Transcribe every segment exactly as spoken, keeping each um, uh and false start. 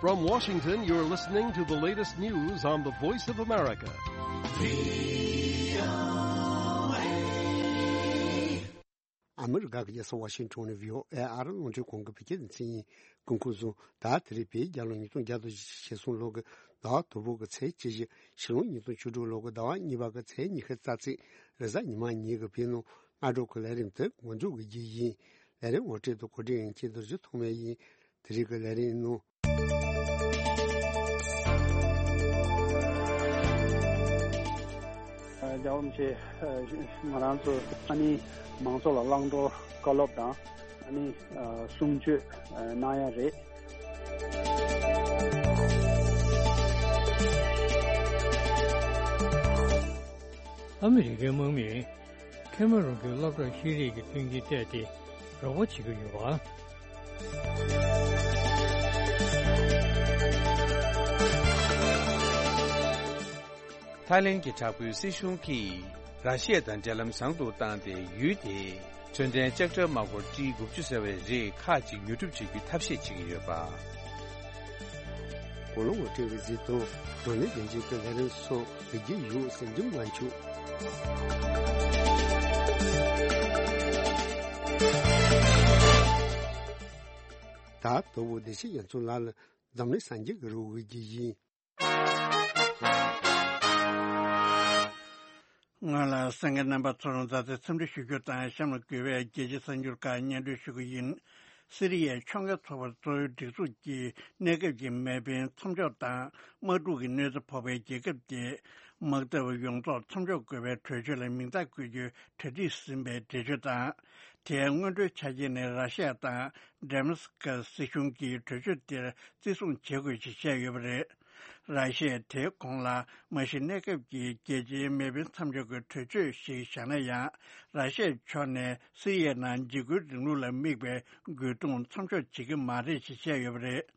From Washington, you're listening to the latest news on the Voice of America. ཨ་མི་རི་ཀ་གི་རྒྱལ་ས་ཝ་ཤིང་ཊོན་ནས་བྷི་ཨོ་ཨེ་ཨ་རི་རླུང་འཕྲིན་ཁང་གི་བོད་སྐད་སྡེ་ཚན་ཡིན། སྐུ་ཁམས་བཟང་། ད་དེ་རིང་བོད་རྒྱལ་ལོ་ཉིས་སྟོང་བརྒྱ་དང་ཞེ་གསུམ་ལོ་གི་ཟླ་བ་དང་པོ་གི་ཚེས་བཅུ་བཞི། ཕྱི་ལོ་ཉིས་སྟོང་བཅུ་དྲུག་ལོ་གི་ཟླ་བ་གཉིས་པ་གི་ཚེས་ཉི་ཤུ་རྩ་གཅིག་རེས་གཟའ་ཉི་མ་ཉིན་གྱི་བོད་ནང་སྔ་དྲོ་གི་ལས་རིམ་དེ་འགོ་འཛུགས་ཀྱི་རྒྱུ་ཡིན། ལས་རིམ་ངོ་སྤྲོད་དང་གོ་སྒྲིག་ཡིན་གཅིག་རྡོ་རྗེ་ཐོགས་མེད་ཡིན། དེ་རིང་གི་ལས་རིམ་ནང་། རྒྱལ་བ་རིན་པོ་ཆེ་ང་རང་ཚོ་ཨ་ནི་མང་ཚོགས་ལ་བླང་དོར་བཀའ་སློབ་དང་ཨ་ནི་གསུང་ཆོས་གནང་ཡ་རེད། ཨ་མི་རི་ཀའི་དམག་མིས་ཁེ་མ་རོན་གྱི་སློབ་གྲྭར་ཤེས་རིག་གི་མཐུན་རྐྱེན་སྤྲད་དེ་རོགས་པ་བྱེད་ཀྱི་ཡོད་པ། ཐའི་ལེན་གྱི་དྲག་པོའི་སྲིད་གཞུང་གིས་ར་ཤི་ཡ་དང་འབྲེལ་ལམ་བཟང་དུ་བཏང་སྟེ། ཡུལ་དེས་འཕྲོད་བསྟེན་ལྕགས་དྲ་དམག་སྒར་ཊི་དགུ་བཅུ་ཟེར་བའི་རིགས་ཁག་ཅིག་ཉོ་སྒྲུབ་བྱེད་རྒྱུའི་ཐབས་ཤེས་བྱེད་ཀྱི་ཡོད་པ། གོ་ལོ་ངོ་སྤྲོད་ཀྱི་གཟིགས་དང་། རང་ནས་རྒྱན་ཆེན་གྱི་ལས་རིམ་སོགས་ལེགས་སྐྱེས་ཡོད་སེམས་ཁྲིམས་ལ་འཆུག་ད་དོ་བོ་བདེ་ཆེན་རྒྱ་མཚོ་ལགས་ལ་འཛམ་གླིང་སངས་རྒྱས་ཀྱི་རི་བོ་གི་རྒྱུ་ཡིན། སྔོན་ལ་གསན་མཁན་རྣམ་པ་ཚོར་མཛའ་བརྩེ་འཚམས་འདྲི་ཞུ་རྒྱུ་དང་། གཤམ་ལ་གུས་པས་རྒྱལ་སྤྱིའི་གསར་འགྱུར་ཁག་སྙན་སྒྲོན་ཞུ་གི་ཡིན། སི་རི་ཡའི་ཕྱོགས་འགལ་ཚོགས་པ་གཙོ་བོའི་སྒྲིག་འཛུགས་ཀྱིས་གནས་སྐབས་ཀྱི་མེ་འཕེན་མཚམས་འཇོག་དང་དམག་འཁྲུག་གི་གནོད་འཚེ་ཕོག་པའི་རྒྱལ་ཁབ་དེ་དམག་འཐབ་ཡོངས་རྫོགས་མཚམས་འཇོག་དགོས་པའི་གྲོས་ཆོད་ལ་མིང་རྟགས་བཀོད་རྒྱུའི་གྲ་སྒྲིག་ཟིན་པའི་འགྲེལ་བརྗོད་དང་། དེའི་སྔོན་འགྲོའི་ཆ་རྐྱེན་ནི་ར་ཤི་ཡ་དང་ཌེ་མཱ་སི་ཀ་སི་སྲིད་གཞུང་གིས་གྲོས་ཆོད་དེར་བརྩི་སྲུང་བྱེད་དགོས་ཞེས་བཤད་ཡོད་པ་རེད། ར་ཤི་ཡས་དེའི་གོང་ལ་མ་གཞི་གནས་སྐབས་ཀྱི་རྒྱལ་སྤྱིའི་མེ་འཕེན་མཚམས་འཇོག་གི་གྲོས་ཆོད་ཞིག་བཞག་ན་ཡང་། ར་ཤི་ཡའི་ཕྱོགས་ནས་སི་རི་ཡའི་ནང་འཇིགས་སྐུལ་རིང་ལུགས་ལ་དམིགས་པའི་རྒོལ་རྡུང་མཚམས་འཇོག་བྱེད་ཀྱི་མ་རེད་ཞེས་བཤད་ཡོད་པ་རེད།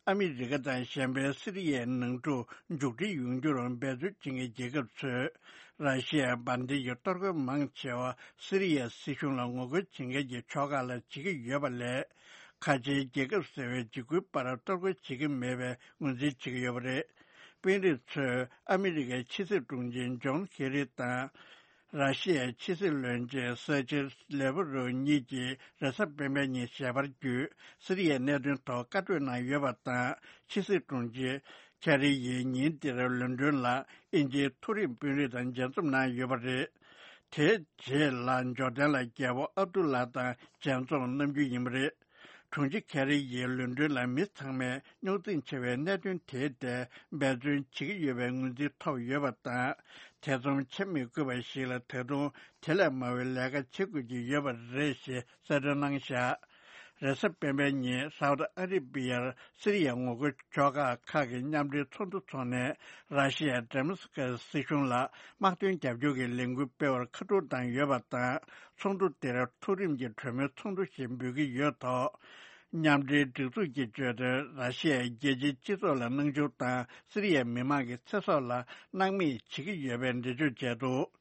ཨ་མི་རི་ཀ་དང་གཞན་པའི་སི་རི་ཡའི་ནང་འཁྲུག་མཇུག་སྒྲིལ་ཡོང་རྒྱུར་འབད་བརྩོན་བྱེད་མཁན་རྒྱལ་ཁབ་ཚོས། ར་ཤི་ཡའི་འབར་མདེལ་གྱི་གཏོར་རྒོལ་མང་ཆེ་བ་སི་རི་ཡའི་སྲིད་གཞུང་ལ་ངོ་རྒོལ་བྱེད་མཁན་གྱི་ཕྱོགས་ཁག་ལ་བྱེད་ཀྱི་ཡོད་པ་ལས། ཁ་ཆེའི་རྒྱལ་ཁབ་ཟེར་བའི་འཇིགས་སྐུལ་པར་གཏོར་རྒོལ་བྱེད་ཀྱི་མེད་པའི་ངོས་འཛིན་བྱེད་ཀྱི་ཡོད་པ་རེད། དཔོན་རིགས་ཚོས་ཨ་མི་རི་ཀའི་ཕྱི་སྲིད་དྲུང་ཆེ་ཇོན་ཁེ་རི་དང་། ར་ཤི་ཡའི་ཕྱི་སྲིད་བློན་ཆེན་སེར་ཇེ་ལེ་བྷ་རོབ་གཉིས་ཀྱིས་རེས་གཟའ་སྤེན་པའི་ཉིན་ཞལ་པར་བརྒྱུད། སི་རི་ཡའི་གནད་དོན་ཐོག་བཀའ་གྲོས་གནང་ཡོད་པ་དང་། ཕྱི་སྲིད་དྲུང་ཆེ་ཁེ་རི་ཡིས་ཉིན་དེར་ལོན་ཌོན་ལ་དབྱིན་ཇིའི་མཐོ་རིམ་དཔོན་རིགས་དང་མཇལ་འཛོམས་གནང་ཡོད་པ་རེད། དེའི་རྗེས་ལ་ཇོར་ཌན་ལ་རྒྱལ་པོ་ཨབ་ཏུ་ལ་དང་མཇལ་འཛོམས་གནང་རྒྱུ་ཡིན་པ་རེད། དྲུང་ཆེ་ཁེ་རི་ཡིས་ལོན་ཌོན་ལ་མི་ཚང་མས་རྙོག་འཛིང་ཆེ་བའི་གནད་དོན་དེའི་ཐད་འབད་བརྩོན་བྱེད་ཀྱི་ཡོད་པའི་ངོས་འཛིན་ཐོབ་ཡོད་པ་དང་། ཐེ་ཚོམ་བྱེད་མི་དགོས་པ་ཞིག་ལ་ད་དུང་དེ་ལས་མང་བའི་ལས་ཀ་བྱེད་དགོས་ཀྱི་ཡོད་པ་རེད་ཞེས་གསལ་སྟོན་གནང་བཞག་རེས་གཟའ་སྤེན་པའི་ཉིན་སའུ་ཏི་ཨ་རི་བི་ཡར་སི་རི་ཡའི་ངོ་རྒོལ་ཕྱོགས་ཁག་ཁག་གི་མཉམ་འབྲེལ་ཚོགས་འདུ་འཚོགས་ནས། ར་ཤི་ཡའི་ཌེ་མཱ་སི་ཀ་སི་སྲིད་གཞུང་ལ་དམག་དོན་རྒྱབ་སྐྱོར་གྱི་ལས་འགུལ་སྤེལ་བར་ཁ་ཐུག་བཏང་ཡོད་པ་དང་། ཚོགས་འདུ་དེར་མཐོ་རིམ་གྱི་གྲོས་མོལ་ཚོགས་འདུ་ཞེས་འབོད་ཀྱི་ཡོད་ཐོག་མཉམ་འབྲེལ་སྒྲིག་འཛུགས་ཀྱིས་བརྗོད་དོན། ར་ཤི་ཡའི་རྒྱལ་སྤྱིའི་སྤྱི་ཚོགས་ལ་སྣང་ཆུང་དང་། སི་རི་ཡའི་མི་མང་གི་ཚེ་སྲོག་ལ་སྣང་མེད་བྱེད་ཀྱི་ཡོད་པའི་འགྲེལ་བརྗོད་བྱས་འདུག་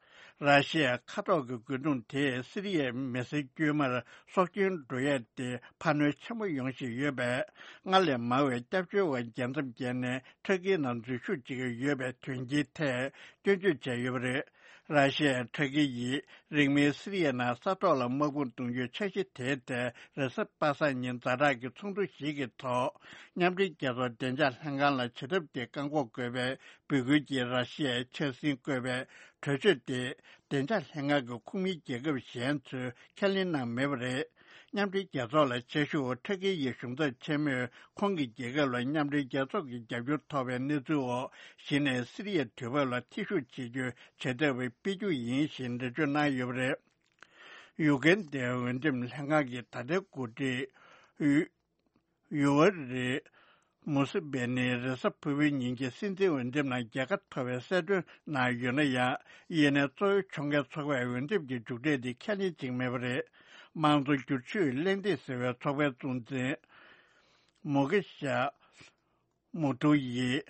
ར་ཤི་ཡའི་མཁའ་ཐོག་གི་རྒོལ་རྡུང་དེས་སི་རི་ཡའི་མི་སེར་དཀྱུས་མར་སྲོག་སྐྱོན་འགྲོ་ཡས་ཏེ་འཕར་སྣོན་ཆེན་པོ་ཡོང་བཞིན་ཡོད་པས། སྔར་ལས་མང་བའི་སྐྱབས་བཅོལ་བ་རྒྱལ་མཚམས་བརྒལ་ནས་ཐར་ཀིའི་ནང་འཛུལ་ཞུགས་བྱེད་ཀྱི་ཡོད་པའི་དོན་རྐྱེན་ཐད་སྐྱོན་བརྗོད་བྱས་ཡོད་པ་རེད། ར་ཤི་ཡས་ཐར་ཀི་ཡིས་རིང་མིན་སི་རི་ཡའི་ནང་ས་ཐོག་ལ་དམག་དཔུང་གཏོང་རྒྱུའི་འཆར་གཞི་དེའི་ཐད་རེས་གཟའ་པ་སངས་ཉིན་ཛ་དྲག་གི་ཚོགས་འདུ་ཞིག་གི་ཐོག་མཉམ་འབྲེལ་རྒྱལ་ཚོགས་བདེ་འཇགས་ལྷན་ཁང་ལ་བྱེད་ཐབས་དེ་བཀག་འགོག་དགོས་པའི་འབོད་སྐུལ་གྱིས་ར་ཤི་ཡའི་འཆར་ཟིན་བཀོད་པའི་གྲོས་ཆོད་དེ་བདེ་འཇགས་ལྷན་ཁང་གི་ཁོངས་མིའི་རྒྱལ་ཁབ་གཞན་ཚོས་ཁས་ལེན་གནང་མེད་པ་རེད། མཉམ་འབྲེལ་རྒྱལ་ཚོགས་ལ་ཆ་ཞུགས། ཐར་ཀི་ཡི་གཞུང་ཚབ་ཆེན་མོས་ཁོང་གི་རྒྱལ་ཁབ་ལ་མཉམ་འབྲེལ་རྒྱལ་ཚོགས་ཀྱི་རྒྱབ་སྐྱོར་ཐོབ་པའི་གནས་ཚུལ་འོག་གཞི་ནས་སི་རི་ཡའི་དུས་བབ་ལ་ཐེ་ཞུགས་བྱེད་རྒྱུའི་བྱེད་ཐབས་སྤེལ་རྒྱུ་ཡིན་ཞེས་འགྲེལ་བརྗོད་གནང་ཡོད་པ་རེད། ཡུ་གན་དའི་འོས་འདེམས་ལྷན་ཁང་གི་ད་ལྟའི་འགོ་ཁྲིད་ཡུ་ཡུ་ཝ་རི་མུ་སི་བེ་ནི་རེས་གཟའ་ཕུར་བུའི་ཉིན་གྱི་སྲིད་འཛིན་འོས་འདེམས་ནང་རྒྱལ་ཁ་ཐོབ་པའི་གསལ་སྟོན་གནང་ཡོད་ན་ཡང་། ཡིན་ནའི་གཙོ་བོའི་ཕྱོགས་འགལ་ཚོགས་པས་འོས་འདེམས་ཀྱི་མཇུག་འབྲས་དེ་ཁས་ལེན་བྱེད་ཀྱི་མེད་པ་རེད། དམངས་གཙོ་བསྒྱུར་བཅོས་གླེང་སྟེགས་ཟེར་བའི་ཚོགས་པའི་གཙོ་འཛིན་མོ་ཀེ་ཤ་མུ་ཐུ་ཡིས་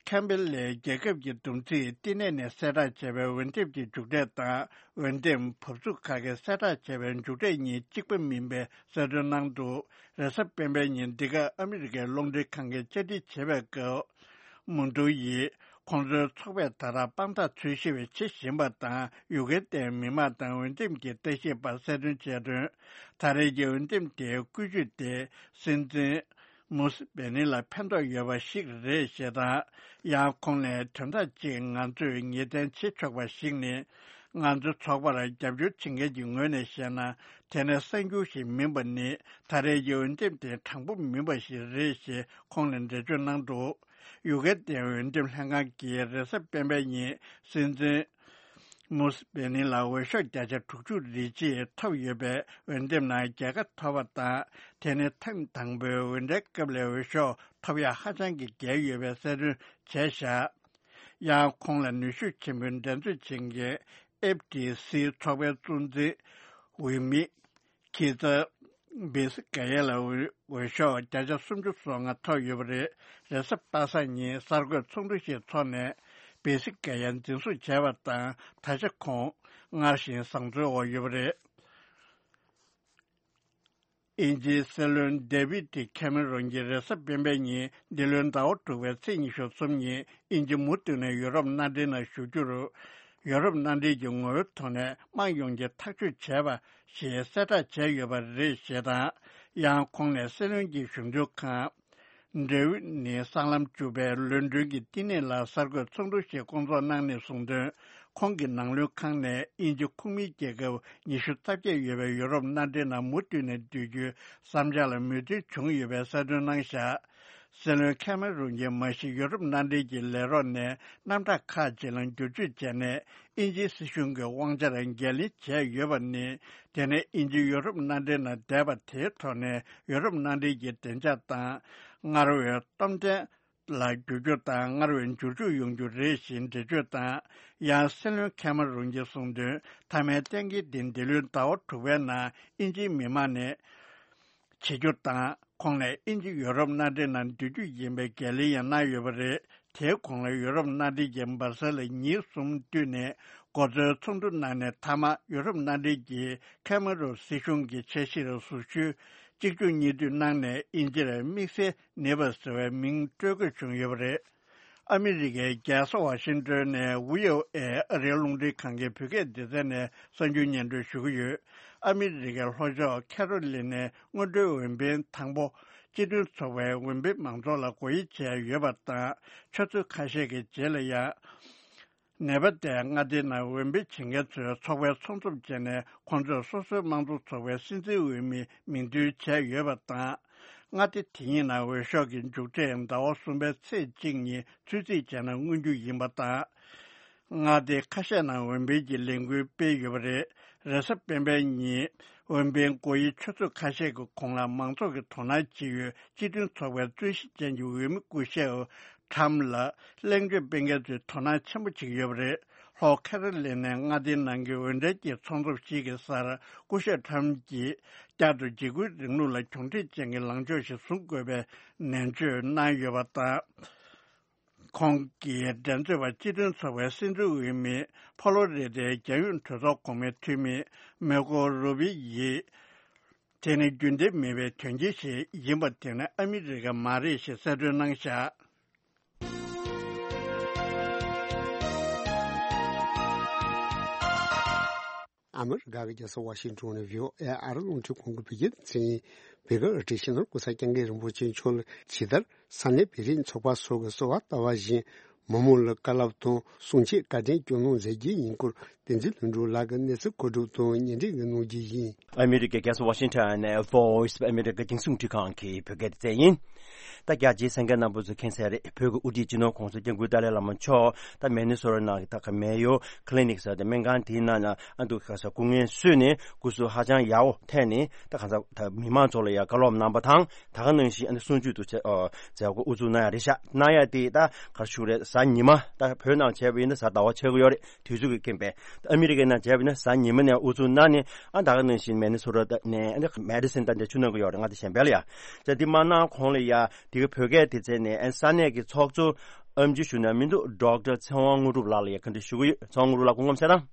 ཁེམ་བྷེ་ལའི་རྒྱལ་ཁབ་ཀྱི་བསྡོམས་རྩིས་བསྟི་གནས་ནས་གསལ་བསྒྲགས་བྱས་པའི་འོས་འདེམས་ཀྱི་མཇུག་འབྲས་དང་། འོས་འདེམས་བབས་ཚུགས་ཁག་གིས་གསལ་བསྒྲགས་བྱས་པའི་མཇུག་འབྲས་གཉིས་གཅིག་པ་མིན་པའི་གསལ་སྟོན་གནང་འདུག་རེས་གཟའ་སྤེན་པའི་ཉིན་འདི་ག་ཨ་མི་རི་ཀའི་རླུང་འཕྲིན་ཁང་གིས་བཅར་འདྲི་བྱེད་པའི་སྐབས། མུ་འབྲེལ་ཡིས་ཁོང་ཚོའི་ཚོགས་པས་ད་ལྟ་དཔང་རྟགས་འཚོལ་ཞིབ་བྱེད་བཞིན་པ་དང་། ཡུ་ཀེ་རེན་མི་མང་དང་འོས་འདེམས་ཀྱི་ལྟ་ཞིབ་པ་གསལ་སྟོན་བྱས་དོན། ད་རེས་ཀྱི་འོས་འདེམས་དེའི་བཀོད་ཇུས་དེ་སྲིད་འཛིན་མུ་སི་བེ་ནི་ལ་ཕན་ཐོགས་ཡོད་པ་ཞིག་རེད་ཞེས་དང་། ཡང་ཁོང་ནས་དོན་དག་ཅིག་ང་ཚོས་ངེས་གཏན་བྱེད་ཆོག་པ་ཞིག་ནི། ང་ཚོའི་ཚོགས་པར་རྒྱབ་སྐྱོར་བྱེད་མཁན་གྱི་ངོས་ནས་བཤད་ན། དེ་ནི་གསར་འགྱུར་ཞིག་མིན་པ་ནི། ད་རེས་ཀྱི་འོས་འདེམས་དེ་དྲང་པོ་མིན་པ་ཞིག་རེད་ཞེས་ཁོང་ནས་འགྲེལ་བརྗོད་གནང་འདུག་ཡུ་ཀེ་རེན་འོས་འདེམས་ལྷན་ཁང་གིས་རེས་གཟའ་སྤེན་པའི་ཉིན་སྲིད་འཛིན་མུ་སི་བེ་ནི་ལ་འོས་ཤོག་བརྒྱ་ཆ་དྲུག་ཅུ་རེ་གཅིག་ཐོབ་ཡོད་པས། འོས་འདེམས་ནང་རྒྱལ་ཁ་ཐོབ་པ་དང་། དེ་ནི་ཐེངས་དང་པོའི་འོས་འགྲན་སྐབས་ལས་འོས་ཤོག་ཐོབ་ཡག་ཧ་ཅང་གི་བརྒལ་ཡོད་པའི་གསལ་སྟོན་བྱས་བཞག་ཡང་ཁོང་ལ་ནུས་ཤུགས་ཆེན་པོས་འགྲན་རྩོད་བྱེད་མཁན་ཨེཕ་ཊི་སི་ཚོགས་པའི་གཙོ་འཛིན་འོས་མི་ཁི་ཙ་བེ་སི་ཀ་ཡ་ལ་འོས་ཤོག་བརྒྱ་ཆ་སུམ་ཅུ་སོ་ལྔ་ཐོབ་ཡོད་པ་རེད། རེས་གཟའ་པ་སངས་ཉིན་གསར་འགོད་ཚོགས་འདུ་ཞིག་འཚོགས་ནས་བེ་སི་ཀ་ཡ་འཛིན་བཟུང་བྱས་པ་དང་། ད་ཆ་ཁོང་སྔར་བཞིན་བཟང་བཙོན་འོག་ཡོད་པ་རེད། དབྱིན་ཇིའི་སྲིད་བློན་ཌེ་བིད་ཁེ་མེ་རོན་གྱིས་རེས་གཟའ་སྤེན་པའི་ཉིན་འདི་ལོའི་ཟླ་བ་དྲུག་པའི་ཚེས་ཉི་ཤུ་གསུམ་ཉིན་དབྱིན་ཇི་མུ་མཐུད་ནས་ཡུ་རོབ་མནའ་འབྲེལ་ནང་ཞུགས་རྒྱུར། ཡུ་རོབ་མནའ་འབྲེལ་གྱི་ངོ་བོའི་ཐོག་ནས་དམངས་ཡོངས་ཀྱིས་ཐག་གཅོད་བྱས་པ་ཞེས་གསལ་བསྒྲགས་བྱས་ཡོད་པ་རེད་ཞེས་དང་། ཡང་ཁོང་ནས་སྲིད་བློན་གྱི་གཞུང་དོན་ཁང་འབྲེལ་ཡོད་ནི་སྲང་ལམ་བཅུ་པའི་ལོན་ཌོན་གྱི་བསྟི་གནས་ལ་གསར་འགོད་ཚོགས་འདུ་ཞིག་བསྐོང་ཚོགས་གནང་ནས་གསུངས་དོན། ཁོང་གི་ནང་བློན་ཁང་ནས་དབྱིན་ཇི་ཁོངས་མིའི་རྒྱལ་ཁབ་ཉི་ཤུ་རྩ་བརྒྱད་ཡོད་པའི་ཡུ་རོབ་མནའ་འབྲེལ་ནང་མུ་མཐུད་ནས་སྡོད་རྒྱུའི་བསམ་འཆར་ལ་མོས་མཐུན་བྱུང་ཡོད་པའི་གསལ་སྟོན་གནང་བཞག་སྲིད་བློན་ཁེ་མེ་རོན་གྱིས་མ་གཞི་ཡུ་རོབ་མནའ་འབྲེལ་གྱི་ལས་རོགས་ནས་རྣམ་གྲངས་ཁག་ཅིག་ལ་བསྒྱུར་བཅོས་བྱས་ནས། དབྱིན་ཇིའི་སྲིད་གཞུང་གི་དབང་ཆར་འགན་ལེན་བྱས་ཡོད་པ་ནི། དེ་ནས་དབྱིན་ཇི་ཡུ་རོབ་མནའ་འབྲེལ་ནང་བསྡད་པ་དེའི་ཐོག་ནས་ཡུ་རོབ་མནའ་འབྲེལ་གྱི་བདེ་འཇགས་དང་། སྔར་བས་སྟོབས་ལྡན་ལ་འགྱུར་རྒྱུ་དང་། སྔར་བས་འགྱུར་ལྡོག་ཡོང་རྒྱུ་རེད་ཞེས་འགྲེལ་བརྗོད་དང་། ཡང་སྲིད་བློན་ཁེ་མ་རོན་གྱིས་གསུངས་དོན། མཐའ་མའི་གཏན་འཁེལ་འདི་འདི་ལོའི་ཟླ་བ་དྲུག་པའི་ནང་དབྱིན་ཇིའི་མི་མང་ནས་བྱེད་རྒྱུ་དང་། ཁོང་ནས་དབྱིན་ཇི་ཡོ་རོབ་མནའ་འབྲེལ་ནང་འདུས་རྒྱུ་ཡིན་པའི་འགན་ལེན་ཡང་གནང་ཡོད་པ་རེད། དེའི་གོང་ལ་ཡོ་རོབ་མནའ་འབྲེལ་གྱིས་འབར་སེལ་ལ་ཉིན་གསུམ་བསྟུད་ནས་མགོ་གཙོའི་ཚོགས་འདུ་གནང་ནས། མཐའ་མ་ཡོ་རོབ་མནའ་འབྲེལ་གྱིས་ཁེ་མ་རོན་སྲིད་གཞུང་གི་འཆར་གཞིར་ཟུར་ཞུའི་གཅིག་མཇུག་གཉིས་མཐུད་གནང་ནས། དབྱིན་ཇིར་དམིགས་བསལ་ནེ་བར་ཟེར་བའི་མིང་སྤྲོད་དགོས་བྱུང་ཡོད་པ་རེད། ཨ་མི་རི་ཀའི་རྒྱལ་ས་ཝ་ཤིང་ཏོན་ནས་བྷི་ཨོ་ཨེ་ཨ་རིའི་རླུང་འཕྲིན་ཁང་གི་བོད་སྐད་སྡེ་ཚན་ནས་གསར་འགྱུར་སྙན་སྒྲོན་ཞུ་གི་ཡོད། ཨ་མི་རི་ཀའི་ལྷོ་ཕྱོགས་ཁེ་རོ་ལི་ནའི་སྔོན་འགྲོའི་འོས་འཕེན་དང་པོ་སྤྱི་མཐུན་ཚོགས་པའི་འོས་འཕེན་མང་ཚོགས་ལ་སྒོ་དབྱེ་བྱས་ཡོད་པ་དང་། ཆུ་ཚོད་ཁ་ཤས་ཀྱི་རྗེས་ལ་ཡང་ནེ་པ་ཏའི་མངའ་སྡེའི་ནང་འོས་འཕེན་བྱེད་མཁན་ཚོས་ཚོགས་པའི་ཚོགས་འཛོམས་བྱས་ནས། ཁོང་ཚོས་སོ་སོའི་དམངས་གཙོ་ཚོགས་པའི་སྲིད་འཛིན་འོས་མི་མིང་འདོན་བྱས་ཡོད་པ་དང་། མངའ་སྡེ་དེ་གཉིས་ནང་འོས་ཤོག་གི་མཇུག་འབྲས་ཟླ་བ་གསུམ་པའི་ཚེས་གཅིག་ཉིན་ཚོད་རྩིས་བྱས་ན་མངོན་རྒྱུ་ཡིན་པ་དང་། མངའ་སྡེ་ཁ་ཤས་ནང་འོས་འཕེན་གྱི་ལས་འགུལ་སྤེལ་ཡོད་པ་རེད། རེས་གཟའ་སྤེན་པའི་ཉིན་འོས་འཕེན་སྒོ་དབྱེ་ཆུ་ཚོད་ཁ་ཤས་ཀྱི་གོང་ལ་མང་ཚོགས་ཀྱིས་དོ་སྣང་བྱེད་ཡུལ་སྤྱི་མཐུན་ཚོགས་པའི་རྩོད་གཞི་ཅན་གྱི་འོས་མི་སྐུ་ཞབས་ཁྲམ་ལ་གླེང་བརྗོད་སྤེལ་མཁན་ཚོས་དོ་སྣང་ཆེན་པོ་བྱེད་ཀྱི་ཡོད་པ་རེད། ལྷོ་ཁེ་རོ་ལི་ནའི་མངའ་སྡེའི་ནང་གི་འོས་འགྲན་གྱི་ཚོགས་འཛོམས་ཤིག་གི་སར་སྐུ་ཞབས་ཁྲམ་གྱིས་བསྐྱར་དུ་འཇིགས་སྐུལ་རིང་ལུགས་ལ་གྱོང་འཕྲད་ཅན་གྱི་ལངས་ཕྱོགས་ཤིག་བཟུང་དགོས་པའི་ནན་བརྗོད་གནང་ཡོད་པ་དང་། ཁོང་གིས་འགྲན་རྩོད་པ་སྤྱི་མཐུན་ཚོགས་པའི་སྲིད་འཛིན་འོས་མི་ཕོ་ལོ་རི་དའི་རྒྱལ་ཡོངས་གྲོས་ཚོགས་གོང་མའི་འཐུས་མི་མེ་ཀོ་རུ་བི་ཡིས། དེ་ནི་རྒྱུན་ལྡན་མིན་པའི་དོན་རྐྱེན་ཞིག་ཡིན་པ་དེ་ནི་ཨ་མི་རི་ཀ་མ་རེད་ཞེས་གསལ་སྟོན་གནང་བཞག་ཨ་མི་རི་ཀ་གི་རྒྱལ་ས་ཝ་ཤིང་ཏོན་ནས་བྷི་ཨོ་ཨེ་ཨ་རི་རླུང་འཕྲིན་ཁང་གི་བོད་སྐད་སྡེ་ཚན་ཡིན། བོད་སྐད་ཨ་ཁྲིད་ཤེས་ནོར་སྐུ་ཚབ་སྐྱབས་མགོན་རིན་པོ་ཆེ་མཆོག་ལ་ཇི་ལྟར་ས་གནས་བོད་རིགས་ཚོགས་པ་སོགས་ཀྱི་གསོལ་བ་བཏབ་པ་བཞིན། མི་མང་ལ་བཀའ་སློབ་དང་གསུང་ཆོས་བཀའ་དྲིན་སྐྱོན་གནང་མཛད་རྒྱུ་ཡིན་སྐོར། བསྟན་འཛིན་ལྷུན་གྲུབ་ལགས་ཀྱིས་གནས་ཚུལ་གོ་སྒྲིག་དང་སྙན་སྒྲོན་གནང་རྒྱུ་ཡིན། ཨ་མི་རི་ཀའི་རྒྱལ་ས་ཝ་ཤིང་ཊོན་ནས་Voice of America་རྒྱང་སྲིང་འཕྲིན་ཁང་གི་བོད་སྐད་སྡེ་ཚན་ཡིན། ད་རྒྱ་ཆེའི་གསན་མཁན་རྣམ་པ་ཚོས་མཁྱེན་གསལ་རེད། བོད་ཀྱི་དབུ་ཁྲིད་སྤྱི་ནོར་གོང་ས་སྐྱབས་མགོན་ཏཱ་ལའི་བླ་མ་མཆོག་ད་མེ་ནི་སོ་ཊ་ནང་གི་ད་ག་མེ་ཡོ་ཀི་ལི་ནིག་ཟེར་ཏེ་སྨན་ཁང་དེའི་ནང་ལ་ཨ་འདུག་ག་ས་སྐུ་ངལ་གསོས་ནས་སྐུ་གཟུགས་ཧ་ཅང་ཡག་པོ་ཐོན་ནས། ད་ག་ས་ད་མི་མང་ཚོ་ལ་ཡང་བཀའ་སློབ་གནང་པ་དང་། ད་ག་ནང་བཞིན་ཨ་ནི་གསུང་ཆོས་དུ་བྱ་ཨོ་མཛད་སྒོ་དབུ་འཛུགས་གནང་ཡ་རེད་ཤག་གནང་ཡ་དེ་ད་ག་རེ་ཞུ་རེད། གཟའ་ཉི་མ། ད་བོད་ནང་བྱས་པ་ཡིན་ན་གཟའ་ཟླ་བ་ཆགས་ཀྱི་ཡོད་རེད། དུས་ཚོད་ཀྱི་རྐྱེན་པས། ད་ཨ་མི་རི་ཀའི་ནང་བྱས་པ་ཡིན་ན་གཟའ་ཉི་མ་ནས་དབུ་འཛུགས་གནང་ནས། ཨ་ད་ག་ནང་བཞིན་མེ་ནི་སོ་ཊ་ནས་ཨ་ནི་མེ་ཌི་སན་ད་འདིར་ཆུ་གནང་གི་ཡོད་རེད། ང་དེ་གཞན་པ་ལ་ཡ། ད་འདི་མ་གནང་གོང་ལ་ཡ་འདི་ག་བོད་སྐད་སྡེ་ཚན་ནས་ཨ་ནི་ས་གནས་ཀྱི་ཚོགས་གཙོ་ ཨེམ་ཆི་ཞུ་ན་མི་འདུག་ཌོག་ཊར་ཚེ་དབང་དངོས་གྲུབ་ལགས་ལ་ཡ་ག་འདྲ་ཞུ་གི་ཡོད། ཚེ་དབང་དངོས་གྲུབ་ལགས་སྐུ་ཁམས་གསལ་ཐང་།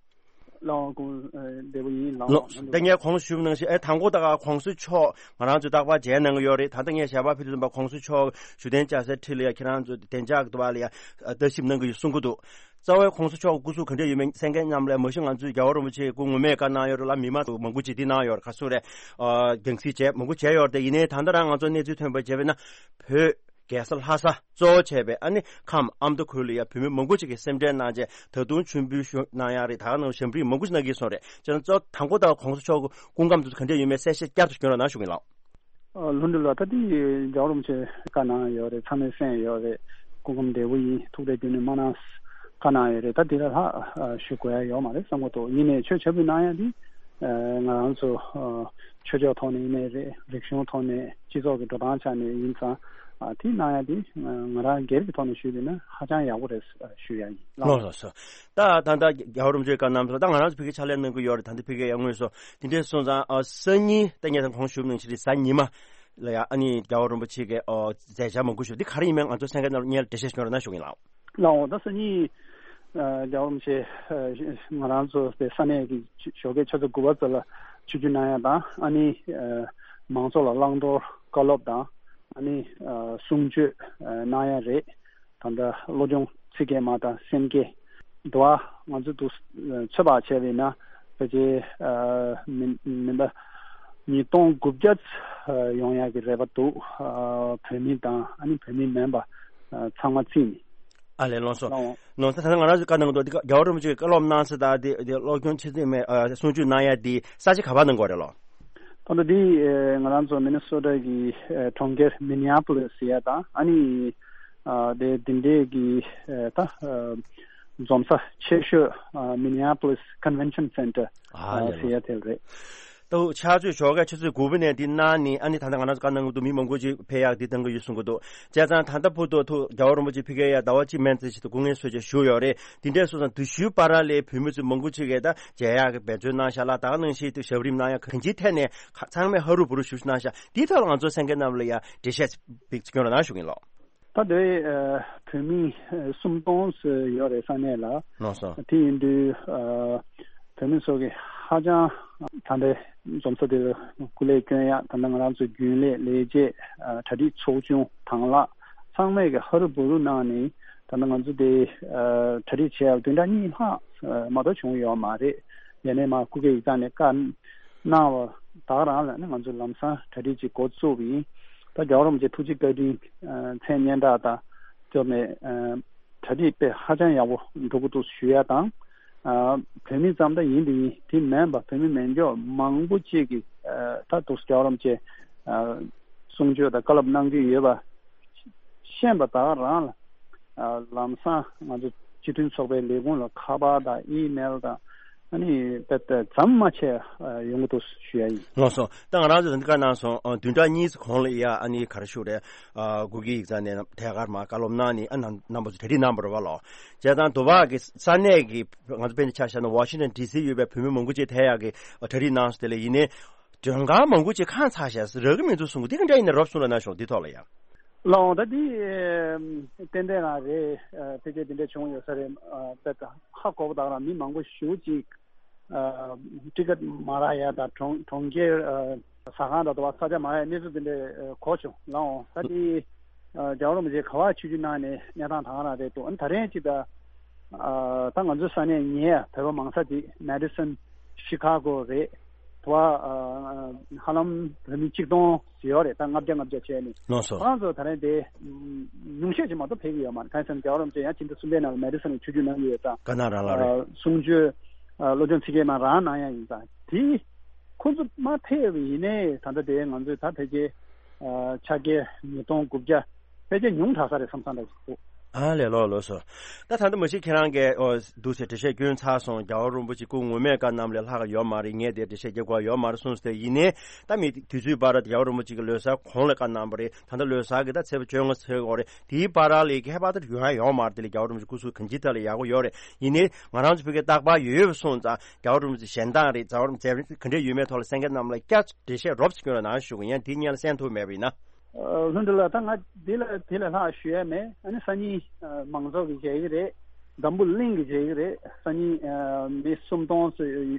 ལགས་སྐུ་ཨ་བདེ་པོ་ཡིན་ལགས། ལགས་ད་ངས་གོང་ཞུས་པ་ནང་བཞིན་ཨེ་དང་པོ་ད་ག་གོང་ས་མཆོག་ང་རང་ཚོའི་རྟག་པར་མཇལ་གནང་གི་ཡོད་རེད། ད་ལྟ་ངས་ཞལ་པར་ཕུལ་དུས་ཙམ་པ་གོང་ས་མཆོག་བཞུགས་གདན་བཅར་སའི་འཁྲིས་ལ་ཡ་ཁྱེད་རང་ཚོ་བདེ་འཇགས་ཀྱི་འདུག་པ་ལ་ཡ་ལྟ་ཞིབ་གནང་གི་ཡོད་གསུང་གི་འདུག་རྩ་བའི་གོང་ས་མཆོག་གི་སྐུ་གཟུགས་ག་འདྲ་ཡོད་མེད་གསན་མཁན་རྣམས་ལ་མ་གཞི་ང་ཚོས་རྒྱལ་བ་རིན་པོ་ཆེ་སྐུ་ངོ་མས་བཀའ་གནང་ཡོད་རེད་ལ། མི་མང་ཚོ་མང་པོ་ཅིག་འདི་གནང་ཡོད་རེད། ག་སུ་རེད། ཨ་རྒྱང་སྲིང་བྱས་མང་པོ་བྱས་ཡོད་རེད། དེ་ཡིན་ནའི་ད་ལྟ་རང་ང་ཚོ་གནས་ཚུལ་ཐོན་པ་བྱས་པས་ན་བོད་རྒྱལ་ས་ལྷ་ས་གཙོ་བོ་བྱས་པའི་ཨ་ནི་ཁམས་ཨ་མདོ་ཁུལ་ལ་ཡ་བོད་མི་མང་པོ་ཅིག་གིས་སེམས་ཁྲལ་གནང་བྱས་ད་དུང་མཆོད་འབུལ་ཞུ་གནང་ཡག་རེད། ད་ག་ནང་ཞབས་འདྲེན་མང་པོ་ཞིག་གནང་གི་སོང་རེད། བྱས་ན་གཙོ་དང་པོ་ད་གོང་ས་མཆོག་གི་སྐུ་ཁམས་དེ་ཚོ་ག་འདྲ་ཡོད་མེད་གསལ་བཤད་བསྐྱར་དུ་སྐྱོན་རོགས་གནང་ཞུ་གི་ཡིན་ལགས། ཨ་ལྷུན་གྲུབ་ལགས། ད་འདི་རྒྱལ་བ་རིན་པོ་ཆེ་བཀའ་གནང་ཡོད་རེད། ཚང་མས་གསན་ཡོད་རེད། སྐུ་ཁམས་བདེ་པོ་ཡིན། ཐུགས་རྗེ་ཆེ་ནས་མ་གནང་བཀའ་གནང་ཡོད་རེད། ད་འདི་ལས་ལྷག་ཨ་ཞུ་དགོས་ཡ་ཡོད་མ་རེད་བསམ་གྱི་འདུག་ཡིན་ནའི་ཆོས་ཕྱག་འབུལ་གནང་ཡ་འདི་ཨ་ང་རང་ཚོ་ཨ་ཆོས་ཕྱོགས་ཐོག་ནས་ཡིན་ནའི་རེད། རིག་གཞུང་ཐོག་ནས་སྤྱི་ཚོགས་ཀྱི་འགྲོ་སྟངས་ཆ་ནས་ཡིན་ཙང་ཨ་དེ་གནང་ཡ་འདི་ང་རང་སྒེར་གྱི་ཐོག་ནས་ཞུས་པ་ཡིན་ན་ཧ་ཅང་ཡག་པོ་རེད་ཞུ་ཡ་ཡིན་ལགས། ལགས་སོ། ད་ད་ལྟ་རྒྱལ་བ་རིན་པོ་ཆེས་བཀའ་གནང་སོང་། ད་ང་རང་ཚོ་ཕ་གིར་ཕྱག་ལས་གནང་གི་ཡོད་རེད། ད་ལྟ་ཕ་གིར་ཡར་ངོས་སུ་དེ་འདྲས་སོང་ཙང་ཨ་སང་ཉིན་ད་ངས་ད་གོང་ཞུས་པ་ནང་བཞིན་རེད། གཟའ་ཉི་མ་ལ་ཡ་ཨ་ནི་རྒྱལ་བ་རིན་པོ་ཆེ་གི་ཨོ་མཛད་འཆར་མང་པོ་ཞིག་འདི་ག་རེ་ཡིན་མིན་ང་ཚོ་གསན་མཁན་རྣམས་ལ་སྔོན་ལ་འགྲེལ་བཤད་ཞུ་རོགས་གནང་ཞུ་གི་ཡིན་ལགས། ལགས་འོང་། ད་སང་ཉིན་ཨ་རྒྱལ་བ་རིན་པོ་ཆེ་ཨ་ང་རང་ཚོ་དེ་ས་གནས་ཀྱི་ཞོགས་ཀའི་ཆུ་ཚོད་དགུ་པ་ཙམ་ལ་ཆིབས་བསྒྱུར་གནང་ཡ་དང་ཨ་ནི་ཨ་མང་ཚོགས་ལ་བླང་དོར་བཀའ་སློབ་དང་ཨ་ནི་ཨ་གསུང་ཆོས་ཨ་གནང་ཡ་རེད། ད་ལྟ་བློ་སྦྱོང་ཚིག་བརྒྱད་མ་དང་སེམས་བསྐྱེད་འདུག་ཨ། ང་ཚོ་འདུག་ཚོད་དཔག་བྱས་པ་ཡིན་ན་ཕལ་ཆེར་ཨ་མི་མི་ཟླ་ཉིས་སྟོང་དགུ་བརྒྱ་ཨ་ཡོང་ཡག་གི་རེ་བ་འདུག་ཨ་བོད་མི་དང་ཨ་ནི་བོད་མི་མིན་པ་ཨ་ཚང་མ་བརྩིས་ནས། ཨ་ལས་ལགས་སོ། ལགས་འོང་། ལགས་སོ། ད་ལྟ་ང་རང་ཚོ་བཀའ་གནང་གི་འདུག་འདི་རྒྱལ་བ་རིན་པོ་ཆེས་བཀའ་སློབ་གནང་ས་དང་དེ་དེ་སློབ་སྦྱོང་ཆེད་དུ་མེད་ཨ་གསུང་ཆོས་གནང་ཡ་དེ་ས་ཆ་ག་པར་གནང་དགོས་རེད་ལགས། ད་ལྟ་འདི་ཨེ་ང་རང་ཚོ་མི་ནི་སོ་ཊ་གི་ཨེ་གྲོང་ཁྱེར་མི་ནི་ཨ་པོ་ལིས་ཟེར་ཡ་དང་ཨ་ནི་ཨ་དེ་འདི་འདྲས་ཀྱི་ཨེ་ད་ཨ་འཛོམས་ས་ཆེ་ཤོས་ཨ་མི་ནི་ཨ་པོ་ལིས་ཀོན་ཝེན་ཤན་སེན་ཊར་ཨ་ཨ་ལས་ཟེར་ཡ་དེ་རེད། ད་ཕྱག་ཚོད་ཞོགས་ཀའི་ཆུ་ཚོད་དགུ་པ་ནས་འདི་གནང་ནས་ཨ་ནི་ད་ལྟ་ང་རང་ཚོ་བཀའ་གནང་གི་འདུག་མི་མང་པོ་ཅིག་ཕེབས་ཡག་འདི་གཏང་གི་ཡོད་གསུང་གི་འདུག་བྱས་ཙང་ད་ལྟ་བར་དུ་ཐུགས་རྒྱལ་བ་རིན་པོ་ཆེ་ཕ་གིར་ཡ་ཟླ་བ་གཅིག་མན་ཙམ་ཞིག་ཏུ་སྐུ་ངལ་གསོ་བྱས་བཞུགས་ཡོད་རེད། འདི་འདྲས་སོང་ཙང་དུས་ཚོད་བར་ལ་བོད་མི་ཚོ་མང་པོ་ཅིག་གིས་ད་མཇལ་ཡག་གི་འབད་བརྩོན་གནང་ཤག་ལ་ད་ག་ནང་བཞིན་དུ་ཞབས་རིམ་གནང་ཡག་གང་ཅིའི་ཐད་ནས་ཚང་མས་ཧ་རུ་བུ་རུ་ཞུ་ཞུ་གནང་ཤག་འདིའི་ཐོག་ལ་ང་ཚོ་གསན་མཁན་རྣམས་ལ་ཡང་འགྲེལ་བཤད་ཅིག་སྐྱོན་རོགས་གནང་ཞུ་གི་ཡིན་ལགས། ད་དེ་ཨ་བོད་མི་ཨ་སུམ་སྟོང་ཙམ་ཡོད་རེད་ས་གནས་ལ། ལགས་སོ། དེ་ཡིན་དུས་ཨ་བོད་མི་ཚོ་གི་ཧ་ཅང་ད་ལྟའི་འཛོམས་ས་དེ་ལ་སྐུ་ལས་སྐྱོན་ཡག་ད་ལྟ་ང་རང་ཚོའི་རྒྱུན་ལས་ལས་བྱེད་ཨ་གྲ་སྒྲིག་ཚོགས་ཆུང་དང་བླངས་ཚང་མས་གི་ཧ་རུ་བུ་རུ་གནང་ནས་ད་ལྟ་ང་ཚོ་དེ་ཨ་གྲ་སྒྲིག་བྱས་ཡག་བདུན་ཕྲག་གཉིས་ལྷག་ཨ་མ་གཏོགས་བྱུང་ཡོད་མ་རེད། ཡ་ནས་མ་སྐུ་སྒེར་ཡིག་ཚང་ནས་བཀའ་གནང་བ་ད་ག་རང་ལ་ནི་ང་ཚོ་ལམ་སང་གྲ་སྒྲིག་ཅིག་འགོ་བཙུགས་པ་ཡིན། ད་རྒྱལ་བ་རིན་པོ་ཆེ་ཐུགས་རྗེ་བཀའ་དྲིན་ཨ་མཚན་སྙན་གྲགས་དང་སྐྱོབ་ནས་ཨ་གྲ་སྒྲིག་དཔེ་ཧ་ཅང་ཡག་པོ་འགྲོ་གི་འདུག་ཞུ་ཡ་དང་། ཨ་བོད་མི་ཙམ་ད་ཡིན་དེ་ཡིན་དེ་མིན་པ་བོད་མི་མེད་མཁན་མང་པོ་ཅིག་གིས་ཨ་ད་འདུག་རྒྱལ་བ་རིན་པོ་ཆེ་ཨ་གསུང་ཆོས་དང་བཀའ་སློབ་གནང་གི་ཡོད་པ་ཤེས་པ་ད་ག་རང་ལ་ཨ་ལམ་སང་ང་ཚོ་སྤྱི་མཐུན་ཚོགས་པའི་ལས་ཁུངས་ལ་ཁ་པར་དང་ཨི་མེལ་དང་ཨ་ནི་ད་ད་ཙམ་མ་ཆད་ཨ་ཡོང་གི་འདུག་ཞུ་ཡ་ཡིན། ལགས་སོ། ད་ང་རང་ཚོ་འདི་ག་གནང་སོང་ཨ་བདུན་ཕྲག་གཉིས་ཙམ་གོང་ལ་ཡ་ཨ་ནི་ག་རེ་ཞུ་རེད། ཨ་སྐུ་སྒེར་ཡིག་ཚང་ནས་ཐད་ཀར་མ་བཀའ་སློབ་གནང་ནས་ཨ་རྣམ་རྣམ་པ་ཚོ་གྲ་སྒྲིག་གནང་བ་རེད་བ་ལགས། བྱས་ཙང་དུ་བ་གི་ས་གནས་ཀྱི་ང་ཚོ་དཔེར་ན་ཆ་བཞག་ན་ཝ་ཤིང་ཊོན་ཌི་སི་ཡོད་པའི་བོད་མི་མང་པོ་ཅིག་ཐད་ཡག་གི་གྲ་སྒྲིག་གནང་སོང་། དེ་ལ་ཡིན་ནའི་མགྲོན་ཁང་མང་པོ་ཅིག་ཁང་ཚ་ཞེས་རག་གི་མི་འདུག་གསུང་གི་འདི་ག་འདྲ་ཡིན་ན་རོབ་གསུང་རོགས་གནང་ཞུ་འདི་ཐོག་ལ་ཡ། ལགས་འོང་། ད་འདི་ཨེམ་ཏན་ཏན་རང་རེད། ཨ་ཕལ་ཆེར་འདི་འདྲ་བྱུང་ཡོད་ས་རེད། ཨ་དཔེ་ད་ཧ་གོ་བ་དག་རང་མི་མང་པོ་ཞེ་པོ་ཅིག་ཨ་ཊི་ཀེ་ཊི་མ་རག་ཡ་དང་གྲོང་གྲོང་ཁྱེར་ཨ་ཟ་ཁང་དང་དུ་བ་ས་ཆ་མ་ཡ་གནས་ཚུལ་འདི་འདྲ་ཨ་གོ་བྱུང་། ལགས་འོང་། ད་འདི་ཨ་རྒྱལ་བ་རིན་པོ་ཆེ་ག་པར་ཆིབས་བསྒྱུར་གནང་ནས་གནས་སྟངས་དག་རང་རེད་འདུག་ཨ་ནི་ད་རེས་ཅིག་ད་ཨ་ད་ང་ཚོའི་ས་གནས་ཉེ་ཡ་བོད་པ་མང་ས་ཅིག་མེ་ཌི་སོན་ཤི་ཁ་གོ་རེད། དུ་བ་ཨ་ཧ་ལམ་བོད་མི་གཅིག་སྟོང་ཡོད་རེད། ད་ལྔ་བརྒྱ་ལྔ་བརྒྱ་བྱས་ནས། ལགས་སོ། ཁོ་རང་ཚོ་ད་རེས་དེ་ཉུང་ཤས་ཅིག་མ་གཏོགས་ཕེབས་ཀྱི་ཡོད་མ་རེད། གང་ཡིན་ཟེར་ན་རྒྱལ་བ་རིན་པོ་ཆེ་ཡང་ཕྱི་ཟླ་གསུམ་པའི་ནང་ལ་མེ་ཌི་སོན་ལ་ཆིབས་བསྒྱུར་གནང་གི་ཡོད་ཙང་། དཀར་ནག་རང་ལ་རེད། ཨ་གསུང་ཆོས་ཨ་བློ་སྦྱོང་ཚིག་བརྒྱད་མ་རང་གནང་ཡ་ཡིན་ཙང་དེ་ཁོ་ཚོ་མ་ཕེབས་པ་ཡིན་ནའི་ད་ལྟ་དེ་ང་ཚོས་ད་ཕལ་ཆེར་ཨ་ཕྱག་འཁྱེར་ཉིས་སྟོང་དགུ་བརྒྱ་ཕལ་ཆེར་ཉུང་དྲགས་ས་རེད་བསམ་བསམ་འདྲ་ཞིག་འདུག་ཨ་ལས། ལགས་ལགས་སོ། ད་ད་ལྟ་མ་གཞི་ཁྱེད་རང་གིས་ཨོ་འདུག་སེ་འགྲེལ་བཤད་སྐྱོན་ཚར་སོང་། རྒྱལ་བ་རིན་པོ་ཆེ་སྐུ་ངོ་མས་བཀའ་གནང་ལས་ལྷག་ཡོད་མ་རེད། ངས་དེ་འགྲེལ་བཤད་རྒྱག་དགོས་ཡོད་མ་རེད་གསུངས་ཏེ། ཡིན་ནའི་ད་མི་དུས་ཚོད་བར་རྒྱལ་བ་རིན་པོ་ཆེ་གི་ལོ་གསར་གོང་ལ་བཀའ་གནང་བ་རེད། ད་ལྟ་ལོ་གསར་གི་ད་ཚེས་པ་བཅོ་ལྔ་ཚེས་འགོ་རེད། དེའི་བར་ལ་ཁྱད་པར་དུ་ཡོང་ཡ་ཡོད་མ་རེད། དེ་ལས་རྒྱལ་བ་རིན་པོ་ཆེ་སྐུ་གཟུགས་གང་ཅིའི་ཐད་ལ་ཡག་པོ་ཡོད་རེད། ཡིན་ནའི་ང་རང་ཚོ་བོད་སྐད་རྟག་པར་ཡོད་ཡོད་པ་སོང་ཙང་རྒྱལ་བ་རིན་པོ་ཆེ་གཞན་དང་རེད། རྒྱལ་བ་རིན་པོ་ཆེ་ག་འདྲ་ཡོད་མེད་ཐོག་ལ་གསན་མཁན་རྣམས་ལ་བསྐྱར་འགྲེལ་བཤད་རོབ་ཙམ་སྐྱོན་རོགས་གནང་ཞུ་གི་ཡིན། དེ་སྔོན་ལ་གསན་ཐུབ་མེད་པ་ཡིན་ན། ལྷུན་གྲུབ་ལགས། ད་ང་འདི་ལ་དེ་ལས་ལྷག་ཞུ་ཡ་མེད། ཨ་ནི་སང་ཉིན་མང་ཚོགས་ཀྱིས་མཇལ་གྱི་རེད། འཛམ་བུ་གླིང་གིས་མཇལ་གྱི་རེད། སང་ཉིན་མི་སུམ་སྟོང་ཙམ་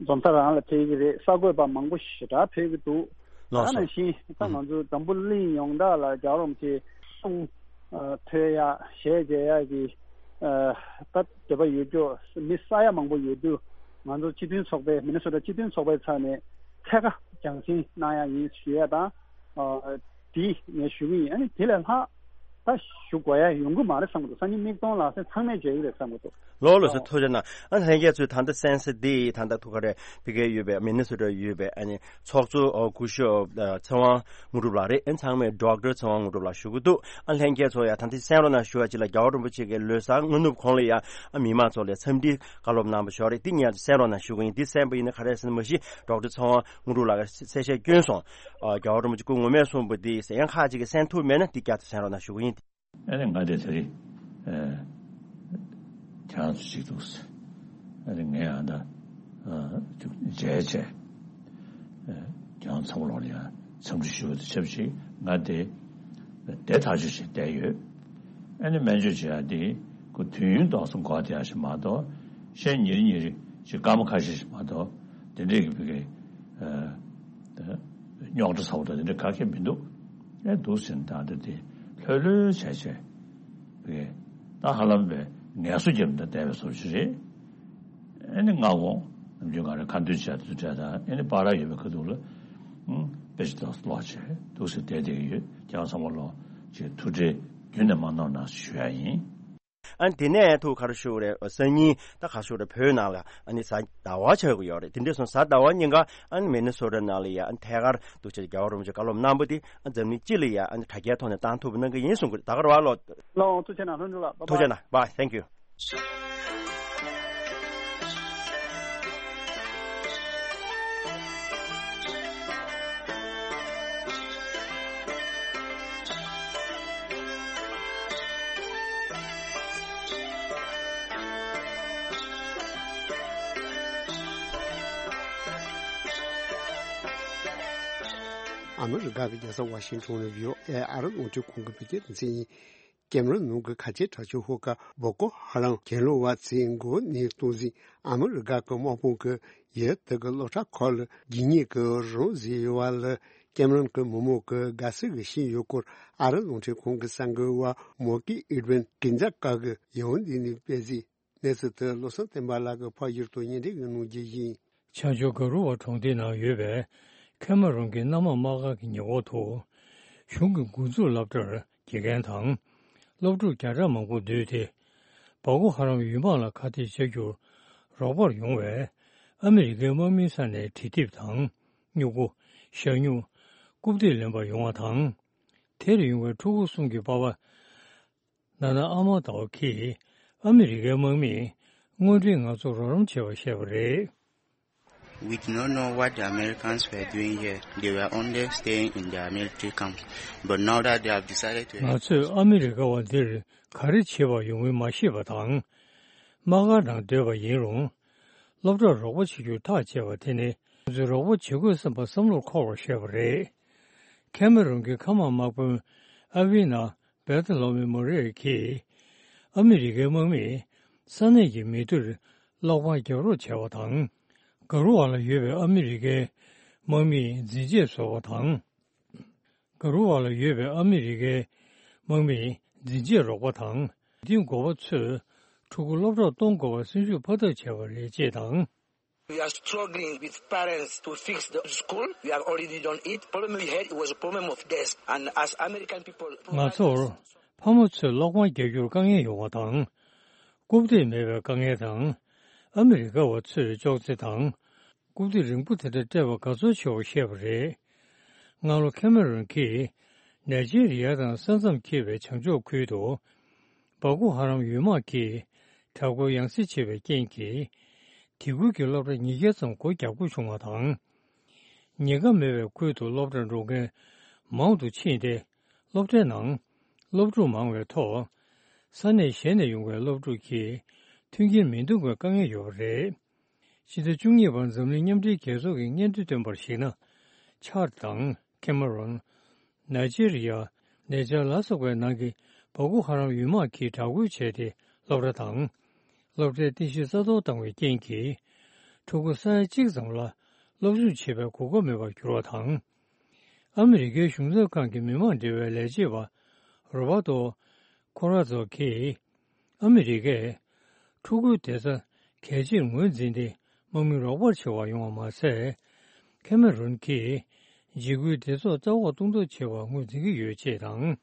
འཛོམས་ས་རང་ལ་ཕེབས་ཀྱི་རེད། གསར་འགོད་པ་མང་པོ་ཞེ་དྲག་ཕེབས་ཀྱི་འདུག་ལགས་སོ། ད་ནང་བཞིན་ད་ང་ཚོ་འཛམ་བུ་གླིང་ཡོངས་གྲགས་ལ་རྒྱལ་བ་རིན་པོ་ཆེའི་གསུང་ཐོས་ཡ་ཞལ་མཇལ་ཡ་གི་ད་འདོད་པ་ཡོད་རྒྱུ་མི་ས་ཡ་མང་པོ་ཡོད་དུས། ང་ཚོ་སྤྱི་མཐུན་ཚོགས་པའི་མི་ནི་སོ་ཊ་སྤྱི་མཐུན་ཚོགས་པའི་ཚབ་ནས་ཐད་ཀར་རྒྱང་སྲིང་གནང་ཡ་ཡིན་ཞུ་ཡ་དང་། དེ་ངས་ཞུ་གི་ཡིན། ཨ་ནི་དེ་ལས་ལྷག་ད་ཞུ་དགོས་ཡ་ཡོང་གི་མ་རེད་བསམ་གི་འདུག་སང་ཉིན་མིག་མཐོང་ལག་ཟིན་ཚང་མས་མཇལ་གི་རེད་བསམ་གི་འདུག་ལོ་ལོ་སོ་ཐུགས་རྗེ་གནང་། ཨ་ལྷན་རྒྱས་ཚོས་ད་ལྟ་གསན་གཟིགས་འདི་ད་ལྟ་ཐུག་ག་རེ་ཕི་གེ་ཡོད་པའི་མི་ནི་སོ་ཊ་ཡོད་པའི་ཨ་ནི་ཚོགས་གཙོ་སྐུ་ཞབས་ཚེ་དབང་དངོས་གྲུབ་ལགས་རེད། ཨ་ཚང་མས་ཌོག་ཊར་ཚེ་དབང་དངོས་གྲུབ་ལགས་ཞུ་གི་འདུག་ཨ་ལྷན་རྒྱས་ཚོ་ཡ་ད་ལྟ་གསན་རོགས་གནང་ཞུ་བ་ཅིག་ལ། རྒྱལ་བ་རིན་པོ་ཆེ་གི་ལོ་གསར་སྔ་ནུབ་གོང་ལ་ཡ་ཨ་མི་མང་ཚོ་ལ་འཚམས་འདྲི་བཀའ་སློབ་གནང་བ་ཞོག་རེད། འདི་ངས་གསན་རོགས་གནང་ཞུ་གི་ཡིན། འདི་གསན་པ་ཡིན་ན་ག་རེ་ཟེར་ན་མ་གཞི་ཌོག་ཊར་ཚེ་དབང་དངོས་གྲུབ་ལགས་ཀྱིས་གསལ་བཤད་བསྐྱོན་སོང་། རྒྱལ་བ་རིན་པོ་ཆེ་སྐུ་ངོ་མས་གསུངས་པ་འདི་ཡང་ཁག་ཅིག་གིས་གསན་ཐུབ་མེད་ན་འདི་བསྐྱར་དུ་གསན་རོགས་གནང་ཞུ་གི་ཡིན། ཨ་ནི་ང་དེ་དེ་རིང་ཁྱེད་རང་ཚོ་གཅིག་འདུག་ཨ་ནི་ངས་ཨ་ད་མཇལ་བྱས་ཁྱེད་རང་ཚང་མ་ལོག་ལ་ཡང་འཚམས་འདྲི་ཞུ་བ་དང་ཆབས་ཅིག་ང་དེ་དེ་ཐག་གཅོད་བྱས་བསྡད་ཡོད། ཨ་ནི་སྨན་བཅོས་བྱེད་ཡ་དེ་ཁོ་དུས་ཡུན་ཏོག་ཙམ་འགོར་བསྡད་ཡ་ཞིག་མ་གཏོགས། ཤན་ཉེར་ཉེར་ཅིག་སྐར་མ་ཁ་ཤས་ཤིག་མ་གཏོགས་དེ་འདྲས་ཀྱི་བི་གའི་རྙོག་དྲ་ཚ་པོ་དང་དེ་འདྲ་ག་གེ་མི་འདུག་ཨེ་འདུག་ཟེར་ན་ད་ལྟ་དེ་ལྷོད་ལྷོད་བྱས་བྱས་རེད། ད་ཧ་ལམ་པའི་ངལ་གསོ་རྒྱབ་ནས་བསྡད་པའི་བཟོ་ཅིག་རེད། ཨེ་ནི་སྔ་དགོང་ནམ་རྒྱུན་ང་རང་ཁ་འདོན་བྱས་དུས་འཕྲད་དང་ཨེ་ནི་པར་ར་ཡོད་པའི་ཁ་ཐུག་ལ་དཔེ་ཆ་ཏོག་ཙམ་ཀློག་བྱས་འདུག་ཟེར་བསྡད་བསྡད་ཀྱི་ཡོད། ཁྱེད་རང་ཚང་མ་ལོག་ཅིག་ཐུགས་ཁྲལ་རྒྱུན་ནས་མ་གནང་གནང་ཞུ་ཡ་ཡིན། ཨ་ནི་དེ་ནས་ཐུགས་ཁར་ཤོར་རེད། སང་ཉིན་ད་ཁ་ཤོར་རེད། བོད་ནང་ལ་ཨ་ནི་གཟའ་ཟླ་བ་ཆགས་ཀྱི་ཡོད་རེད། དེ་འདྲ་སོང་གཟའ་ཟླ་བ་ཉིན་ཀ་ཨ་ནི་མི་ནི་སོ་ཊ་ནང་ལ་ཡ་ཨ་ནི་ཐད་ཀར་འདུག་བྱས་རྒྱལ་བ་རིན་པོ་ཆེ་བཀའ་སློབ་གནང་པ་དེ་ཨ་འཛམ་གླིང་སྤྱི་ལ་ཡ་ཨ་ནི་དྲ་རྒྱའི་ཐོག་ནས་བཏང་ཐུབ་པ་གནང་གི་ཡིན་གསུང་གི་རེད། ད་ག་རེ་བ་ལོ། ལོ་ཐུགས་རྗེ་གནང་། ལྷུན་གྲུབ་ལགས། Bye bye. ཐུགས་རྗེ་གནང་། Bye. Thank you. ཨ་མི་རི་ཀ་གི་རྒྱལ་ས་ཝ་ཤིང་ཊོན་ནས་བྷི་ཨོ་ཨེ་ཨ་རི་རླུང་འཕྲིན་ཁང་གི་བོད་སྐད་སྡེ་ཚན་ཡིན། ཀེམ་རོན་ནུབ་ཀྱི་ཁ་ཆེའི་དྲག་ཆས་ཤོག་ཁག་བོ་ཀོ་ཧ་རམ་གྱེན་ལོག་པ་ཚོས་འགོ་ནས་གཏོང་ཟིན། ཨ་མི་རི་ཀ་གི་དམག་དཔུང་གིས་ཡུལ་དེ་གི་སློབ་གྲྭ་ཁག་ལ་རྒྱུ་ཉེས་ཀྱི་རང་བཟོས་ཡོད་པ་ལ། ཀེམ་རོན་གྱི་མི་མང་གིས་དགའ་བསུ་ཞུས་ཡོད་སྐོར་ཨ་རི་རླུང་འཕྲིན་ཁང་གི་གསར་འགོད་པ་མོ་ཀི་ཨེ་ཌི་ཝིན་ཀིན་ཛ་ཀ་གིས་ཡང་འདི་ནས་སྤེལ་གཟིགས། གནས་ཚུལ་དེ་བློ་བཟང་བསྟན་པ་ལགས་ཀྱིས་ཕབ་བསྒྱུར་དང་སྙན་སྒྲོན་གྱིས་གནང་རྒྱུ་ཡིན། བྱང་ཕྱོགས་ག་རུ་ཝ་གྲོང་སྡེའི་ནང་ཡོད་པའི་ཁེ་མ་རོན་གྱི་གནམ་དམག་དམག་སྒར་གྱི་ཉེ་འཁོར་དུ། གཞུང་གི་འགོ་འཛུགས་སློབ་གྲྭར་དགེ་རྒན་དང་། སློབ་ཕྲུག་བརྒྱ་ཕྲག་མང་པོ་འདུས་ཏེ། སྦ་ཁོ་ཧ་རམ་ཡུལ་དམག་ལ་ཁ་གཏད་བཅག་རྒྱུར་རོགས་པར་ཡོང་བའི་ཨ་མི་རི་ཀའི་དམག་མིའི་ས་ནས་དྲི་ཐིབས་དང་། སྨྱུ་གུ། ཞྭ་སྨྱུག་རྐུབ་སྟེགས་ལེན་པར་ཡོང་བ་དང་། དེར་ཡོང་བའི་ཕྲུ་གུ་གསུམ་གྱི་པ་ཕ། ན་ན་ཨ་མ་ཏའོ་གིས་ཨ་མི་རི་ཀའི་དམག་མིས་དངོས་འབྲེལ་ང་ཚོར་རོགས་རམ་བྱས་པར་བཤད་པ་རེད། We did not know what the Americans were doing here. They were only staying in their military camps. But now that they have decided to ང་ཚོས་ཨ་མི་རི་ཀ་བ་འདིར་ག་རེ་བྱེད་པར་ཡོང་མིན་མ་ཤེས་པ་དང་། དམག་སྒར་ནང་སྡོད་པ་ཡིན་རུང་། སློབ་གྲྭར་རོགས་པ་བྱེད་རྒྱུར་ཐག་བཅད་པ་དེ་ནི་ང་ཚོས་རོགས་པ་བྱེད་དགོས་བསམ་པ་བསམ་བློར་འཁོར་བར་བཤད་པ་རེད། ཁེ་མ་རོན་གྱི་མཁའ་དམག་དམག་དཔོན་ཨ་ཝི་ན། བེ་ཐ་ལོ་མི་མོ་རེ་གིས་ཨ་མི་རི་ཀའི་དམག་མིས་ས་གནས་ཀྱི་མི་སྡེར་གློག་པར་རྒྱག་རོགས་བྱས་པ་དང་། ག་རུ་ཝ་ལ་ཡོད་པའི་ཨ་མི་རི་ཀའི་དམག་མིས་འཛིན་ཆས་བཟོས་པ་དང་། ག་རུ་ཝ་ལ་ཡོད་པའི་ཨ་མི་རི་ཀའི་དམག་མིས་འཛིན་ཆས་རོགས་པ་དང་། འདི་འགོ་པ་ཚོས་ཕྲུ་གུ་སློབ་གྲྭར་གཏོང་དགོས་པར་སེམས་ཤུགས་འཕར་ཐབས་བྱས་པ་རེད་ཅེས་དང་། We are struggling with parents to fix the school. We have already done it. Problem we had was a problem of gas. And as American people, ང་ཚོར་ཕ་མ་ཚོས་གློག་པར་རྒྱག་རྒྱུར་དཀའ་ངལ་ཡོང་བ་དང་། རྐུབ་སྟེགས་མེད་པའི་དཀའ་ངལ་དང་། ཨ་མི་རི་ཀ་བ་ཚོས་ཅོག་ཙེ་དང་། རྐུབ་སྟེགས་རིང་པོ་དེ་འདྲ་སྤྲད་པར་དགའ་ཚོར་ཆེ་བར་བཤད་པ་རེད། སྔ་ལོ་ཁེ་མ་རོན་གྱིས་ནེ་ཇེ་རི་ཡ་དང་ས་མཚམས་འཁེལ་བའི་བྱང་ཕྱོགས་ཁུལ་དུ། སྦ་ཁོ་ཧ་རམ་ཡུལ་དམག་གིས་དྲག་རྒོལ་ཡང་སེ་བྱས་པའི་རྐྱེན་གྱིས། དེ་ཁུལ་གྱི་སློབ་གྲྭ་ཉིས་བརྒྱ་ཙམ་སྒོ་རྒྱག་དགོས་བྱུང་བ་དང་། ཉེན་ཁ་མེད་པའི་ཁུལ་དུ་སློབ་གྲྭར་འགྲོ་མཁན་མང་དུ་ཕྱིན་ཏེ། སློབ་གྲྭའི་ནང་སློབ་ཕྲུག་མང་བའི་ཐོག་ས་གནས་གཞན་ནས་ཡོང་བའི་སློབ་ཕྲུག་གིས་མཐུན་རྐྱེན་མི་འདང་བའི་དཀའ་ངལ་ཡོད་པ་རེད། ཕྱི་ཟླ་བཅུ་གཉིས་པར་འཛམ་གླིང་མཉམ་འབྲེལ་རྒྱལ་ཚོགས་ཀྱི་སྙན་ཐོ་བཏོན་པར་གཞིགས་ན། ཆར་དང་ཁེ་མ་རོན། ནཱི་ཇེ་རི་ཡ། ནེ་ཇར་ལ་སོགས་པའི་ནང་གི་བོ་ཀོ་ཧ་རམ་ཡུལ་དམག་གིས་དྲག་རྒོལ་བྱས་ཏེ། སློབ་གྲྭ་དང་། སློབ་གྲྭའི་རྟེན་གཞི་རྩ་གཏོར་བཏང་བའི་རྐྱེན་གྱིས། ཕྲུ་གུ་ས་ཡ་གཅིག་ཙམ་ལ་སློབ་སྦྱོང་བྱེད་པའི་གོ་སྐབས་མེད་པར་གྱུར་བ་དང་། ཨ་མི་རི་ཀའི་གཞུང་ཚབ་ཁང་གི་མི་མང་འབྲེལ་བའི་ལས་བྱེད་པ་རོ་བྷ་ཏོ་ཁོ་ར་ཛོ་གིས། ཨ་མི་རི་ཀས་ཕྲུ་གུའི་བདེ་རྩ་གལ་ཆེར་ངོས་འཛིན་ཏེ། དམག་མི་རོགས་པར་བྱེད་པ་ཡོང་བ་མ་ཟད། ཁེ་མེ་རོན་གྱིས་འཇིགས་སྐུལ་སྡེ་ཚོགས་ལྟ་འོག་གཏོང་ཐབས་བྱེད་པར་ངོས་འཛིན་གྱི་ཡོད་ཅེས་དང་།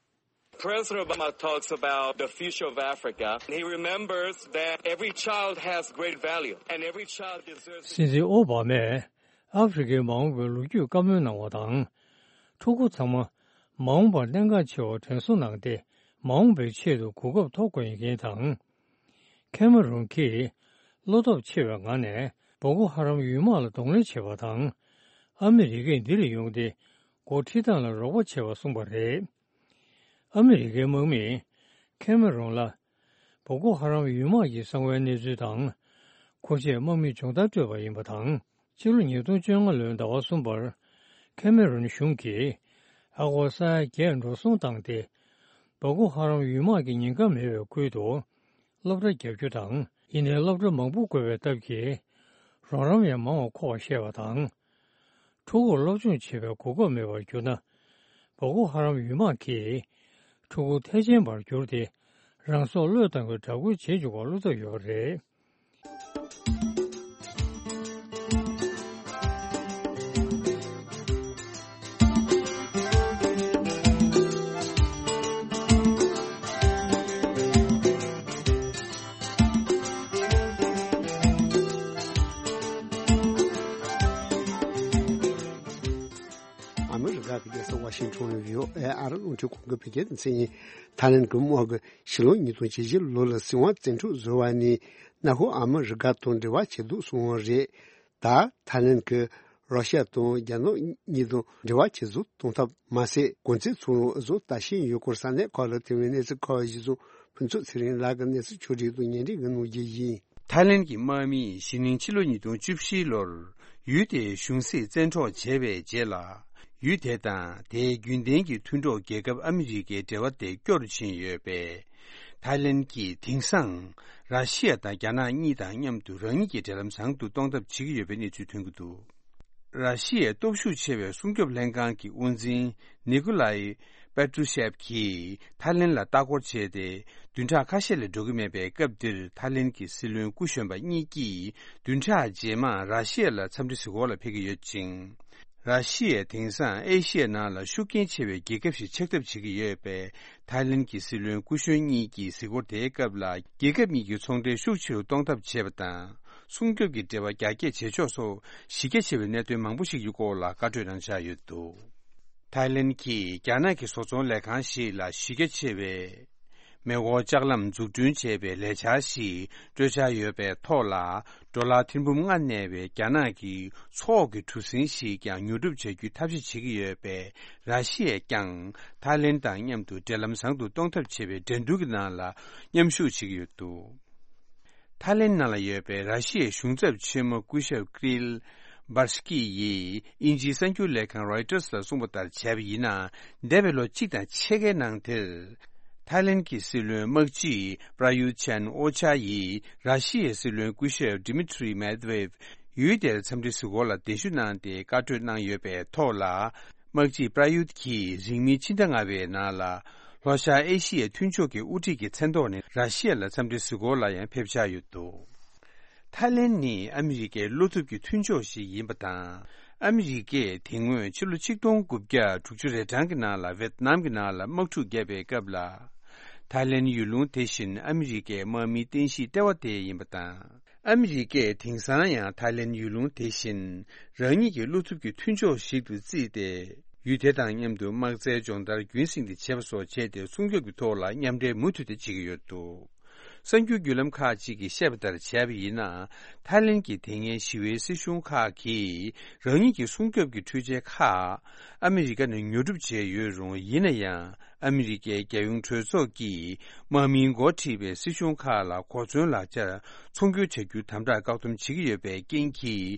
President Obama talks about the future of Africa. He remembers that every child has great value and every child deserves. སྲིད་འཛིན་ཨོ་བྷ་མས་ཨ་ཧྥེ་རི་ཁའི་མ་འོངས་པའི་ལོ་རྒྱུས་བཀའ་མོལ་གནང་བ་དང་། ཕྲུ་གུ་ཚང་མ་མ་འོངས་པར་གནད་འགག་ཆེ་བར་དྲན་གསོ་གནང་སྟེ། མ་འོངས་པའི་ཆེད་དུ་གོ་སྐབས་ཐོབ་དགོས་ཡིན་དང་། ཁེ་མ་རོན་གྱིས་བློ་སྟོབས་ཆེ་བའི་ངང་ནས་བོ་ཀོ་ཧ་རམ་ཡུལ་དམག་ལ་གདོང་ལེན་བྱས་པ་དང་། ཨ་མི་རི་ཀས་འདི་ལ་ཡོང་སྟེ་འགོ་ཁྲིད་སྟངས་ལ་རོགས་པ་བྱས་པ་གསུངས་པ་རེད། ཨ་མི་རི་ཀའི་དམག་མིས་ཁེ་མ་རོན་ལ་བོ་ཀོ་ཧ་རམ་ཡུལ་དམག་གི་གསང་བའི་གནས་ཚུལ་དང་། ཁོ་ཆེད་དམག་མིས་སྦྱོང་བརྡར་སྤྲོད་པ་ཡིན་པ་དང་། ཕྱི་ལོ་ཉིས་སྟོང་བཅོ་ལྔ་ལོའི་ཟླ་བ་གསུམ་པར་ཁེ་མེ་རོན་གཞུང་གིས་ཨ་སྒོར་ས་ཡ་བརྒྱད་འགྲོ་སོང་བཏང་སྟེ། བ་ཀོ་ཧ་རམ་ཡུལ་དམག་གི་ཉེན་ཁ་མེད་པའི་ཁུལ་དུ་སློབ་གྲྭ་བརྒྱབ་རྒྱུ་དང་། ཡིན་ནའི་སློབ་གྲྭ་མང་པོ་དགོས་པའི་སྟབས་ཀྱིས་རོགས་རམ་ཡང་མང་བ་མཁོ་བ་བཤད་པ་དང་། ཕྲུ་གུར་སློབ་སྦྱོང་བྱེད་པའི་གོ་སྐབས་མེད་པར་གྱུར་ན། བ་ཀོ་ཧ་རམ་ཡུལ་དམག་གིས་ཕྲུ་གུ་ཐལ་ཆེན་པར་གྱུར་ཏེ། རང་སྲོག་བློས་བཏང་བའི་དྲག་རྒོལ་བྱེད་འཇུག་པར་བློ་འཚབ་ཡོད་པ་རེད། ཨ་མི་རི་ཀ་གི་རྒྱལ་ས་ཝ་ཤིང་ཊོན་ནས་བྷི་ཨོ་ཨེ་ཨ་རི་རླུང་འཕྲིན་ཁང་གི་བོད་སྐད་སྡེ་ཚན་ཡིན། ཐའི་ལེན་གྱི་དམག་གིས་ཕྱི་ལོ་ཉིས་སྟོང་བཅུ་བཞི་ལོ་ལ་སྲིད་དབང་བཙན་འཕྲོག་བཟོས་པ་ནས། ནག་ཁུལ་ཨ་མི་རི་ཀ་དང་འབྲེལ་བ་བྱས་འདུག་གསུངས་པ་རེད། ད་ཐའི་ལེན་གྱིས་རོ་ཤི་ཡ་དང་རྒྱ་ནག་གཉིས་དང་འབྲེལ་བ་ཇེ་བཟང་གཏོང་ཐབས་མ་ཟད། གོང་ཚད་ཚུར་ལོག་བཟོ་ལྟ་བཞིན་ཡོད་སྐོར་ས་གནས་ཁག་ལ་ཐོན་པའི་གནས་ཚུལ་ཁག་གཞི་བཟུང་ཕུན་ཚོགས་ཚེ་རིང་ལགས་ཀྱིས་གནས་ཚུལ་ཕྱོགས་སྒྲིག་དང་སྙན་སྒྲོན་གནང་རྒྱུ་ཡིན། ཐའི་ལེན་གྱི་དམག་མིས་གཞེས་ནིང་ཕྱི་ལོ་ཉིས་སྟོང་བཅུ་བཞི་ལོར་ཡུལ་དེའི་གཞུང་སྲིད་བཙན་འཕྲོག་བྱས་པའི་རྗེས་ལ། ཡུལ་དེ་དང་དེའི་རྒྱུན་ལྡན་གྱི་མཐུན་གྲོགས་རྒྱལ་ཁབ་ཨ་མི་རི་ཀའི་འབྲེལ་བ་དེ་སྐྱོ་རུ་ཕྱིན་ཡོད་པས། ཐའི་ལེན་གྱིས་དེང་སང་ར་ཤི་ཡ་དང་རྒྱ་ནག་གཉིས་དང་མཉམ་དུ་རང་ཉིད་ཀྱི་འབྲེལ་ལམ་བཟང་དུ་གཏོང་ཐབས་བྱེད་ཀྱི་ཡོད་པའི་གནས་ཚུལ་ཐོན་གྱི་འདུག། ར་ཤི་ཡའི་སྟོབས་ཤུགས་ཆེ་བའི་སྲུང་སྐྱོབ་ལྷན་ཁང་གི་དབུ་འཛིན་ནི་ཀུ་ལའི་པེ་ཏྲུ་ཤེབ་ཀྱིས་ཐའི་ལེན་ལ་ལྟ་སྐོར་བྱས་ཏེ། བདུན་ཕྲག་ཁ་ཤས་ལས་འགྲོ་གི་མེད་པའི་སྐབས་འདིར། ཐའི་ལེན་གྱི་སྲིད་བློན་སྐུ་གཞོན་པ་གཉིས་ཀྱིས་བདུན་ཕྲག་རྗེས་མར་ར་ཤི་ཡ་ལ་འཚམས་འདྲི་གཟིགས་སྐོར་ལ་ཕེབས་ཀྱི་ཡོད་ཅིང་། ར་ཤི་ཡས་དེང་སང་ཨེ་ཤི་ཡའི་ནང་ལ་ཤུགས་རྐྱེན་ཆེ་བའི་རྒྱལ་ཁབ་ཞིག་ཆགས་ཐབས་བྱེད་ཀྱི་ཡོད་པས། ཐའི་ལེན་གྱི་སྲིད་བློན་སྐུ་གཞོན་གཉིས་ཀྱིས་གཟིགས་སྐོར་དེའི་སྐབས་ལ། རྒྱལ་ཁབ་གཉིས་ཀྱི་ཚོང་འབྲེལ་ཤུགས་ཆེ་རུ་གཏོང་ཐབས་བྱེད་པ་དང་། སྲུང་སྐྱོབ་ཀྱི་འབྲེལ་བ་རྒྱ་སྐྱེད་བྱེད་ཕྱོགས་སོགས་གཞི་རྒྱ་ཆེ་བའི་གནད་དོན་མང་པོ་ཞིག་གི་སྐོར་ལ་བཀའ་གྲོས་གནང་འཆར་ཡོད་འདུག། ཐའི་ལེན་གྱིས་རྒྱ་ནག་གི་བཟོ་ཚོང་ལས་ཁང་ཞིག་ལ་གཞི་རྒྱ་ཆེ་བའི་མེ་འཁོར་ལྕགས་ལམ་འཛུགས་སྐྲུན་བྱས་པའི་ལས་འཆར་ཞིག་སྤྲོད་འཆར་ཡོད་པའི་ཐོག་ལ། ཌོ་ལར་ཐེར་འབུམ་ལྔ་གནས་པའི་རྒྱ་ནག་གི་མཚོ་འོག་གི་གྲུ་གཟིངས་ཤིག་ཀྱང་ཉོ་སྒྲུབ་བྱ་རྒྱུའི་ཐབས་ཤེས་བྱེད་ཀྱི་ཡོད་པས། ར་ཤི་ཡས་ཀྱང་ཐའི་ལེན་དང་མཉམ་དུ་འབྲེལ་ལམ་བཟང་དུ་གཏོང་ཐབས་བྱེད་པའི་འགྲན་བསྡུར་གྱི་ནང་ལ་མཉམ་ཞུགས་བྱེད་ཀྱི་ཡོད་འདུག། ཐའི་ལེན་ནང་ལ་ཡོད་པའི་ར་ཤི་ཡའི་གཞུང་ཚབ་ཆེན་མོ་སྐུ་ཞབས་ཀྲིལ་བྷར་སྐི་ཡིས་དབྱིན་ཇིའི་གསར་འགྱུར་ལས་ཁང་རོའི་ཊར་སར་གསུངས་པ་ལྟར་བྱས་པ་ཡིན་ན། འདས་པའི་ལོ་གཅིག་དང་ཕྱེད་ཀའི་ནང་དེར། ཐའི་ལེན་གྱི་སྲིད་བློན་དམག་སྤྱི་པྲ་ཡུད་ཆན་ཨོ་ཆ་ཡིས་ར་ཤི་ཡའི་སྲིད་བློན་སྐུ་ཞབས་ཌི་མི་ཊི་རི་མེད་ཝེབ་ཡུལ་དེར་འཚམས་འདྲི་གཟིགས་སྐོར་ལ་གདན་ཞུ་གནང་སྟེ་བཀའ་གྲོས་གནང་ཡོད་པའི་ཐོག་ལ། དམག་སྤྱི་པྲ་ཡུད་ཀྱིས་རིང་མིན་ཕྱི་ཟླ་ལྔ་པའི་ནང་ལ། ལྷོ་ཤར་ཨེ་ཤི་ཡའི་མཐུན་ཕྱོགས་ཀྱི་དབུ་ཁྲིད་ཀྱི་མཚན་ཐོག་ནས་ར་ཤི་ཡ་ལ་འཚམས་འདྲི་གཟིགས་སྐོར་ལ་ཡང་ཕེབས་འཆར་ཡོད་འདུག། ཐའི་ལེན་ནི་ཨ་མི་རི་ཀའི་བློ་ཐུབ་ཀྱི་མཐུན་ཕྱོགས་ཤིག་ཡིན་པ་དང་། ཨ་མི་རི་ཀས་དེ་སྔོན་ཕྱི་ལོ་ཆིག་སྟོང་དགུ་བརྒྱ་དྲུག་ཅུ་རེ་གྲངས་ཀྱི་ནང་ལ་ཝེད་ནམ་གྱི་ནང་ལ་དམག་འཁྲུག་བརྒྱབ་པའི་སྐབས་ལ། ཐའི་ལེན་ཡུལ་ལུང་དེ་བཞིན་ཨ་མི་རི་ཀའི་དམག་མིའི་རྟེན་གཞི་ལྟེ་བ་དེ་ཡིན་པ་དང་། ཨ་མི་རི་ཀས་དེང་སང་ཡང་ཐའི་ལེན་ཡུལ་ལུང་དེ་བཞིན་རང་ཉིད་ཀྱི་བློ་ཐུབ་ཀྱི་མཐུན་ཕྱོགས་ཤིག་ཏུ་བརྩིས་ཏེ། ཡུལ་དེ་དང་མཉམ་དུ་དམག་རྩལ་སྦྱོང་བརྡར་རྒྱུན་སྲིང་དུ་བྱེད་པ་སོགས་བྱས་ཏེ། སྲུང་སྐྱོབ་ཀྱི་ཐོག་ལ་མཉམ་འབྲེལ་མུ་མཐུད་དེ་བྱེད་ཀྱི་ཡོད་འདུག། གསར་འགྱུར་བརྒྱུད་ལམ་ཁག་ཅིག་གིས་བཤད་པ་ལྟར་བྱས་པ་ཡིན་ན། ཐའི་ལེན་གྱི་དེ་སྔའི་ཞི་བའི་སྲིད་གཞུང་ཁག་གིས་རང་ཉིད་ཀྱི་སྲུང་སྐྱོབ་ཀྱི་འཕྲུལ་ཆས་ཁག་ཨ་མི་རི་ཀ་ནས་ཉོ་སྒྲུབ་བྱས་ཡོད་རུང་། ཡིན་ན་ཡང་ཨ་མི་རི་ཀའི་རྒྱལ་ཡོངས་གྲོས་ཚོགས་ཀྱིས་དམག་མིའི་འགོ་ཁྲིད་པའི་སྲིད་གཞུང་ཁག་ལ་གོ་མཚོན་ལག་ཆར་ཚོང་སྒྱུར་བྱ་རྒྱུ་དམ་དྲག་བཀག་སྡོམ་བྱེད་ཀྱི་ཡོད་པའི་རྐྱེན་གྱིས།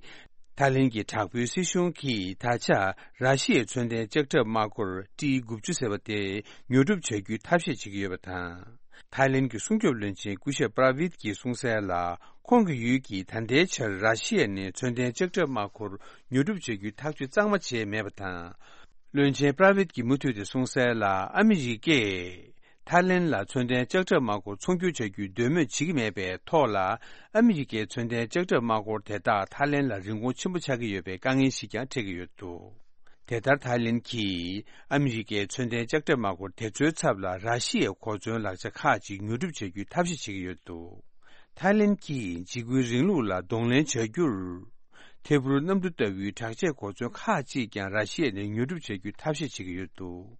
ཐའི་ལེན་གྱི་དྲག་པོའི་སྲིད་གཞུང་གིས་ད་ཆ་ར་ཤི་ཡའི་མཚོན་ལྡན་ལྕགས་ཁྲབ་དམག་འཁོར་ཏི་དགུ་བཅུ་ཟེར་བ་དེ་ཉོ་སྒྲུབ་བྱ་རྒྱུའི་ཐབས་ཤེས་བྱེད་ཀྱི་ཡོད་པ་དང་། ཐའི་ལེན་གྱི་སྲུང་སྐྱོབ་བློན་ཆེན་སྐུ་ཞབས་པྲ་བིད་ཀྱིས་གསུངས་གསལ་ལ། ཁོང་གི་ཡུལ་གྱིས་ད་ལྟའི་ཆར་ར་ཤི་ཡ་ནས་མཚོན་ལྡན་ལྕགས་ཁྲབ་དམག་འཁོར་ཉོ་སྒྲུབ་བྱ་རྒྱུའི་ཐག་གཅོད་གཙང་མ་བྱས་མེད་པ་དང་། བློན་ཆེན་པྲ་བིད་ཀྱིས་མུ་མཐུད་དེ་གསུངས་གསལ་ལ། ཨ་མི་རི་ཀས་ཐའི་ལེན་ལ་མཚོན་ལྡན་ལྕགས་ཁྲབ་དམག་འཁོར་ཚོང་སྒྱུར་བྱ་རྒྱུའི་འདོད་མོས་བྱེད་ཀྱི་མེད་པའི་ཐོག་ལ། ཨ་མི་རི་ཀའི་མཚོན་ལྡན་ལྕགས་ཁྲབ་དམག་འཁོར་དེ་དག་ཐའི་ལེན་ལ་རིན་གོང་ཆེན་པོ་ཆགས་ཀྱི་ཡོད་པའི་དཀའ་ངལ་ཞིག་ཀྱང་འཕྲད་ཀྱི་ཡོད་འདུག་དེ་ལྟར་ཐའི་ལེན་གྱིས་ཨ་མི་རི་ཀའི་མཚོན་ལྡན་ལྕགས་ཁྲབ་དམག་འཁོར་དེ་ཚོའི་ཚབ་ལ་ར་ཤི་ཡའི་གོ་མཚོན་ལག་ཆ་ཁག་ཅིག་ཉོ་སྒྲུབ་བྱ་རྒྱུའི་ཐབས་ཤེས་བྱེད་ཀྱི་ཡོད་འདུག་ཐའི་ལེན་གྱིས་འཇིགས་སྐུལ་རིང་ལུགས་ལ་གདོང་ལེན་བྱ་རྒྱུར། ཐད་འཕུར་གནམ་གྲུ་ལྟ་བུའི་དྲག་ཆས་གོ་མཚོན་ཁག་ཅིག་ཀྱང་ར་ཤི་ཡ་ནས་ཉོ་སྒྲུབ་བྱ་རྒྱུའི་ཐབས་ཤེས་བྱེད་ཀྱི་ཡོད་འདུག་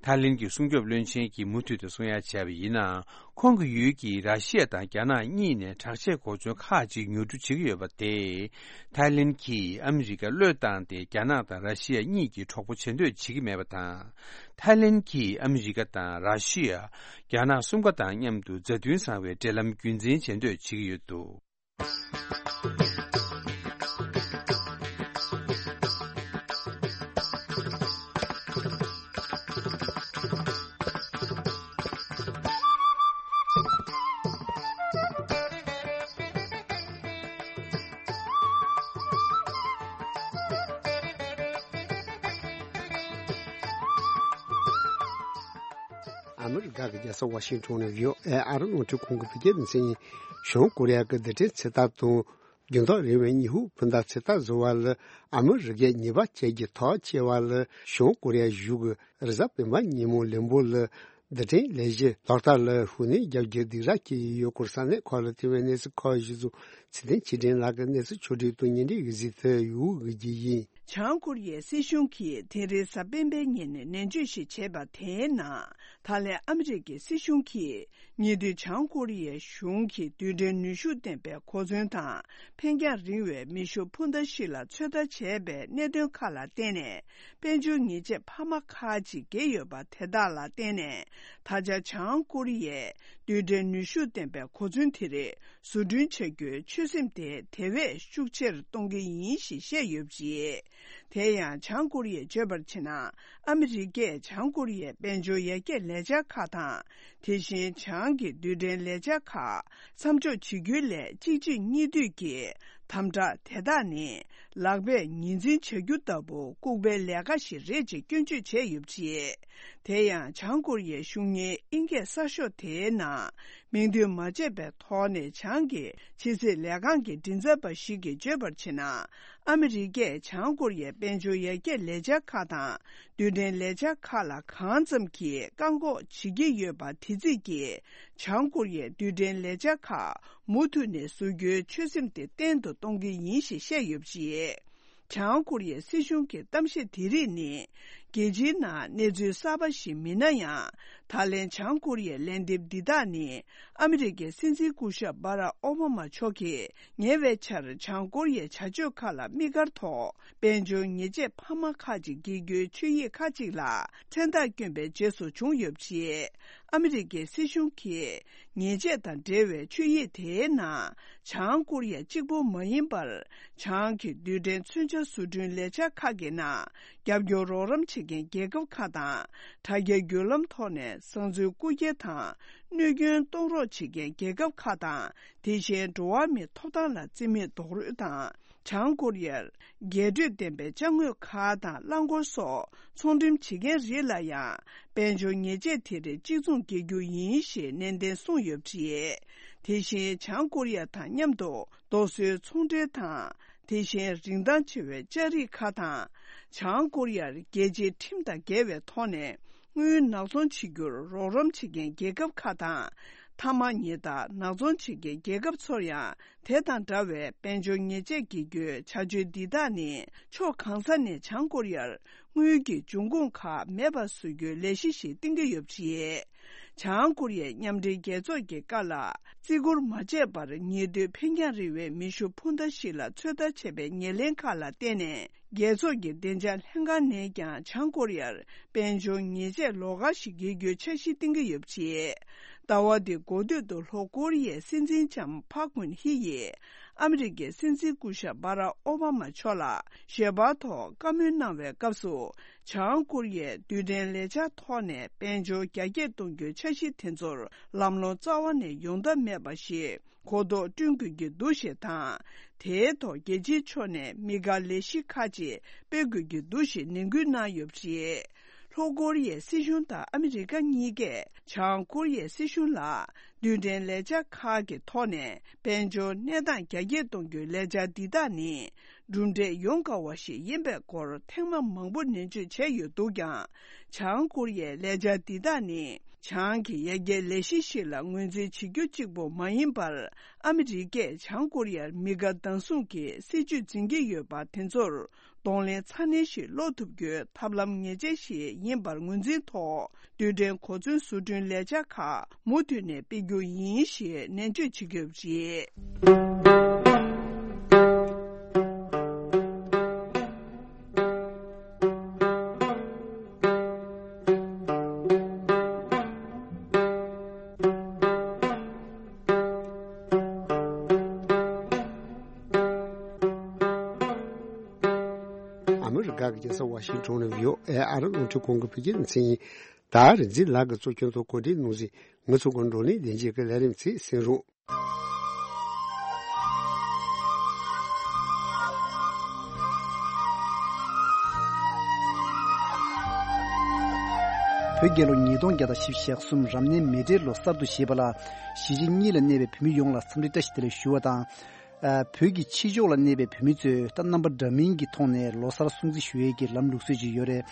ཐའི་ལེན་གྱི་སྲུང་སྐྱོབ་བློན་ཆེན་གྱིས་མུ་མཐུད་དུ་གསུང་ཡ་བྱས་པ་ཡིན་ན། ཁོང་གི་ཡུལ་གྱིས་ར་ཤི་ཡ་དང་རྒྱ་ནག་གཉིས་ནས་དྲག་ཆས་གོ་མཚོན་ཁག་ཅིག་ཉོ་སྒྲུབ་བྱེད་ཀྱི་ཡོད་པ་དེས། ཐའི་ལེན་གྱིས་ཨ་མི་རི་ཀ་བློས་བཏང་སྟེ། རྒྱ་ནག་དང་ར་ཤི་ཡ་གཉིས་ཀྱི་གྲོགས་པོ་བྱེད་འདོད་བྱེད་ཀྱི་མེད་པ་དང་། ཐའི་ལེན་གྱིས་ཨ་མི་རི་ཀ་དང་ར་ཤི་ཡ། རྒྱ་ནག་གསུམ་ཀ་དང་མཉམ་དུ་མཛའ་མཐུན་བཟང་བའི་འབྲེལ་ལམ་རྒྱུན་འཛིན་བྱེད་འདོད་བྱེད་ཀྱི་ཡོད་འདུག་ཨ་མི་རི་ཀ་གི་རྒྱལ་ས་ཝ་ཤིང་ཊོན་ནས་བྷི་ཨོ་ཨེ་ཨ་རི་རླུང་འཕྲིན་ཁང་གི་བོད་སྐད་སྡེ་ཚན་ཡིན། བྱང་ཀོ་རི་ཡ་གི་རྡུལ་ཕྲན་ཚོད་ལྟ་དང་། འགྱུར་ལྡོག་རིང་བའི་ཉི་ཧོང་འཕུར་མདའ་ཚོད་ལྟ་བཟོ་བ་ལ་ཨ་མི་རི་ཀས་ཉེས་པ་བཅད་རྒྱུའི་ཐག་བཅད་པ་ལ། བྱང་ཀོ་རི་ཡ་གཞུང་གིས་རེས་གཟའ་སྤེན་པ་ཉིན་མོ་ལན་པོ་ལ་རྡུལ་ཕྲན་ལས་གཞི་ལག་བསྟར་ལ་ཤུགས་སྣོན་རྒྱག་རྒྱུའི་སྡིགས་ར་བསྐྱེད་ཀྱི་ཡོད་སྐོར་ས་གནས་ཁག་ལ་ཐོན་པའི་གནས་ཚུལ་ཁག་གཞི་བཟུང་། ཚེ་བརྟན་ཆོས་སྒྲོན་ལགས་ཀྱིས་གནས་ཚུལ་ཕྱོགས་བསྒྲིགས་དང་སྙན་སྒྲོན་ཡོད་ཟིག་ཐོན་ཡོད་གི་ཡིན། བྱང་ཀོ་རི་ཡའི་སྲིད་གཞུང་གིས་དེ་རིང་གཟའ་སྤེན་པའི་ཉིན་ནས་ནན་བརྗོད་ཞིག་བྱས་པ་དེའི་ནང་། ད་ལན་ཨ་མི་རི་ཀའི་སྲིད་གཞུང་གིས་ཉེ་དུས་བྱང་ཀོ་རི་ཡའི་གཞུང་གིས་རྡུལ་ཕྲན་ནུས་ཤུགས་ལྡན་པའི་གོ་མཚོན་དང་འཕེན་རྒྱང་རིང་བའི་མེ་ཤུགས་འཕུར་མདའ་ཞིག་ལ་ཚོད་ལྟ་བྱས་པའི་གནད་དོན་ཁག་ལ་བརྟེན་ནས། དཔལ་འབྱོར་ཉེས་ཆད་འཕར་མ་ཁག་ཅིག་བརྒལ་ཡོད་པ་དེ་དག་ལ་བརྟེན་ནས། ད་ཆ་བྱང་ཀོ་རི་ཡས་རྡུལ་ཕྲན་ནུས་ཤུགས་ལྡན་པའི་གོ་མཚོན་དེ་རིགས་བཟོ་སྐྲུན་བྱ་རྒྱུའི་ཆོད་སེམས་དེ་དེ་བས་ཤུགས་ཆེར་གཏོང་གི་ཡིན་ཞེས་བཤད་ཡོད་པ་རེད། དེ་ཡང་བྱང་ཀོ་རི་ཡས་བརྗོད་པར་བྱས་ན། ཨ་མི་རི་ཀས་བྱང་ཀོ་རི་ཡའི་དཔལ་འབྱོར་ཡར་རྒྱས་ལས་འཆར་ཁག་དང་། དེ་བཞིན་བྱང་གི་རྡུལ་ཕྲན་ལས་འཆར་ཁག་མཚམས་འཇོག་བྱེད་རྒྱུའི་སླད་གཅིག་རྗེས་གཉིས་མཐུད་ཀྱིས་དམ་དྲག་དེ་དག་ནི་ལག་པས་ཉིན་འཛིན་བྱ་རྒྱུ་ལྟ་བུ་ལྐུགས་པའི་ལས་ཀ་ཞིག་རེད་ཅེས་སྐྱོན་བརྗོད་བྱས་ཡོད་པ་རེད། དེ་ཡང་བྱང་ཀོ་རི་ཡའི་གཞུང་གཉེར་ཨིན་སྐད་གསར་ཤོག་དེའི་ནང་མིང་འདོན་མ་བྱས་པའི་ཐོག་ནས་བྱང་གི་ཕྱི་སྲིད་ལས་ཁང་གི་མགྲིན་ཚབ་པ་ཞིག་གིས་བརྗོད་པར་བྱས་ན། ཨ་མི་རི་ཀས་བྱང་ཀོ་རི་ཡའི་དཔལ་འབྱོར་ཡར་རྒྱས་ལས་འཆར་ཁག་དང་རྡུལ་ཕྲན་ལས་འཆར་ཁག་ལ་གང་ཙམ་གྱིས་བཀག་འགོག་བྱེད་ཀྱི་ཡོད་པ་དེ་རྩིས་ཀྱིས། བྱང་ཀོ་རི་ཡས་རྡུལ་ཕྲན་ལས་འཆར་ཁག་མུ་མཐུད་ནས་བཟོ་རྒྱུའི་ཆོད་སེམས་དེ་བརྟན་དུ་གཏོང་གི་ཡིན་ཞེས་བཤད་ཡོད་པ་རེད། བྱང་ཀོ་རི་ཡའི་སྲིད་གཞུང་གི་གཏམ་བཤད་དེ་རིགས་ནི། རྒྱལ་སྤྱིའི་ནང་གནས་ཚུལ་གསར་པ་ཞིག་མིན་ན་ཡང་། ད་ལན་བྱང་ཀོ་རི་ཡའི་ལན་འདེབས་འདི་དག་ནི། ཨ་མི་རི་ཀའི་སྲིད་འཛིན་སྐུ་ཞབས་སྦ་རག་ཨོ་བྷ་མ་མཆོག་གིས་ཉེ་བའི་ཆར་བྱང་ཀོ་རི་ཡའི་བྱ་སྤྱོད་ཁག་ལ་དམིགས་བཀར་ཐོག་དཔལ་འབྱོར་ཉེས་ཆད་འཕར་མ་ཁག་ཅིག་འགེལ་རྒྱུའི་ཆོད་ཡིག་ཁག་ཅིག་ལ་མཚན་རྟགས་བསྐྱོན་པའི་རྗེས་སུ་བྱུང་ཡོད་པ་རེད། ཨ་མི་རི་ཀའི་སྲིད་གཞུང་གིས་ཉེས་ཆད་དང་འབྲེལ་བའི་ཆོད་ཡིག་དེའི་ནང་། བྱང་ཀོ་རི་ཡ་གཅིག་པུ་མ་ཡིན་པར། བྱང་གི་རྡུལ་ཕྲན་མཚོན་ཆ་བཟོ་སྐྲུན་ལས་འཆར་ཁག་གི་ནང་རྒྱབ་སྐྱོར་རོགས་རམ་བྱེད་མཁན་རྒྱལ་ཁབ་ཁག་དང་། དྲ་རྒྱའི་བརྒྱུད་ལམ་ཐོག་ནས་བཟང་འཛུལ་རྐུ་འཁྱེར་དང་གནོད་སྐྱོན་གཏོང་རོགས་བྱེད་མཁན་རྒྱལ་ཁབ་ཁག་དང་། དེ་བཞིན་འགྲོ་བ་མིའི་ཐོབ་ཐང་ལ་བརྩི་མེད་རྡོག་རོལ་དང་། བྱང་ཀོ་རི་ཡར་རྒྱས་སྤྲོས་ལྡན་པའི་ཅ་དངོས་ཁག་དང་རླངས་འཁོར་སོགས་ཚོང་འགྲེམས་བྱེད་མཁན་རིགས་ལ་ཡང་དཔལ་འབྱོར་ཉེས་ཆད་དེ་རིགས་གཅིག་མཚུངས་འགེལ་རྒྱུ་ཡིན་ཞེས་ནན་ཏན་གསུངས་ཡོད་པ་རེད། དེ་བཞིན་བྱང་ཀོ་རི་ཡ་དང་མཉམ་དུ་རྡོ་སོལ་ཚོང་འབྲེལ་དང་། དེ་བཞིན་རིན་ཐང་ཆེ་བའི་ལྕགས་རིགས་ཁག་དང་། བྱང་ཀོ་རི་ཡར་རྒྱལ་སྤྱིའི་ཁྲིམས་དང་འགལ་བའི་ཐོག་ནས་དངུལ་ནག་ཚོང་བྱེད་རྒྱུར་རོགས་རམ་བྱེད་མཁན་རྒྱལ་ཁབ་ཁག་དང་། ཐ་མག་ཉལ་ཐ་ནག་ཚོང་བྱེད་མཁན་རྒྱལ་ཁབ་ཚོར་ཡང་དེ་དང་འདྲ་བའི་དཔལ་འབྱོར་ཉེས་ཆད་འགེལ་རྒྱུའི་བྱ་སྤྱོད་འདི་དག་ནི་ཕྱོགས་གང་ས་ནས་བྱང་ཀོ་རི་ཡར་དངུལ་གྱི་འབྱུང་ཁུངས་ཁག་མེད་པ་བཟོ་རྒྱུའི་ལས་གཞི་ཞིག་བཏིང་གི་ཡོད་པ་རེད། བྱང་ཀོ་རི་ཡའི་མཉམ་འབྲེལ་རྒྱལ་ཚོགས་ཀྱི་ཀ་ལ་བརྩི་བཀུར་མ་བྱས་པར་ཉེ་དུས་འཕེན་རྒྱང་རིང་བའི་མེ་ཤུགས་འཕུར་མདའ་ཞིག་ལ་ཚོད་ལྟ་བྱས་པའི་ཉེར་ལེན་ཁག་ལ་བརྟེན་ནས། རྒྱལ་ཚོགས་ཀྱི་བདེ་འཇགས་ལྷན་ཁང་ནས་ཀྱང་བྱང་ཀོ་རི་ཡར་དཔལ་འབྱོར་ཉེས་ཆད་ལོགས་ཀ་ཞིག་འགེལ་རྒྱུའི་འཆར་གཞི་བཏིང་གི་ཡོད་པ་རེད། ཟླ་བ་འདིའི་འགོ་སྟོད་དུ་ལྷོ་ཀོ་རི་ཡའི་སྲིད་འཛིན་ལྕམ་ཕག་གུན་ཧི་ཡིས་ཨ་མི་རི་ཀའི་སྲིད་འཛིན་སྐུ་ཞབས་སྦ་རག་ཨོ་བྷ་མ་མཆོག་ལ་ཞལ་པར་ཐོག་བཀའ་མོལ་གནང་བའི་སྐབས་སུ། བྱང་ཀོ་རི་ཡས་རྡུལ་ཕྲན་ལས་འཆར་ཐོག་ནས་དཔལ་འབྱོར་རྒྱ་སྐྱེད་གཏོང་རྒྱུའི་འཆར་གཞི་དེ་ཚོར་ལམ་ལྷོང་རྩ་བ་ནས་ཡོང་ཐབས་མེད་པ་ཞིག་གོ་རྟོགས་བསྐྲུན་དགོས་ཀྱི་འདུག་ཞེས་དང་། དེའི་ཐོག་རྒྱལ་སྤྱིའི་ཕྱོགས་ནས་དམིགས་བཀར་ལས་གཞི་ཁག་ཅིག་སྤེལ་དགོས་ཀྱི་འདུག་ཞེས་ནན་སྐུལ་གནང་ཡོད་པ་རེད། ལྷོ་ཀོ་རི་ཡའི་སྲིད་གཞུང་དང་ཨ་མི་རི་ཀ་གཉིས་ཀས་བྱང་ཀོ་རི་ཡའི་སྲིད་གཞུང་ལ་རྡུལ་ཕྲན་ལས་འཆར་ཁག་གི་ཐོག་ནས་དཔལ་འབྱོར་གནས་སྟངས་རྒྱ་སྐྱེད་གཏོང་རྒྱུའི་ལས་འཆར་འདི་དག་ནི་གྲུབ་འབྲས་ཡོང་དཀའ་བ་ཞིག་ཡིན་པའི་སྐོར་ཐེངས་མ་མང་པོ་ནན་བརྗོད་བྱས་ཡོད་འདུག་ཀྱང་། བྱང་ཀོ་རི་ཡའི་ལས་འཆར་འདི་དག་ནི་བྱང་གི་ཡར་རྒྱས་ལས་གཞི་ཞིག་ལ་ངོས་འཛིན་བྱེད་རྒྱུ་གཅིག་པུ་མ་ཡིན་པར། ཨ་མི་རི་ཀས་བྱང་ཀོ་རི་ཡར་མི་དགའ་སྡང་ཟུང་གི་སྲིད་ཇུས་འཛིན་གྱི་ཡོད་པ་དེ་ཚོར་གདོང་ལེན་ཚ་ནན་ཞིག་སློག་ཐུབ་རྒྱུའི་ཐབས་ལམ་ངེས་ཅན་ཞིག་ཡིན་པར་ངོས་འཛིན་ཐོག་རྡུལ་ཕྲན་གོ་མཚོན་བཟོ་སྐྲུན་ལས་འཆར་ཁག་མུ་མཐུད་ནས་སྤེལ་རྒྱུ་ཡིན་ཞེས་ནན་བརྗོད་བྱེད་ཀྱི་ཡོད་པ་རེད། ཨ་མི་རི་ཀ་གི་རྒྱལ་ས་ཝ་ཤིང་ཊོན་ནས་བྷི་ཨོ་ཨེ་ཨ་རི་རླུང་འཕྲིན་ཁང་གི་བོད་སྐད་སྡེ་ཚན་ཡིན། ད་རིག་འཛིན་ལགས་ཀྱིས་གཙོ་སྐྱོང་ཐོག་གོ་སྒྲིག་གནང་ཟིན། ང་ཚོ་གི་བགྲོ་གླེང་ལས་འཆར་གྱི་ལས་རིམ་ཚིག་གསན་རོགས། བོད་རྒྱལ་ལོ་ཉིས་སྟོང་བརྒྱ་དང་བཞི་བཅུ་ཞེ་གསུམ་རབ་གནས་མེ་སྤྲེལ་ལོ་གསར་དུ་བཞེས་པ་ལ་གཞིས་བྱེས་གཉིས་ལ་གནས་པའི་བོད་མི་ཡོངས་ལ་འཚམས་འདྲི་བཀྲ་ཤིས་བདེ་ལེགས་ཞུ་བ་དང་། ཨ། བོད་ཀྱི་ཕྱི་ཕྱོགས་ལ་གནས་པའི་བོད་མི་ཚོས་ད་རྣམ་པ་འདྲ་མིན་གྱི་ཐོག་ནས་ལོ་གསར་སྲུང་བརྩི་ཞུ་ཡས་ཀྱི་ལམ་ལུགས་སྲོལ་ཅིག་ཡོད་རེད།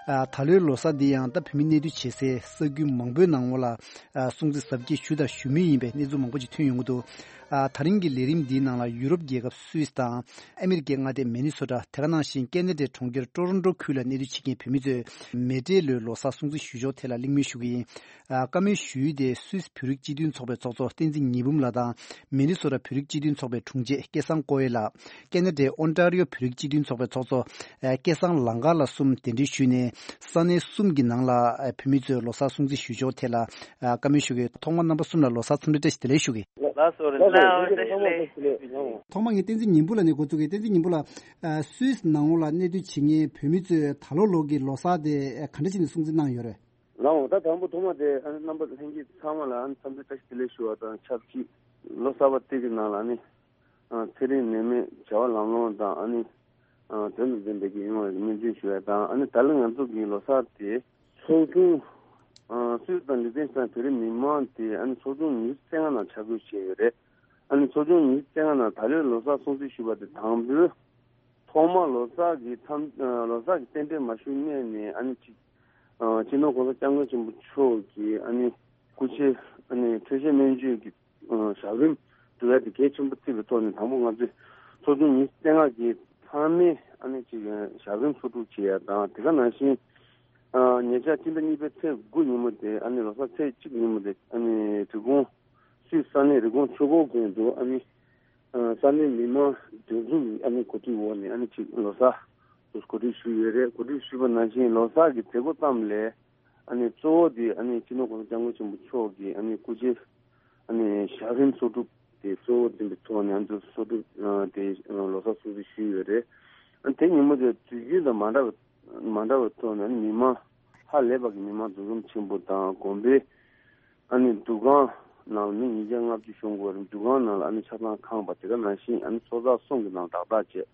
ཨ། ད་ལོའི་ལོ་གསར་འདི་ཡང་ད་བོད་མི་གནས་སྡོད་བྱེད་སའི་ས་ཁུལ་མང་པོའི་ནང་ལ་ཨ། སྲུང་བརྩི་གཟབ་རྒྱས་ཞུས་དང་ཞུ་མུས་ཡིན་པའི་གནས་ཚུལ་མང་པོ་ཅིག་ཐོན་ཡོང་གི་འདུག་ཨ། ད་རིང་གི་ལས་རིམ་འདིའི་ནང་ལ་ཡུ་རོབ་རྒྱལ་ཁབ་སུད་སི་དང་ཨ་མི་རི་ཀའི་མངའ་སྡེ་མི་ནི་སོ་ཊ། དེ་ག་ནང་བཞིན་ཀེ་ན་ཌའི་གྲོང་ཁྱེར་ཊོ་རོན་ཊོ་ཁུལ་ལ་གནས་སྡོད་བྱེད་མཁན་བོད་མི་ཚོས་མེ་སྤྲེལ་ལོའི་ལོ་གསར་སྲུང་བརྩི་ཞུ་ཕྱོགས་ཐད་ལ་གླེང་མོལ་ཞུ་གི་ཡིན། ཨ། བཀའ་མོལ་ཞུ་ཡུལ་དེ་སུད་སི་བོད་རིགས་སྤྱི་མཐུན་ཚོགས་པའི་ཚོགས་གཙོ་བསྟན་འཛིན་ཉི་འབུམ་ལགས་དང་། མི་ནི་སོ་ཊ་བོད་རིགས་སྤྱི་མཐུན་ཚོགས་པའི་དྲུང་ཆེ་སྐལ་བཟང་ཀོ་ཝེ་ལགས། ཀེ་ན་ཌའི་ཨོན་ཊ་རི་ཡོ་བོད་རིགས་སྤྱི་མཐུན་ཚོགས་པའི་ཚོགས་གཙོ་སྐལ་བཟང་ལང་དཀར་ལགས་གསུམ་གདན་འདྲེན་ཞུས་ནས། ས་གནས་གསུམ་གྱི་ནང་ལ་བོད་མི་ཚོས་ལོ་གསར་སྲུང་བརྩི་ཞུ་ཕྱོགས་ཐད་ལ་བཀའ་མོལ་ཞུ་གི། ཐོག་མར་རྣམ་པ་གསུམ་ལ་ལོ་གསར་འཚམས་འདྲི་བཀྲ་ཤིས་བདེ་ལེགས་ཞུ་གི། ལགས་སོ། ལགས་སོ། ལགས་སོ། ཐོག་མར་ངས་བསྟན་འཛིན་ཉི་འབུམ་ལགས་ནས་འགོ་བཙུགས་གི། བསྟན་འཛིན་ཉི་འབུམ་ལགས། སུད་སི་ནང་ལོགས་ལ་གནས་སྡོད་བྱེད་མཁན་བོད་མི་ཚོས་ད་ལོ་ལོ་གི་ལོ་གསར་དེ་ག་འདྲ་བྱས་ནས་སྲུང་བརྩི་གནང་ཡོད་རེད། ལགས་འོང་། ད་དང་པོ་ཐོག་མ་དེ་ཨ་ནི་རྣམ་པ་ལྷན་རྒྱས་ཚང་མ་ལ་ཨ་ནི་འཚམས་འདྲི་བཀྲ་ཤིས་བདེ་ལེགས་ཞུ་བ་དང་ཆབས་ཅིག་ལོ་གསར་པ་དེ་གི་ནང་ལ་ཨ་ནི་ཨ་ཚེ་རིང་ནད་མེད་བྱ་བ་ལམ་ལྷོང་དང་ཨ་ནི་ཨ་དོན་དུ་ལྡན་པའི་གི་ཡོང་བའི་སྨོན་འདུན་ཞུ་བ་དང་ཨ་ནི་ད་ལོ་ང་ཚོ་གི་ལོ་གསར་དེ་ཚོགས་ཆུང་ཨ་སུད་སི་དང་ལི་ཏེན་སི་ཏན་བོད་རིགས་མི་མང་དེ་ཨ་ནི་ཚོགས་ཆུང་ཉི་ཤུ་རྩ་ལྔ་ནང་ཆ་བགོས་བྱས་ཡོད་རེད། ཨ་ནི་ཚོགས་ཆུང་ཉི་ཤུ་རྩ་ལྔ་ནང་ད་ལོའི་ལོ་གསར་སྲུང་བརྩི་ཞུ་བ་དེ་དང་པོའི་ཐོག་མ་ལོ་གསར་གྱི་འཚམས། ལོ་གསར་གྱི་རྟེན་འབྲེལ་མ་ཞུ་སྔོན་ནས་ཨ་ནི་ཅིག་ཨ་སྤྱི་ནོར་༸གོང་ས་༸སྐྱབས་མགོན་ཆེན་པོ་མཆོག་གི་ཨ་ནི་སྐུ་ཕྱྭའི་ཨ་ནི་འཕྲོད་བཞེས་སྨན་བཅོས་ཀྱི་ཨ་ཞབས་རིམ་སྒྲུབ་ཡ་དེ་གལ་ཆེན་པོ་བརྩིས་པའི་ཐོག་ནས་དང་པོ་ང་ཚོས་ཚོགས་ཆུང་ཉི་ཤུ་རྩ་ལྔ་གི་ཚང་མས་ཨ་ནི་ཅིག་ཞབས་རིམ་ཚོགས་སྒྲུབ་བྱེད་ཡ་དང་། དེ་ག་ནང་བཞིན་ཨ་ཉེ་ཆར་སྤྱི་ཟླ་གཉིས་པའི་ཚེས་དགུ་ཉིན་མོ་དེ་ཨ་ནི་ལོ་གསར་ཚེས་གཅིག་ཉིན་མོ་དེ་ཨ་ནི་རི་ཀོན། སུད་སི་ས་གནས་རི་ཀོན་ཆོས་འཁོར་དགོན་དུ་ཨ་ནི་ཨ་ས་གནས་མི་མང་འདུ་འཛོམས་ཀྱི་ཨ་ནི་གོ་སྒྲིག་འོག་ནས་ཨ་ནི་ཅིག་ལོ་གསར་དུ་གོ་སྒྲིག་ཞུས་ཡོད་རེད། གོ་སྒྲིག་ཞུས་པ་ནང་བཞིན་ལོ་གསར་གྱི་མཛད་སྒོ་ཙམ་ལས་ཨ་ནི་གཙོ་བོ་དེ་ཨ་ནི་སྤྱི་ནོར་༸གོང་ས་༸སྐྱབས་མགོན་ཆེན་པོ་མཆོག་གི་ཨ་ནི་སྐུ་ཕྱྭའི་ཨ་ནི་ཞབས་རིམ་གསོག་སྒྲུབ་དེ་གཙོ་བོ་འཛིན་པའི་ཐོག་ནས་ཨ་ནི་གསོག་སྒྲུབ་ཨ་དེ་ལོ་གསར་སྲུང་བརྩི་ཞུས་ཡོད་རེད། ཨ་ནི་དེ་ཉིན་མོ་དེ་དུས་རྒྱུན་དང་མ་འདྲ་བ་མ་འདྲ་བའི་ཐོག་ནས་ཨ་ནི་མི་མང་ཧ་ལས་པ་གི་མི་མང་འདུ་འཛོམས་ཆེན་པོ་དང་དགོན་པའི་ཨ་ནི་འདུ་ཁང་ནང་ལ་མི་ཉིས་བརྒྱ་ལྔ་བཅུ་ཤོང་གི་ཡོད་རེད། འདུ་ཁང་ནང་ལ་ཨ་ནི་ཆ་ཚང་ཁང་པ་དེ་ག་ནང་བཞིན་ཨ་ནི་ཚོགས་བསགས་གསུམ་གྱི་ནང་ཏག་ཏག་བྱས།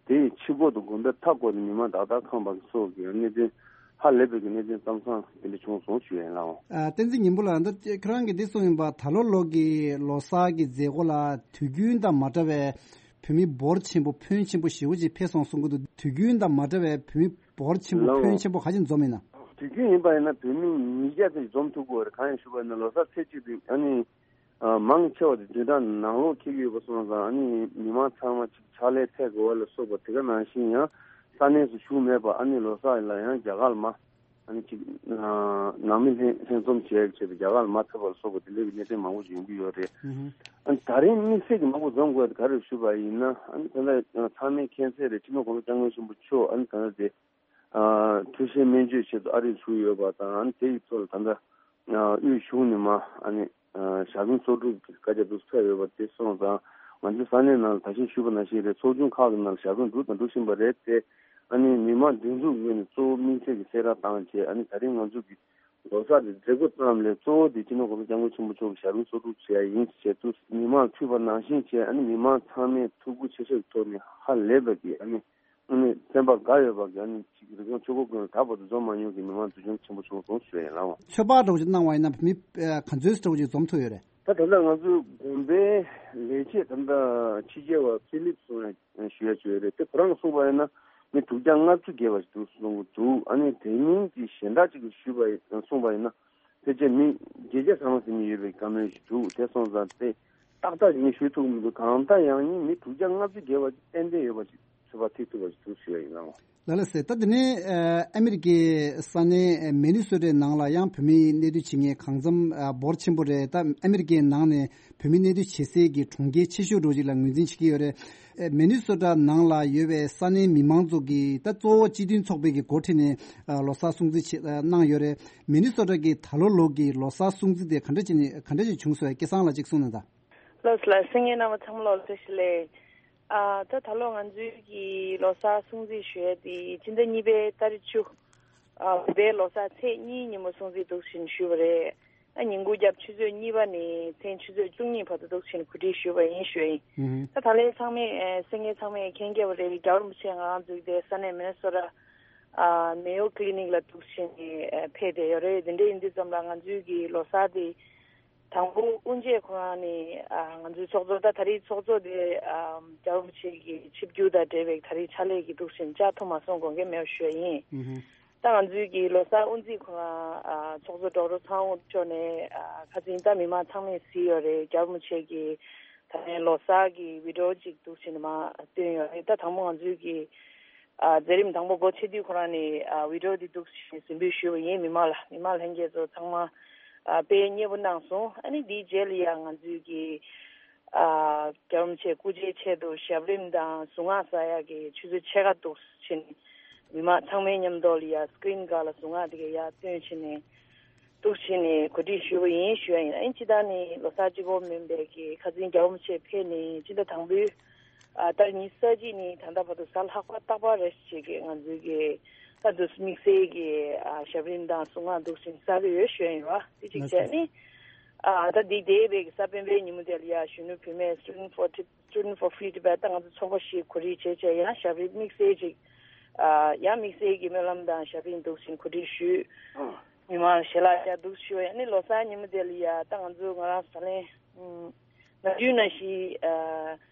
དེ་ཡི་ཕྱི་སྒོ་དང་དགོན་པའི་མཐའ་སྐོར་ནས་མི་མང་ཏག་ཏག་ཁང་པ་གི་སོགས་ཀྱི་གནད་དོན་ཧ་ལས་པའི་གི་གནད་དོན་ཙམ་ཙམ་དེ་འདྲ་བྱུང་སོང་ཞུ་ཡ་ཡིན་ལགས། ཨ་བསྟན་འཛིན་ཉི་འབུམ་ལགས། ད་ཁྱེད་རང་གིས་འདི་གསུངས་ཡིན་པ། ད་ལོ་ལོ་གི་ལོ་གསར་གྱི་མཛད་སྒོ་ལ་དུས་རྒྱུན་དང་མ་འདྲ་བའི་བོད་མི་འབོར་ཆེན་པོ་ཕོན་ཆེན་པོ་ཞེ་པོ་ཅིག་ཕེབས་སོང་གསུང་གི་འདུག་དུས་རྒྱུན་དང་མ་འདྲ་བའི་བོད་མི་འབོར་ཆེན་པོ་ལགས། ཕོན་ཆེན་པོ་ག་ཚོད་འཛོམས་ཡིན་ན། དུས་རྒྱུན་ཡིན་པ་ཡིན་ན་བོད་མི་ཉིས་བརྒྱ་ཙམ་འཛོམས་ཐུབ་ཀྱི་ཡོད་རེད། གང་ཡིན་ཞུས་པ་ཡིན་ན་ལོ་གསར་ཚེས་གཅིག་དེ་ཨ་ནི་ཨ་མང་ཆེ་བ་དེ་བདུན་ཕྲག་ནང་ལོགས་འཁེལ་གྱི་ཡོད་པ་སོང་ཙང་ཨ་ནི་མི་མང་ཚང་མ་ཅིག་ཕྱག་ལས་ཐད་དགོས་པ་ལ་སོགས་པ་དེ་ག་ནང་བཞིན་ཡང་ས་གནས་སུ་བཞུགས་མེད་པ་ཨ་ནི་ལོ་གསར་ལ་ཡང་རྒྱ་གར་ལ་མ་ཨ་ནི་ཅིག་ཨ་ནང་མི་ལྷན་ལྷན་འཛོམས་བྱེད་ཡག་ཆེད་དུ་རྒྱ་གར་ལ་མ་ཕེབས་པ་ལ་སོགས་པ་དེ་འདྲ་གི་གནད་དོན་མང་པོ་ཞིག་ཡོང་གི་ཡོད་རེད། ཨ་ནི་ད་རིང་དམིགས་བསལ་གྱི་མང་པོ་འཛོམས་དགོས་དེ་ག་རེ་ཞུས་པ་ཡིན་ན། ཨ་ནི་ད་ལྟ་ཚང་མས་མཁྱེན་གསལ་རེད། སྤྱི་ནོར་༸གོང་ས་༸སྐྱབས་མགོན་ཆེན་པོ་མཆོག་ཨ་ནི་ད་ལྟ་དེ་ཨ་འཕྲོད་བཞེས་སྨན་བཅོས་ཆེད་དུ་ཨ་རིར་བཞུགས་ཡོད་པ་དང་། ཨ་ནི་དེ་ཡི་ཐོག་ལ་ད་ལྟ་ དབུས་གཞུང་ནས་མ་ཨ་ནི་ཞལ་འཛོམས་ཚོགས་དྲུག་གི་བཀའ་རྒྱ་དུ་ཕེབས་ཡོད་པ་དེ་སོང་ཙང་། ང་ཚོའི་ས་གནས་ནང་ལ་ད་གིན་ཞུས་པ་ནང་བཞིན་རེད། ཚོགས་ཆུང་ཁག་གི་ནང་ལ་ཞལ་འཛོམས་འགྲོ་དང་འགྲོ་བཞིན་པ་རེད་དེ། ཨ་ནི་མི་མང་སྒྲིག་འཛུགས་ངོས་ནས་གཙོ་བོ་དམིགས་བསལ་གྱི་གསལ་བསྒྲགས་བཏང་བྱས། ཨ་ནི་ད་རིང་ང་ཚོ་གི་ལོ་གསར་དེ་མཛད་སྒོ་ཙམ་ལས་གཙོ་བོ་དེ་སྤྱི་ནོར་༸གོང་ས་༸སྐྱབས་མགོན་ཆེན་པོ་མཆོག་གི་ཞལ་འཛོམས་ཚོགས་དྲུག་བྱེད་ཡ་ཡིན་ཞེས་དུས་མི་མང་ཕུད་པ་ནང་བཞིན་བྱས། ཨ་ནི་མི་མང་ཚང་མས་ཐུགས་ཁུར་ཆེ་ཤོས་ཀྱི་ཐོག་ནས་ཧ་ལས་པ་གི་ཨ་ནི་ཨ་ནི་བསྟན་པ་དགའ་ཡོད་པ་གི་ཨ་ནི་ཅིག་རིག་གཞུང་ཆོས་འཁོར་ཀུན་ལ་ད་བར་དུ་འཛོམས་མ་མྱོང་གི་མི་མང་འཛུལ་སྐྱོང་ཆེན་པོ་བྱུང་སོང་ཞུ་ཡ་ཡིན་ལགས། ཚོད་དཔག་འདྲ་བོ་ཅིག་གནང་བ་ཡིན་ན་མི་ཨ་ག་ཚོད་འདྲ་བོ་ཅིག་འཛོམས་ཐུབ་ཡོད་རེད། ད་ད་ལྟ་ང་ཚོའི་དགོན་པའི་ལས་བྱེད་ད་ལྟ་ཕྱི་རྒྱལ་བ་ཕི་ལིབ་སོང་ཡ་ཞུ་ཡ་བྱོས་རེད་དེ། ཁོ་རང་གསུངས་པ་ཡིན་ན་མི་དྲུག་བརྒྱ་ལྔ་བཅུ་བརྒལ་བ་ཞིག་འདུག་གསུང་གི་འདུག་ཨ་ནི་དེ་མིན་གྱི་གཞན་དག་ཅིག་གིས་ཞུས་པ་ཡིན་གསུངས་པ་ཡིན་ན་ཕལ་ཆེར་མི་བརྒྱད་བརྒྱ་ཚང་མ་ཟིན་ནས་ཡོད་པའི་བཀའ་མོལ་ཞིག་འདུག་དེ་སོང་ཙང་དེ་ཏག་ཏག་ངས་ཞུ་ཐུབ་ཀྱི་མི་འདུག་གང་ལྟར་ཡང་ཡིན་མི་དྲུག་བརྒྱ་ལྔ་བཅུ་བརྒལ་བ་ཅིག་ཏན་ཏན་ཡོད་པ་ཞིག་ཚོད་དཔག་ཐེག་ཐུབ་པ་ཞིག་འདུག་ཞུ་ཡ་ཡིན་ལགས། ལགས་ལགས་སེ། ད་དེ་ནས་ཨ་ཨ་མི་རི་ཀའི་ས་གནས་མི་ནི་སོ་ཊའི་ནང་ལ་ཡང་བོད་མིའི་གནས་སྡོད་བྱེད་མཁན་གང་འཚམ་ཨ་འབོར་ཆེན་པོ་རེད། ད་ཨ་མི་རི་ཀའི་ནང་ནས་བོད་མིའི་གནས་སྡོད་བྱེད་སའི་གི་གྲོང་ཁྱེར་ཆེ་ཤོས་འདྲ་བོ་ཅིག་ལ་ངོས་འཛིན་བྱེད་ཀྱི་ཡོད་རེད། ཨ་མི་ནི་སོ་ཊ་ནང་ལ་ཡོད་པའི་ས་གནས་མི་མང་ཚོ་གིས་ད་གཙོ་བོ་སྤྱི་མཐུན་ཚོགས་པའི་གི་འགོ་ཁྲིད་ནས་ཨ་ལོ་གསར་སྲུང་བརྩི་བྱེད་ཨ་གནང་ཡོད་རེད། མི་ནི་སོ་ཊ་གི་ད་ལོ་ལོ་གི་ལོ་གསར་སྲུང་བརྩི་དེ་ག་འདྲ་བྱས་ནས་ག་འདྲ་ཞིག་བྱུང་སོང་། སྐལ་བཟང་ལགས་ཅིག་གསུངས་གནང་དང་། ལགས་ལགས། གསན་མཁན་རྣམ་པ་ཚང་མ་ལོ་བཀྲ་ཤིས་བདེ་ལེགས། ཨ་ད་ད་ལོ་ང་ཚོའི་གི་ལོ་གསར་སྲུང་བརྩི་ཞུ་ཡས་དེ་སྤྱི་ཟླ་གཉིས་པའི་ཏ་རིག་བཅུ། ཨ་བོད་པའི་ལོ་གསར་ཚེས་གཉིས་ཉིན་མོ་སྲུང་བརྩི་འདུག་བཞིན་ཞུས་པ་རེད། ཨ་ཉིན་གུང་རྒྱབ་ཆུ་ཚོད་གཉིས་པ་ནས་མཚན་ཆུ་ཚོད་བཅུ་གཉིས་བར་དུ་འདུག་བཞིན་གོ་སྒྲིག་ཞུས་པ་ཡིན་ཞུ་ཡ་ཡིན། ཨུ་ཧུམ། ད་ད་ལན་ཚང་མས་ཨ་གསན་མཁན་ཚང་མས་མཁྱེན་གྱི་ཡོད་པ་རེད། རྒྱལ་བ་རིན་པོ་ཆེ་ང་རང་འཛུལ་ཏེ་ས་གནས་མི་ནི་སོ་ཊ་ཨ་མེ་ཡོ་ཀི་ལི་ནིག་ལ་འདུག་བཞིན་ཨ་ཕེབས་བསྡད་ཡོད་རེད། དེ་འདྲ་ཡིན་དུས་ཙམ་ལ་ང་ཚོའི་གི་ལོ་གསར་དེ། དང་པོ་དབུ་འབྱེད་ཁོ་རང་ནས་ཨ་ང་ཚོའི་ཚོགས་གཙོ་ད་ད་རེས་ཚོགས་གཙོ་དེ་ཨ་རྒྱལ་བ་རིན་པོ་ཆེ་གི་ཆིབས་བསྒྱུར་དང་འབྲེལ་བའི་ད་རེས་ཕྱག་ལས་ཀྱི་འདུག་བཞིན་བཅར་ཐུབ་མ་སོང་དགོངས་འགལ་མེད་པ་ཞུ་ཡ་ཡིན། ཨུ་ཧུ། ད་ང་ཚོའི་གི་ལོ་གསར་དབུ་འབྱེད་ཁོ་རང་ཨ་ཚོགས་གཙོ་ཌོག་ཊར་ཚངས་དབྱངས་མཆོག་ནས་ཨ་ཁ་སང་ད་མི་མང་ཚང་མས་གཟིགས་ཡོད་རེད། རྒྱལ་བ་རིན་པོ་ཆེ་གི་ད་ལན་ལོ་གསར་གྱི་བི་ཌི་ཡོ་ཅིག་འདུག་བཞིན་མར་བཏོན་ཡོད་རེད། ད་དང་པོ་ང་ཚོའི་གི་ཨ་མཛད་རིམ་དང་པོ་སྒོ་ཕྱེ་དུས་ཁོ་རང་ནས་ཨ་བི་ཌི་ཡོ་འདི་འདུག་བཞིན་གཟིགས་འབུལ་ཞུས་པ་ཡིན། མི་མང་ལ་མི་མང་ལྷན་རྒྱས་ཚོ་ཚང་མ་ཨ་དཔེ་མཉེས་པོ་གནང་སོང་། ཨ་ནི་འདིའི་རྗེས་ལ་ཡང་ང་ཚོའི་གི་ཨ་རྒྱལ་བ་རིན་པོ་ཆེ་སྐུ་ཕྱྭའི་ཆེད་དུ་ཞབས་རིམ་དང་གཟུངས་སྔགས་གསོལ་ཡག་གི་ཆུ་ཚོད་ཕྱེད་ཀ་འདུག་བཞིན་མི་མང་ཚང་མའི་མཉམ་དུ་ལ་ཡ་སི་ཀི་རིན་སྒང་ལ་གཟུངས་སྔགས་དེ་ག་ཡར་བཏོན་བཞིན་ནས། འདུག་བྱས་ནས་གོ་སྒྲིག་ཞུས་པ་ཡིན་ཞུ་ཡ་ཡིན། ཨ་ནི་སྤྱི་བཏང་ནས་ལོ་གསར་གཅིག་པོ་མིན་པའི་གི་ཁ་སང་རྒྱལ་བ་རིན་པོ་ཆེ་ཕེབས་ནས་སྤྱི་ཟླ་དང་པོའི་ཨ་ཏ་རིག་ཉི་ཤུ་རྩ་གཅིག་ནས་ད་ལྟ་བར་དུ་གཟའ་ལྷག་པ་རྟག་པར་རེ་བཞིན་གྱི་ང་ཚོའི་གི་ད་དུ་དམིགས་བསལ་གྱི་ཨ་ཞབས་རིམ་དང་གཟུངས་སྔགས་འདུག་བྱས་ནས་གསོལ་གྱི་ཡོད་ཞུ་ཡ་ཡིན་ར། དེ་གཅིག་བྱས་ནས་ཨ་ད་འདི་འདས་པའི་གི་གཟའ་སྤེན་པའི་ཉིན་མོ་དེ་ལ་ཡ་གཞོན་ནུ་བུད་མེད་Student for Tib- Student for Free Tibet ད་ང་ཚོ་ཚོགས་པ་ཞིག་གོ་སྒྲིག་བྱས་བྱས་ཡང་ཞབས་རིམ་དམིགས་བསལ་ཅིག་ཨ་ཡང་དམིགས་བསལ་གྱི་སྨོན་ལམ་དང་ཞབས་རིམ་འདུག་བཞིན་གོ་སྒྲིག་ཞུས། མི་མང་ཞལ་ལག་བརྒྱབ་འདུག་ཞུས། ཨ་ནི་ལོ་གསར་ཉིན་མོ་དེ་ལ་ཡ་ད་ང་ཚོ་ང་རང་ཟ་ལེན་ནམ་རྒྱུན་ནང་བཞིན་ཨ་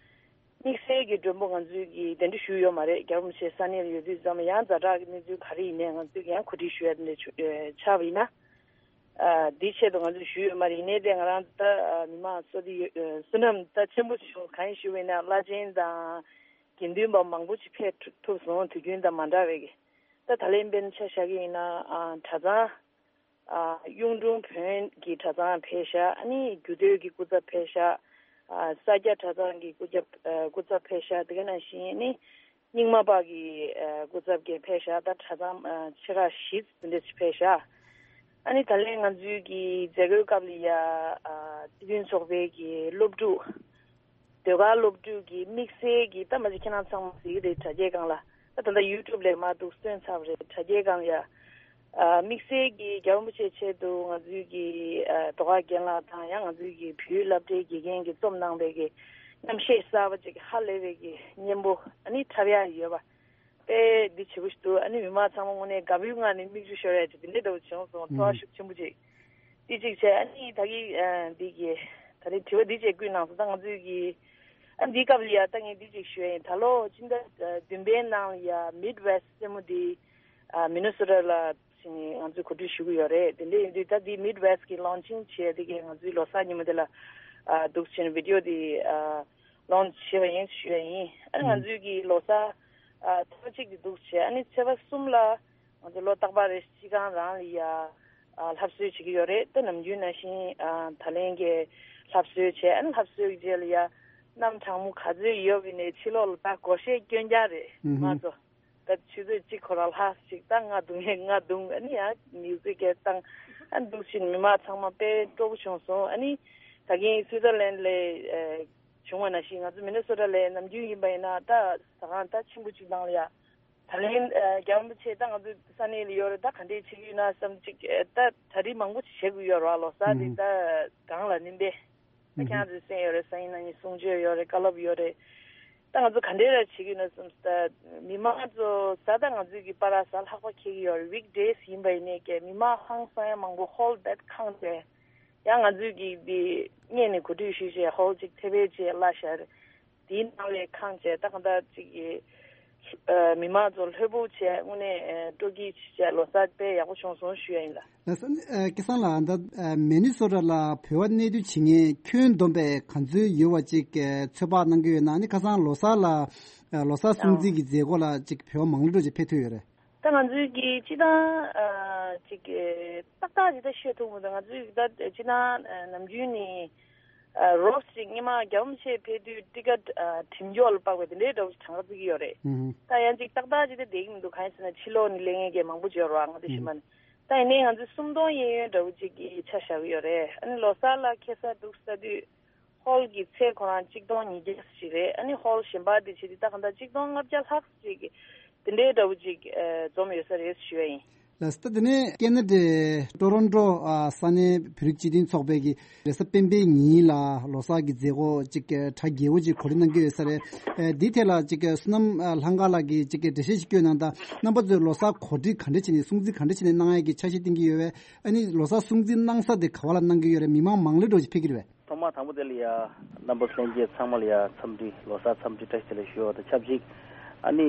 དམིགས་བསལ་གྱི་མགྲོན་པོ་ང་ཚོའི་གི་གདན་འདྲེན་ཞུས་ཡོད་མ་རེད། རྒྱལ་བ་རིན་པོ་ཆེ་ས་གནས་ལ་ཡོད་དུས་ཙམ་ཡང་ཛ་དྲག་གི་གནས་ཚུལ་ག་རེ་ཡིན་ནའི་ང་ཚོས་ཀྱི་ཡང་གོ་སྒྲིག་ཞུ་ཡ་དེ་འདྲ་ཆགས་པ་ཡིན་ན། ཨ་འདིའི་ཆེད་དུ་ང་ཚོས་ཞུས་ཡོད་མ་རེད། ཡིན་ནའི་དེ་ང་རང་ད་ཨ་མི་མང་བསོད་བདེ་ཡོད་ཨ་བསོད་ནམས་ད་ཆེན་པོ་བྱུང་། གང་ཡིན་ཞུས་པ་ཡིན་ན་བླ་ཆེན་དང་དགེ་འདུན་པ་མང་པོ་ཅིག་ཕེབས་ཐུབ་སོང་། དུས་རྒྱུན་དང་མ་འདྲ་བའི་གི་ད་ད་ལན་དཔེར་ན་ཆ་བཞག་གི་ཡིན་ན་ཨ་གྲྭ་ཚང་ཨ་གཡུང་དྲུང་བོན་གྱི་གྲྭ་ཚང་ཕེབས་ཤག་ཨ་ནི་རྒྱུད་སྟོད་ཀྱི་སྐུ་ཚབ་ཕེབས་ཤག་ཨ་ས་སྐྱ་གྲྭ་ཚང་གི་སྐུ་ཚབ་ཨ་སྐུ་ཚབ་ཕེབས་ཤག་དེ་ག་ནང་བཞིན་ཨ་ནི་རྙིང་མ་པ་གི་ཨ་སྐུ་ཚབ་ཀྱིས་ཕེབས་ཤག་ད་གྲྭ་ཚང་ཨ་ཆེ་ཁག་བཞི་དེ་འདྲ་ཅིག་ཕེབས་ཤག་ཨ་ནི་ད་ལན་ང་ཚོའི་གི་མཛད་སྒོའི་སྐབས་ལ་ཡ་ཨ་སྤྱི་མཐུན་ཚོགས་པའི་གི་སློབ་ཕྲུག་ཟློས་གར་སློབ་ཕྲུག་གི་དམིགས་བསལ་གྱི་ད་མ་གཞི་ཁྱེད་རང་ཚང་མ་གཟིགས་ཀྱི་རེད། དྲ་རྒྱའི་སྒང་ལ་ད་ད་ལྟ་ཡུ་ཊུབ་ལ་མར་འདུག་སྟོན་ཚར་བ་རེད། དྲ་རྒྱའི་སྒང་ལ་ཡ་ཨ་དམིགས་བསལ་གྱི་རྒྱལ་བ་རིན་པོ་ཆེའི་ཆེད་དུ་ང་ཚོའི་གི་ཨ་ཟློས་གར་རྒན་ལགས་དང་ཡང་ང་ཚོའི་གི་བོད་ཡིག་སློབ་གྲྭའི་དགེ་རྒན་གྱིས་རྩོམ་གནང་བའི་གི་རྣམ་བཤད་གསར་པ་ཅིག་ཧ་ལས་པའི་གི་སྙན་པོ་ཨ་ནི་འཁྲབ་ཡག་ཡོད་པ། དཔེ་འདི་བྱེད་པོ་ཞིག་འདུག་ཨ་ནི་མི་མང་ཚང་མ་དངོས་གནས་དགའ་པོའི་ངང་ནས་མིག་ཆུ་ཤོར་ཡ་ཅིག་འདི་འདྲ་འདྲ་བོ་བྱུང་སོང་། ཚོར་བ་ཤུགས་ཆེན་པོ་ཅིག་འདི་གཅིག་བྱས། ཨ་ནི་ད་གི་ཨ་འདི་གི་ད་རེས་དྲི་བ་འདི་བཅས་བསྐུལ་གནང་སོང་། ད་ང་ཚོའི་གི་ཨ་འདིའི་སྐབས་ལ་ཡ་ད་ངས་འདི་གཅིག་ཞུ་ཡ་ཡིན། ད་ལོ་སྤྱི་ཟླ་བདུན་པའི་ནང་ལ་ཡ་མིཌ་ཝེསྟ་རྩེད་མོ་འདི་ཨ་མི་ནི་སོ་ཊ་ལ་ཕྱིན་ནས་ང་ཚོས་གོ་སྒྲིག་ཞུ་གི་ཡོད་རེད། དེ་འདྲ་ཡིན་དུས་ད་འདི་མིཌ་ཝེསྟ་གི་ལོན་ཆིང་བྱས་དེ་གའི་ང་ཚོའི་ལོ་གསར་ཉིན་མོ་དེ་ལ་ཨ་འདུག་བྱས་ནས་བི་ཌི་ཡོ་དེ་ཨ་ལོན་ཆི་བྱས་པ་ཡིན་ཞུ་ཡ་ཡིན། ཨ་ནི་ང་ཚོའི་གི་ལོ་གསར་ཨ་ཐེངས་གཅིག་དེ་འདུག་བྱས། ཨ་ནི་ཚེས་པ་གསུམ་ལ་ང་ཚོ་ལོ་རྟག་པར་རེ་སྤྱི་ཁང་རང་ལ་ཡ་ཨ་ལྷ་གསོལ་བྱེད་ཀྱི་ཡོད་རེད། ད་ནམ་རྒྱུན་ནང་བཞིན་ཨ་ད་ལན་གྱི་ལྷ་གསོལ་བྱས། ཨ་ནི་ལྷ་གསོལ་གྱི་རྗེས་ལ་ཡ་གནམ་གྲང་མོ་ག་ཚོད་ཡོད་པ་ཡིན་ནའི་ཕྱི་ལོགས་ལ་ད་སྒོར་གཞས་སྐྱོན་རྐྱང་རེད། ང་ཚོ་ད་ཆུ་ཚོད་གཅིག་ཁོ་རང་ལྷག་ཅིག་ད་རྔ་བརྡུང་ཡས་རྔ་བརྡུང་། ཨ་ནི་ཡང་མིའུ་ཛིག་གས་བཏང་། ཨ་འདུག་ཕྱིན་མི་མང་ཚང་མ་དཔེ་སྤྲོ་པོ་བྱུང་སོང་། ཨ་ནི་ད་གིན་སུའི་ཙར་ལན་ལ་ཨ་བྱུང་བ་ནང་བཞིན་ང་ཚོ་མི་ནི་སོ་ཊ་ལ་ནམ་རྒྱུན་ཡིན་པ་ཡིན་ན་ད་ཟ་ཁང་ད་ཆེན་པོ་གཅིག་ནང་ལ་ཡ། ད་ལན་ཨ་རྒྱལ་བ་རིན་པོ་ཆེ་ད་ང་ཚོ་ས་གནས་ལ་ཡོད་རེད། ད་ག་འདྲས་བྱེད་ཀྱི་ཡོད་ན་བསམ་ཅིག་ཨ་ད་གྲ་སྒྲིག་མང་པོ་ཞིག་བྱེད་དགོས་ཡོད་རེད་བ། ལོ་གསར་དེ་ད་གང་ལ་ནིན་པས། ད་ཁྱེད་རང་ཚོའི་སེམས་ཡོད་རེད། སང་ཉིན་གནངས་ཉིན་གསུང་ཆོས་ཡོད་རེད། བཀའ་སློབ་ཡོད་རེད། ད་ང་ཚོ་ག་འདྲས་ར་བྱེད་ཀྱི་ཡོད་ན་བསམ་ད་མི་མང་ཚོ་གཟའ་ད་ང་ཚོའི་གི་པར་གཟའ་ལྷག་པ་འཁེལ་གྱི་ཡོད་རེད། ཝིག་ཌེ་སི་ཡིན་པ་ཡིན་ནའི་ཀྱེ་མི་མང་ཧང་སང་ཡ་མང་པོ་ཧོལ་བེད་ཁང་བྱས། ཡང་ང་ཚོའི་གི་འདི་སྔོན་ནས་གོ་སྒྲིག་ཞུས་བྱས་ཧོལ་གཅིག་ཐེ་བེད་བྱས་གླ་བཞག་རེད། དེའི་ནང་ལས་ཁང་བྱས་ད་གང་ལྟར་ཅིག་གི་ཨ་མི་མང་ཚོ་ལྷོད་པོ་བྱས་དངོས་གནས་ཨ་སྤྲོ་སྐྱིད་བྱས་ལོ་གསར་དཔེ་ཡག་པོ་བྱུང་སོང་ཞུ་ཡ་ཡིན་ལ། ལགས་སོ། ཨ་སྐལ་བཟང་ལགས། ད་ཨ་མི་ནི་སོ་ཊ་ལ་བོད་པ་གནས་སྡོད་བྱེད་མཁན་ཁྱོན་བསྡོམས་པས་ག་ཚོད་ཡོད་པ་ཅིག་ཨ་ཚོད་དཔག་གནང་གི་ཡོད་ན། ཨ་ནི་ཁ་སང་ལོ་གསར་ལ་ཨ་ལོ་གསར་སྲུང་བརྩི་གི་མཛད་སྒོ་ལ་ཅིག་བོད་པ་མང་ལོས་འགྲོ་ཅིག་ཕེབས་ཐུབ་ཡོད་རེད། ད་ང་ཚོའི་གི་སྤྱི་བཏང་ཨ་ཅིག་ཏག་ཏག་ཅིག་ད་ཤོད་ཐུབ་མི་འདུག་ང་ཚོའི་གི་ད་སྤྱི་བཏང་ཨ་ནམ་རྒྱུན་ནས་ཨ་རོབ་ཅིག་སྔོན་མ་རྒྱལ་བ་རིན་པོ་ཆེ་ཕེབས་དུས་ཊི་ཀེ་ཊི་ཨ་གྲིམ་འཇོག་ལ་དཔག་པའི་དེ་འདྲའི་འདྲ་བོ་ཞིག་གྲངས་ཀ་བརྩི་གི་ཡོད་རེད། ཨུ་ཧུ། ད་ཡང་ཅིག་ཏག་ཏག་ཅིག་ད་བསྡད་ཀྱི་མི་འདུག་གང་ཡིན་ཟེར་ན་ཕྱི་ལོགས་ནས་སླེབས་མཁན་གྱི་མང་པོ་ཅིག་ཡོད་རེད་བ། ང་ཚོ་ཨུ་ཧུ། ཤི་མ་ནས། ད་ཡིན་ནའི་ང་ཚོའི་སུམ་སྟོང་གཡས་གཡོན་འདྲ་བོ་ཅིག་གི་ཆ་བཞག་གི་ཡོད་རེད། ཨ་ནི་ལོ་གསར་ལ་ཁ་སང་འདུག་ཟེར་དུས། ཧོལ་གྱི་ཚད་ཁོ་རང་གཅིག་སྟོང་ཉིས་བརྒྱ་ཞིག་རེད། ཨ་ནི་ཧོལ་གཞན་པ་དེ་བྱེད་དུས་ད་གང་ལྟར་གཅིག་སྟོང་ལྔ་བརྒྱ་ལྷག་ཅིག་དེ་འདྲའི་འདྲ་བོ་ཅིག་ཨ་འཛོམས་ཡོད་ས་རེད་ཞུ་ཡ་ཡིན། ལགས་སོ། ད་དེ་ནས་ཁེ་ན་ཌའི་ཊོ་རོན་ཊོ་ཨ་ས་གནས་བོད་རིགས་སྤྱི་མཐུན་ཚོགས་པས་ཀྱི་རེས་གཟའ་སྤེན་པའི་ཉིན་ལ་ལོ་གསར་གྱི་མཛད་སྒོ་ཅིག་གྲ་རྒྱས་པོ་ཅིག་གོ་སྒྲིག་གནང་གི་ཡོད་ས་རེད། ཨ་འདིའི་ཐད་ལ་ཅིག་བསོད་ནམས་ཨ་ལྷ་དགའ་ལགས་ཀྱིས་ཅིག་འགྲེལ་བཤད་ཅིག་བསྐྱོན་གནང་དང་། རྣམ་པ་ཚོས་ལོ་གསར་གོ་སྒྲིག་ག་འདྲ་བྱས་ནས་སྲུང་བརྩི་ག་འདྲ་བྱས་ནས་གནང་ཡ་གི་འཆར་གཞི་བཏིང་གི་ཡོད་པས། ཨ་ནི་ལོ་གསར་སྲུང་བརྩི་གནང་ས་དེ་ག་བ་ལ་གནང་གི་ཡོད་རེད། མི་མང་མང་ལོས་འགྲོ་ཞིག་ཕེབས་ཀྱི་རེད་པས། ཐོག་མར་དང་པོ་དེ་ལ་ཡ་རྣམ་པ་ལྷན་རྒྱས་ཚང་མ་ལ་ཡ་འཚམས་འདྲི། ལོ་གསར་འཚམས་འདྲི་བཀྲ་ཤིས་བདེ་ལེགས་ཞུ་བ་དང་ཆབས་ཅིག་ཨ་ནི་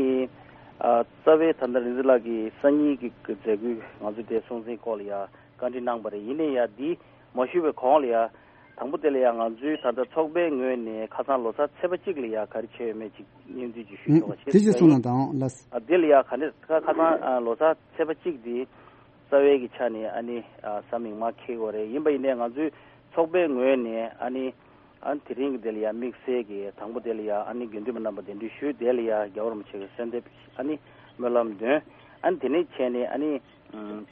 ཨ་རྩ་བའི་ད་ལྟ་རིག་འཛིན་ལགས་ཀྱིས་སང་ཉིན་གྱི་མཛད་སྒོའི་ང་ཚོ་དེ་སྲུང་བརྩིའི་སྐོར་ལ་ཡ་བཀའ་འདྲི་གནང་བ་རེད། ཡིན་ནའི་ཡ་འདི་མ་ཞུས་པའི་གོང་ལ་ཡ་དང་པོ་དེ་ལ་ཡ་ང་ཚོའི་ད་ལྟ་ཚོགས་པའི་ངོས་ནས་ཁ་སང་ལོ་གསར་ཚེས་པ་གཅིག་ལ་ཡ་ག་རེ་བྱས་ཡོད་མེད་ཅིག་སྙན་སྒྲོན་ཅིག་ཞུ་ཆོག་པ་བྱེད་དེ་ཞུ་ཞུ་གསུང་གནང་དང་། ལགས། ཨ་དེ་ལ་ཡ་ག་འདྲ་ཁ་ཁ་སང་ཨ་ལོ་གསར་ཚེས་པ་གཅིག་འདི་རྩ་བའི་གི་ཆ་ནས་ཨ་ནི་ཨ་གཟའ་མིག་དམར་འཁེལ་གྱི་ཡོད་རེད། ཡིན་པ་ཡིན་ནའི་ང་ཚོའི་ཚོགས་པའི་ངོས་ནས་ཨ་ནི་ཨ་དེ་རིང་གི་དེ་ལ་ཡ་དམིགས་བསལ་གྱི་དང་པོ་དེ་ལ་ཡ་ཨ་ནི་དགེ་འདུན་པ་རྣམ་པ་གདན་འདྲེན་ཞུས། དེ་ལ་ཡ་རྒྱལ་བ་རིན་པོ་ཆེ་གི་གསོལ་འདེབས་ཨ་ནི་སྨོན་ལམ་འདོན། ཨ་ནི་དེ་ནས་བྱས་ནས་ཨ་ནི་ཨམ་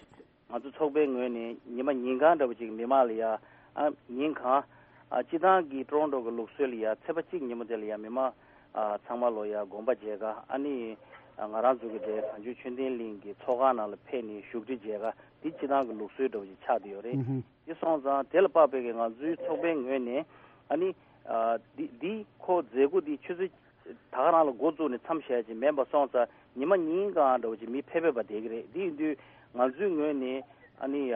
ང་ཚོ་ཚོགས་པའི་ངོས་ནས་ཉི་མ་ཉིན་གང་འདྲ་པོ་ཅིག་མི་མང་ལ་ཡ་ཨ་ཉིན་གང་ཨ་སྤྱི་བཏང་གི་ཀྲོ་རོན་ཀྲོ་གི་ལུགས་སྲོལ་ལ་ཡ་ཚེས་པ་གཅིག་ཉིན་མོ་དེ་ལ་ཡ་མི་མང་ཨ་ཚང་མ་ལོ་ཡ་དགོན་པ་མཇལ་ཁ་ཨ་ནི་ཨ་ང་རང་ཚོ་གི་དེ་གངས་ལྗོངས་ཆོས་ལྡན་གླིང་གི་ཚོགས་ཁང་ནང་ལ་ཕེབས་ནས་བཞུགས་ཁྲི་མཇལ་ཁ་འདི་སྤྱི་བཏང་གི་ལུགས་སྲོལ་འདྲ་པོ་ཅིག་ཆགས་བསྡད་ཡོད་རེད། ཨུ་ཧུ། དེ་སོང་ཙང་དེ་ལ་དཔག་པའི་གི་ང་ཚོའི་ཚོགས་པའི་ངོས་ནས་ཨ་ནི་ཨ་འདི་འདི་ཁོ་མཛད་སྒོ་འདི་ཆུ་ཚོད་ད་ག་རང་ལ་འགོ་བཙུགས་ནས་མཚམས་བཞག་ཅིག་མིན་པ་སོང་ཙང་ཉི་མ་ཉིན་གང་འདྲ་པོ་ཅིག་མི་ཕེབས་ཕེབས་པ་བསྡད་ཀྱི་རེད། འདི་ཡིན་དུས་ང་ཚོའི་ངོས་ནས་ཨ་ནི་ཡ་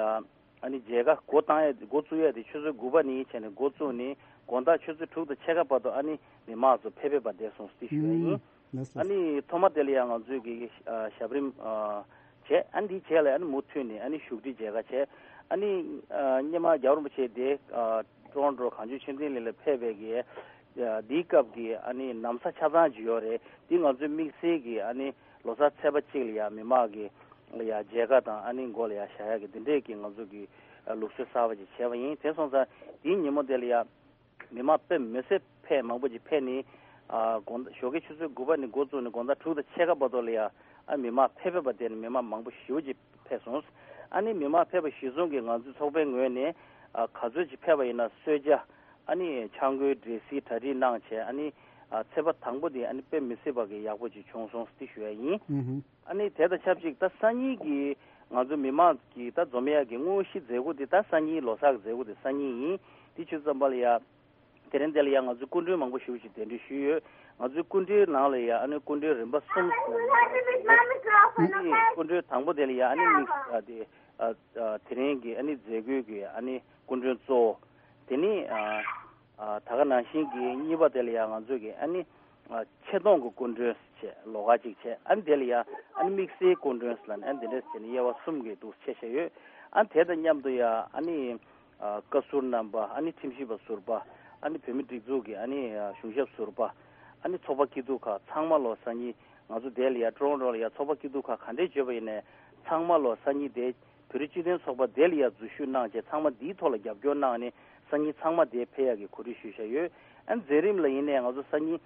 ཨ་ནི་མཇལ་ཁ་འགོ་བཏང་ཡ་འགོ་བཙུགས་ཡ་དེ་ཆུ་ཚོད་དགུ་པ་ནས་བྱས་ནས་འགོ་བཙུགས་ནས་དགོང་དག་ཆུ་ཚོད་དྲུག་དང་ཕྱེད་ཀ་བར་དུ་ཨ་ནི་མི་མང་ཚོ་ཕེབས་ཕེབས་པ་བསྡད་སོང་ཟེར་ཞུ་ཡ་ཡིན། ཨ་ནི་ཐོག་མ་དེ་ལ་ཡང་ང་ཚོས་ཀྱི་ཨ་ཞབས་རིམ་ཨ་བྱས། ཨ་ནི་དེའི་རྗེས་ལ་ཨ་ནི་མུ་མཐུད་ནས་ཨ་ནི་བཞུགས་ཁྲི་མཇལ་ཁ་བྱས། ཨ་ནི་ཨ་སྔོན་མ་རྒྱལ་བ་རིན་པོ་ཆེ་དེ་ཨ་ཀྲོ་རོན་ཀྲོ་གངས་ལྗོངས་ཆོས་ལྡན་གླིང་ལ་ཕེབས་པའི་གི་ཨ་དེའི་སྐབས་ཀྱི་ཨ་ནི་ན་བཟའ་ཆ་ཚང་ཅིག་ཡོད་རེད། དེ་ང་ཚོའི་དམིགས་བསལ་གྱི་ཨ་ནི་ལོ་གསར་ཚེས་པ་གཅིག་ལ་ཡང་མི་མང་གི་ལ་ཡང་མཇལ་ཁ་དང་ཨ་ནི་མགོ་ལ་ཡང་བཞག་ཡག་གི་དེ་འདྲས་ཀྱི་ང་ཚོ་གི་ཨ་ལུགས་སྲོལ་གསར་པ་ཅིག་བྱས་པ་ཡིན། དེ་སོང་ཙང་དེའི་ཉིན་མོ་དེ་ལ་ཡང་མི་མང་དཔེ་མི་སྲིད་ཕལ་མང་པོ་ཅིག་ཕེབས་ནས་ཨ་དགོང་ཞོགས་ཀའི་ཆུ་ཚོད་དགུ་པ་ནས་འགོ་བཙུགས་ནས་དགོང་དག་དྲུག་དང་ཕྱེད་ཀ་བར་དུ་ལ་ཡང་ཨ་མི་མང་ཕེབས་ཕེབས་པ་དེ་ནི་མི་མང་མང་པོ་ཞེ་པོ་ཅིག་ཕེབས་སོང་། ཨ་ནི་མི་མང་ཕེབས་པ་གཞིར་བཟུང་གིས་ང་ཚོའི་ཚོགས་པའི་ངོས་ནས་ཨ་ག་ཚོད་ཅིག་ཕེབས་པ་ཡིན་ན་གསོལ་ཇ་ཨ་ནི་ཆང་ཁོལ་འབྲས་སིལ་གྲ་སྒྲིག་གནང་བྱས། ཨ་ནི་ཨ་ཚེས་པ་དང་པོ་དེ་ཨ་ནི་དཔེ་མི་སྲིད་པ་གི་ཡག་པོ་ཅིག་བྱུང་སོང་ཟེར་ཞུ་ཡ་ཡིན། ཨ་ནི་དེ་དང་ཆབས་ཅིག་ད་སང་ཉིན་གྱི་ང་ཚོ་མི་མང་གི་ད་འཛོམས་ཡག་གི་དངོས་གཞི་མཛད་སྒོ་དེ་ད་སང་ཉིན་ལོ་གསར་གྱི་མཛད་སྒོ་དེ་སང་ཉིན་ཡིན། དེ་ཆུ་ཚོད་ཙམ་པ་ལ་ཡ་དེ་རིང་དེ་ལ་ཡ་ང་ཚོའི་སྐུ་མགྲོན་མང་པོ་ཞེ་པོ་ཅིག་གདན་འདྲེན་ཞུས་ཡོད། ང་ཚོའི་སྐུ་མགྲོན་ནང་ལ་ཡ་ཨ་ནི་སྐུ་མགྲོན་རིམ་པ་གསུམ། ཨ་ནི་སྐུ་མགྲོན་དང་པོ་དེ་ལ་ཡ་ཨ་ནི་དམིགས་ཨ་དེ་ཨ་ཨ་དེ་རིང་གི་ཨ་ནི་མཛད་སྒོའི་གི་ཨ་ནི་སྐུ་མགྲོན་གཙོ་བོ། དེ་ནི་ཨ་ཨ་ད་ག་ནང་བཞིན་གྱི་གཉིས་པ་དེ་ལ་ཡ་ང་ཚོ་གི་ཨ་ནི་ཨ་ཆེ་མཐོང་གི་སྐུ་མགྲོན་བྱས་ལོགས་ཀ་གཅིག་བྱས། ཨ་ནི་དེ་ལ་ཡ་ཨ་ནི་དམིགས་བསལ་སྐུ་མགྲོན་ལ་ནི་ཨ་ནི་དེ་འདྲས་བྱས་ནས་དབྱེ་བ་གསུམ་གྱི་འདུག་ཆེ་ཤ་ཡོད། ཨ་ནི་དེ་དང་མཉམ་དུ་ཡ་ཨ་ནི་ཨ་བཀའ་ཟུར་རྣམ་པ། ཨ་ནི་ཁྲིམས་ཞིབ་པ་ཟུར་པ། ཨ་ནི་བོད་མི་སྒྲིག་འཛུགས་ཀྱི་ཨ་ནི་ཨ་གཞུང་ཞབས་ཟུར་པ། ཨ་ནི་ཚོགས་པ་སྐྱིད་སྡུག་ཁག་ཚང་མ་ལོ་སང་ཉིན་ང་ཚོ་དེ་ལ་ཡ་ཀྲོ་རོན་ཀྲོ་ལ་ཡ་ཚོགས་པ་སྐྱིད་སྡུག་ཁག་ག་འདྲས་བརྗོད་པ་ཡིན་ནའི་ཚང་མ་ལོ་སང་ཉིན་དེ་བོད་རིགས་སྤྱི་མཐུན་ཚོགས་པ་དེ་ལ་ཡ་འཛུལ་ཞུགས་གནང་བྱས། ཚང་མ་འདིའི་ཐོག་ལ་རྒྱབ་སྐྱོར་གནང་ནས་སང་ཉིན་ཚང་མ་དེ་ཕེབས་ཡག་གི་གོ་སྒྲིག་ཞུས་བཞག་ཡོད། ཨ་ནི་མཛད་རིམ་ལ་ཡིན་ནའི་ང་ཚོ་སང་ཉིན་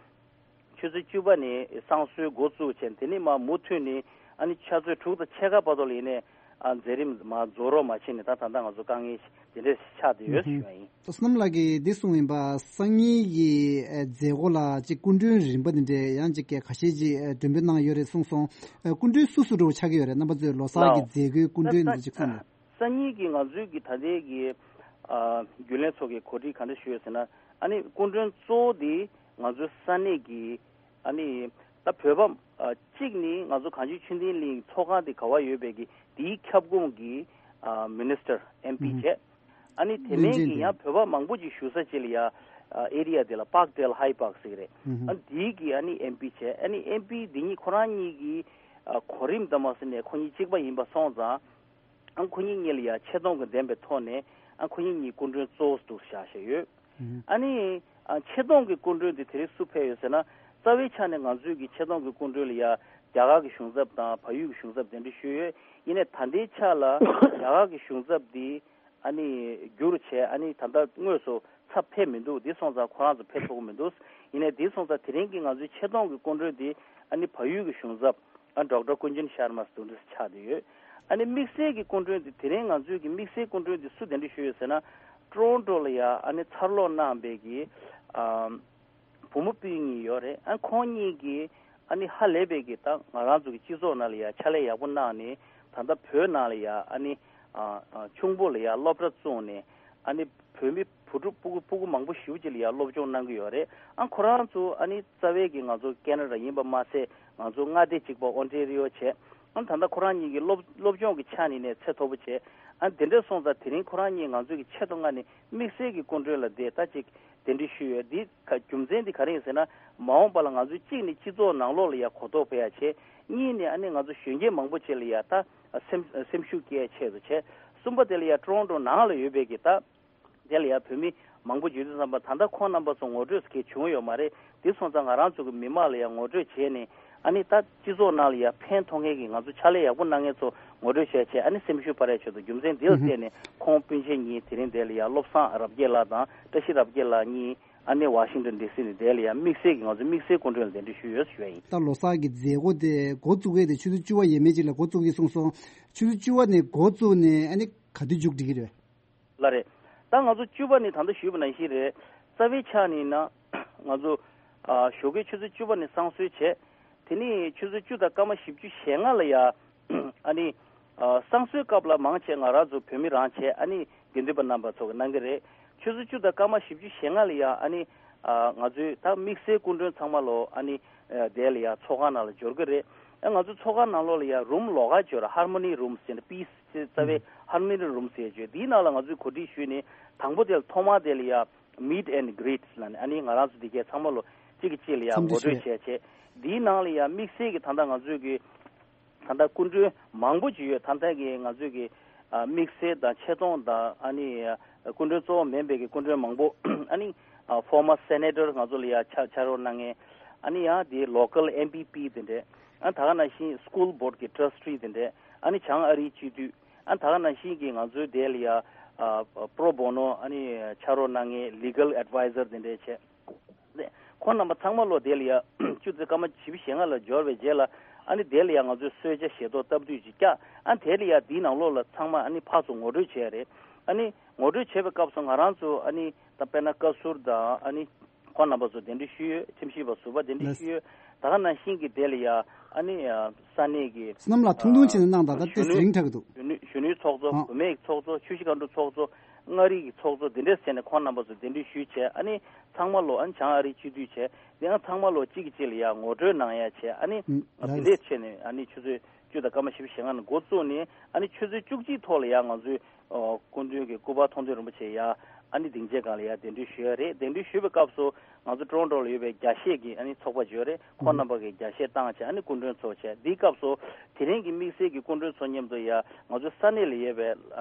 ཆུ་ཚོད་བཅུ་པ་ནས་བསང་གསོལ་འགོ་བཙུགས་བྱས། དེ་ནས་མར་མུ་མཐུད་ནས་ཨ་ནི་ཆུ་ཚོད་དྲུག་དང་ཕྱེད་ཀ་བར་དུ་ལ་ཡིན་ནའི་ ཨ་མཛད་རིམ་མ་རྫོགས་རོགས་མ་བྱས་ནས་ད་ད་ལྟ་ང་ཚོ་དཀའ་ངལ་དེ་འདྲས་ཆགས་བསྡད་ཡོད་ཞུ་ཡ་ཡིན། བསོད་ནམས་ལགས་ཀྱིས་འདི་གསུངས་ཡིན་པ། སང་ཉིན་གྱི་ཨ་མཛད་སྒོ་ལ་ཅིག་སྐུ་མགྲོན་རིམ་པ་འདི་འདྲས་ཡང་ཅིག་གི་ཁ་ཤས་ཅིག་ཨ་མགྲོན་འབོད་གནང་ཡོད་རེད་གསུངས་སོང་། ཨ་སྐུ་མགྲོན་སུ་སུ་འདྲ་བོ་ཆགས་ཀྱི་ཡོད་རེད། རྣམ་པ་ཚོས་ལོ་གསར་གྱི་ལའོ། མཛད་སྒོའི་སྐུ་མགྲོན་ད་འདི་ཅིག་གསུངས་རོགས། སང་ཉིན་གྱི་ང་ཚོའི་གི་ད་ལྟའི་གི་ཨ་རྒྱུན་ལས་ཚོགས་ཀྱི་གོ་སྒྲིག་ག་འདྲ་ཞུས་ཡོད་ཟེར་ན། ཨ་ནི་སྐུ་མགྲོན་གཙོ་བོ་འདི་ང་ཚོའི་ས་གནས་ཀྱི་ཨ་ནི་ད་བོད་པ་ཨ་གཅིག་ནི་ང་ཚོ་གངས་ཅན་ཆོས་ལྡན་གླིང་ཚོགས་ཁང་དེ་ག་བ་ཡོད་པའི་གི་དེའི་ཁྱབ་ཁོངས་ཀྱི་ཨ་མི་ནི་སི་ཊར་ཨེམ་པི་ཨུ་བྱས། ཨ་ནི་དེ་མིན་གྱི་ཡང་བོད་པ་མང་པོ་ཅིག་བཞུགས་ས་ཅིག་ལ་ཡ་ཨ་ཨེ་རི་ཡ་དེ་ལ་པཱག་ཌེལ་ཧའི་པཱག་ཟེར་གི་རེད། ཨ་ནི་དེའི་གི་ཨ་ནི་ཨེམ་པི་བྱས། ཨ་ནི་ཨེམ་པི་འདི་གཉིས་ཁོ་རང་གཉིས་ཀྱི་ཨ་གོ་རིམ་དང་མ་ཟིན་ནས་ཁོ་གཉིས་གཅིག་པ་ཡིན་པ་སོང་ཙང་། ཨ་ཁོ་གཉིས་གཉིས་ལ་ཡ་ཆེ་མཐོང་གི་ལྡན་པའི་ཐོག་ནས་ཨ་ཁོ་གཉིས་གཉིས་སྐུ་མགྲོན་གཙོ་བོ་འདུག་བཞག་བཞག་ཡོད། ཨ་ནི་ཨ་ཆེ་མཐོང་གི་སྐུ་མགྲོན་དེ་དེ་རིང་སུ་ཕེབས་ཡོད་ཟེར་ན། རྩ་བའི་ཆ་ནས་ང་ཚོའི་གི་ཆེ་མཐོང་གི་སྐུ་མགྲོན་ལ་ཡ་རྒྱ་གར་གི་གཞུང་ཚབ་དང་བལ་ཡུལ་གི་གཞུང་ཚབ་གདན་འདྲེན་ཞུས་ཡོད། ཡིན་ནའི་ད་ལྟའི་ཆ་ལ་རྒྱ་གར་གི་གཞུང་ཚབ་དེ་ཨ་ནི་བསྒྱུར་བྱས། ཨ་ནི་ད་ལྟ་དངོས་སུ་ཚབ་ཕེབས་མི་འདུག་དེ་སོང་ཙང་ཁོ་རང་ཚོ་ཕེབས་ཐུབ་ཀྱི་མི་འདུག་ཡིན་ནའི་དེ་སོང་ཙང་དེ་རིང་གི་ང་ཚོའི་ཆེ་མཐོང་གི་སྐུ་མགྲོན་དེ་ཨ་ནི་བལ་ཡུལ་གི་གཞུང་ཚབ་ཨ་ཌོག་ཊར་ཀུན་ཇན་ཤར་མ་སུ་འདྲ་ཆགས་བསྡད་ཡོད། ཨ་ནི་དམིགས་བསལ་གྱི་སྐུ་མགྲོན་དེ་དེ་རིང་ང་ཚོའི་གི་དམིགས་བསལ་སྐུ་མགྲོན་དེ་སུ་གདན་འདྲེན་ཞུས་ཡོད་ཟེར་ན། ཊོ་རོན་ཊོ་ལ་ཡ་ཨ་ནི་འཚར་ལོངས་གནང་བའི་གི་ཨ་བུ་མོ་སྤུན་གཉིས་ཡོད་རེད། ཨ་ཁོང་གཉིས་ཀྱིས་ཨ་ནི་ཧ་ལས་པའི་གི་ད་ང་རང་ཚོ་གི་སྤྱི་ཚོགས་ནང་ལ་ཡ་ཕྱག་ལས་ཡག་པོ་གནང་ནས། ད་ལྟ་བོད་ནང་ལ་ཡ་ཨ་ནི་ཨ་ཨ་ཆུང་པོ་ལ་ཡ་སློབ་གྲྭ་བཙུགས་ནས། ཨ་ནི་བོད་མི་བུ་ཕྲུག་སྤུ་གུ་སྤུ་གུ་མང་པོ་ཞེ་པོ་ཅིག་ལ་ཡ་སློབ་སྦྱོང་གནང་གི་ཡོད་རེད། ཨ་ཁོ་རང་ཚོ་ཨ་ནི་རྩ་བའི་གི་ང་ཚོ་ཁེ་ན་ཌ་ཡིན་པ་མ་ཟད། ང་ཚོ་མངའ་སྡེ་གཅིག་པ་ཨོན་ཊེ་རི་ཡོ་བྱས། ཨ་ད་ལྟ་ཁོ་རང་གཉིས་ཀྱི་སློབ་སློབ་སྦྱོང་གི་ཆ་ནས་ནས་ཚད་མཐོ་པོ་བྱས། ཨ་དེ་འདྲ་སོང་ཙང་དེ་རིང་ཁོ་རང་གཉིས་ང་ཚོ་གི་ཆེད་དུ་མངགས་ནས་དམིགས་བསལ་གྱི་སྐུ་མགྲོན་ལ་བསྡད་ད་ཅིག་གདན་འདྲེན་ཞུས་ཡོད། འདི་ག་རྒྱུ་མཚན་འདི་ག་རེ་ཡིན་ཟེར་ན། མ་འོངས་པ་ལ་ང་ཚོས་གཅིག་ནས་སྤྱི་ཚོགས་ནང་ལོགས་ལ་ཡ་གོ་རྟོགས་སྤེལ་ཡ་བྱས། གཉིས་ནས་ཨ་ནི་ང་ཚོ་གཞོན་སྐྱེས་མང་པོ་ཅིག་ལ་ཡ་ད་སེམས་སེམས་ཤུགས་སྐྱེད་ཡ་ཆེད་དུ་བྱས། གསུམ་པ་དེ་ལ་ཡ་ཊོ་རོན་ཊོ་ནང་ལ་ཡོད་པའི་གི་ད་དེ་ལ་ཡ་བོད་མི་མང་པོ་ཡོད་དུས་ཙམ་པ། ད་ལྟ་ཁོང་རྣམ་པ་ཚོ་ངོ་སྤྲོད་གལ་བྱུང་ཡོད་མ་རེད། དེ་སོང་ཙང་ང་རང་ཚོ་གི་མི་མང་ལ་ཡང་ངོ་སྤྲོད་བྱས་ནས། ཨ་ནི་ད་སྤྱི་ཚོགས་ནང་ལ་ཡང་ཕན་ཐོགས་མཁན་གྱི་ང་ཚོ་ཕྱག་ལས་ཡག་པོ་གནང་མཁན་ཚོ་ངོ་སྤྲོད་བྱས་བྱས། ཨ་ནི་སེམས་ཤུགས་སྤར་ཡ་ཆེད་དུ། རྒྱུ་མཚན་འདི་ལ་བརྟེན་ནས་ཁོང་སྤུན་མཆེད་གཉིས་དེ་རིང་དེ་ལ་ཡང་བློ་བཟང་རབ་རྒྱས་ལགས་དང་བཀྲ་ཤིས་རབ་རྒྱས་ལགས་གཉིས་ཨ་ནི་ཝ་ཤིང་ཊོན་ཌི་སི་ནས་དེ་ལ་ཡང་དམིགས་བསལ་གྱི་ང་ཚོ་དམིགས་བསལ་སྐུ་མགྲོན་ལ་གདན་འདྲེན་ཞུས་ཡོད་ཞུ་ཡ་ཡིན། ད་ལོ་གསར་གྱི་མཛད་སྒོ་དེ་འགོ་བཙུགས་ཡས་དེ་ཆུ་ཚོད་བཅུ་པ་ཡས་མས་ཅིག་ལ་འགོ་བཙུགས་ཀྱི་གསུངས་སོང་། ཆུ་ཚོད་བཅུ་པ་ནས་འགོ་བཙུགས་ནས་ཨ་ནི་ག་དུས་མཇུག་སྒྲིལ་གྱི་རེད། ལགས་རེད། ད་ང་ཚོ་བཅུ་པ་ནས་ད་ལྟ་ཞུས་པ་ནང་བཞིན་རེད། རྩ་བའི་ཆ་ནས་ཡིན་ན་ང་ཚོ་ཨ་ཞོགས་ཀའི་ཆུ་ཚོད་བཅུ་པ་ནས་བསང་གསོལ་བྱས། དེ་ནས་ཆུ་ཚོད་བཅུ་དང་སྐར་མ་བཞི་བཅུ་ཞེ་ལྔ་ལ་ཡ་ཨ་ནི་ཨ་བསང་གསོལ་སྐབས་ལ་མང་ཆེ་ང་རང་ཚོ་བོད་མི་རང་བྱས། ཨ་ནི་དགེ་འདུན་པ་རྣམ་པ་ཚོ་གིས་གནང་གི་རེད། ཆུ་ཚོད་བཅུ་དང་སྐར་མ་བཞི་བཅུ་ཞེ་ལྔ་ལ་ཡ་ཨ་ནི་ཨ་ང་ཚོའི་ད་དམིགས་བསལ་སྐུ་མགྲོན་ཚང་མ་ལོ་ཨ་ནི་ཨ་དེ་ལ་ཡ་ཚོགས་ཁང་ནང་ལ་འབྱོར་གི་རེད། ཨ་ང་ཚོ་ཚོགས་ཁང་ནང་ལོགས་ལ་ཡ་རུམ་ལོགས་ཀ་ཅིག་ཡོད་རེད། ཧར་མོ་ནི་རུམ་ཟེར་ནས། པི་སི་རྩ་བའི་ཧར་མོ་ནི་རུམ་ཟེར་ཡ་ཅིག་ཡོད། དེའི་ནང་ལ་ང་ཚོས་གོ་སྒྲིག་ཞུས་ནས། དང་པོ་དེ་ལ་ཐོག་མ་དེ་ལ་ཡ་Meet and Greet ལབ་ནས། ཨ་ནི་ང་རང་ཚོ་འདི་གའི་ཚང་མ་ལོ་གཅིག་གིས་གཅིག་ལ་ཡ་འཚམས་ངོ་འདྲི་སྤྲོད་བྱས་བྱས། འདིའི་ནང་ལ་ཡ་དམིགས་བསལ་གྱི་ད་ལྟ་ང་ཚོས་ཀྱི་ད་ལྟ་སྐུ་མགྲོན་མང་པོ་ཅིག་ཡོད། ད་ལྟ་གི་ང་ཚོས་ཀྱི་ཨ་དམིགས་བསལ་དང་ཆེ་མཐོང་དང་། ཨ་ནི་ཨ་སྐུ་མགྲོན་གཙོ་བོ་མིན་པའི་གི་སྐུ་མགྲོན་མང་པོ། ཨ་ནི་ཨ་former senator ང་ཚོ་ལ་ཡ་ཕྱག་ཕྱག་རོགས་གནང་མཁན། ཨ་ནི་ཡང་དེ་local M P P དེ་འདྲས། ཨ་ད་ག་ནང་བཞིན་school board གི་trustee དེ་འདྲས། ཨ་ནི་བྱང་ཨ་རིའི་སྤྱི་འཐུས། ཨ་ད་ག་ནང་བཞིན་གྱི་ང་ཚོའི་དེ་ལ་ཡ་ཨ་pro bono ཨ་ནི་ཕྱག་རོགས་གནང་མཁན་legal advisor དེ་འདྲས་བྱས། ཁོང་རྣམ་པ་ཚང་མ་ལོ་དེ་ལ་ཡ་ཆུ་ཚོད་སྐར་མ་བཞི་བཅུ་ཞེ་ལྔ་ལ་འབྱོར་བའི་རྗེས་ལ། ཨ་ནི་དེ་ལ་ཡ་ང་ཚོས་གསོལ་ཇ་བཞེས་ཐོག་སྟབས་བསྡུས་ཅིག་བཀྱག་ཨ་དེ་ལ་ཡ་དེའི་ནང་ལོགས་ལ་ཚང་མ་ཨ་ནི་ཕར་ཚུར་ངོ་སྤྲོད་བྱས་རེད། ཨ་ནི་ངོ་སྤྲོད་བྱས་པའི་སྐབས་སུ་ང་རང་ཚོ་ཨ་ནི་ད་དཔེར་ན་བཀའ་ཟུར་དང་། ཨ་ནི་ཁོང་རྣམ་པ་ཚོ་གདན་འདྲེན་ཞུས་ཡོད། ཁྲིམས་ཞིབ་པ་ཟུར་པ་གདན་འདྲེན་ཞུས་ཡོད། ད་ག་ནང་བཞིན་གྱི་དེ་ལ་ཡ་ཨ་ནི་ས་གནས་ཀྱི་བསོད་ནམས་ལགས་ཐུང་ཐུང་བྱས་ནས་གནང་དང་། ད་དེ་གཞོན་ནུའི་རིང་དྲགས་ཀྱི་འདུག་གཞོན་ནུ་གཞོན་ནུའི་ཚོགས་གཙོ། ཨ་བུད་མེད་ཀྱི་ཚོགས་གཙོ། ཆུ་བཞི་སྒང་དྲུག་ཚོགས་གཙོ། མངའ་རིས་ཀྱི་ཚོགས་གཙོ། དེ་འདྲས་བྱས་ནས་ཁོང་རྣམ་པ་ཚོ་གདན་འདྲེན་ཞུས་བྱས། ཨ་ནི་ཚང་མ་ལོ། ཨ་ནི་བྱང་ཨ་རིའི་སྤྱི་འཐུས་བྱས། དེ་ཡང་ཚང་མ་ལོ་གཅིག་གིས་གཅིག་ལ་ཡ་ངོ་སྤྲོད་གནང་ཡ་བྱས། ཨ་ནི་ཨུམ་དེ་འདྲས་བྱས་ནས་ཨ་ནི་ཆུ་ཚོད་བཅུ་དང་སྐར་མ་བཞི་བཅུ་ཞེ་ལྔ་ནས་འགོ་བཙུགས་ནས། ཨ་ནི་ཆུ་ཚོད་བཅུ་གཅིག་ཐོག་ལ་ཡ་ང་ཚོའི་ཨོ་སྐུ་མདུན་གྱི་སྐུ་པར་མཐོང་ཐོས་རིན་པོ་ཆེ་ཡ་ཨ་ནི་སྡིངས་ཆའི་སྒང་ལ་ཡ་གདན་འདྲེན་ཞུས་ཡ་རེད། གདན་འདྲེན་ཞུས་པའི་སྐབས་སུ་ང་ཚོ་ཊོ་རོན་ཊོ་ལ་ཡོད་པའི་རྒྱ་ཤེས་ཀྱི་ཨ་ནི་ཚོགས་པ་ཅིག་ཡོད་རེད། ཁོང་རྣམ་པ་གིས་རྒྱ་ཤེས་བཏང་བྱས། ཨ་ནི་སྐུ་མགྲོན་ཚོགས་བྱས། འདིའི་སྐབས་སུ་དེ་རིང་གི་དམིགས་བསལ་གྱི་སྐུ་མགྲོན་ཚོ་མཉམ་དུ་ཡ་ང་ཚོའི་ས་གནས་ལ་ཡོད་པའི་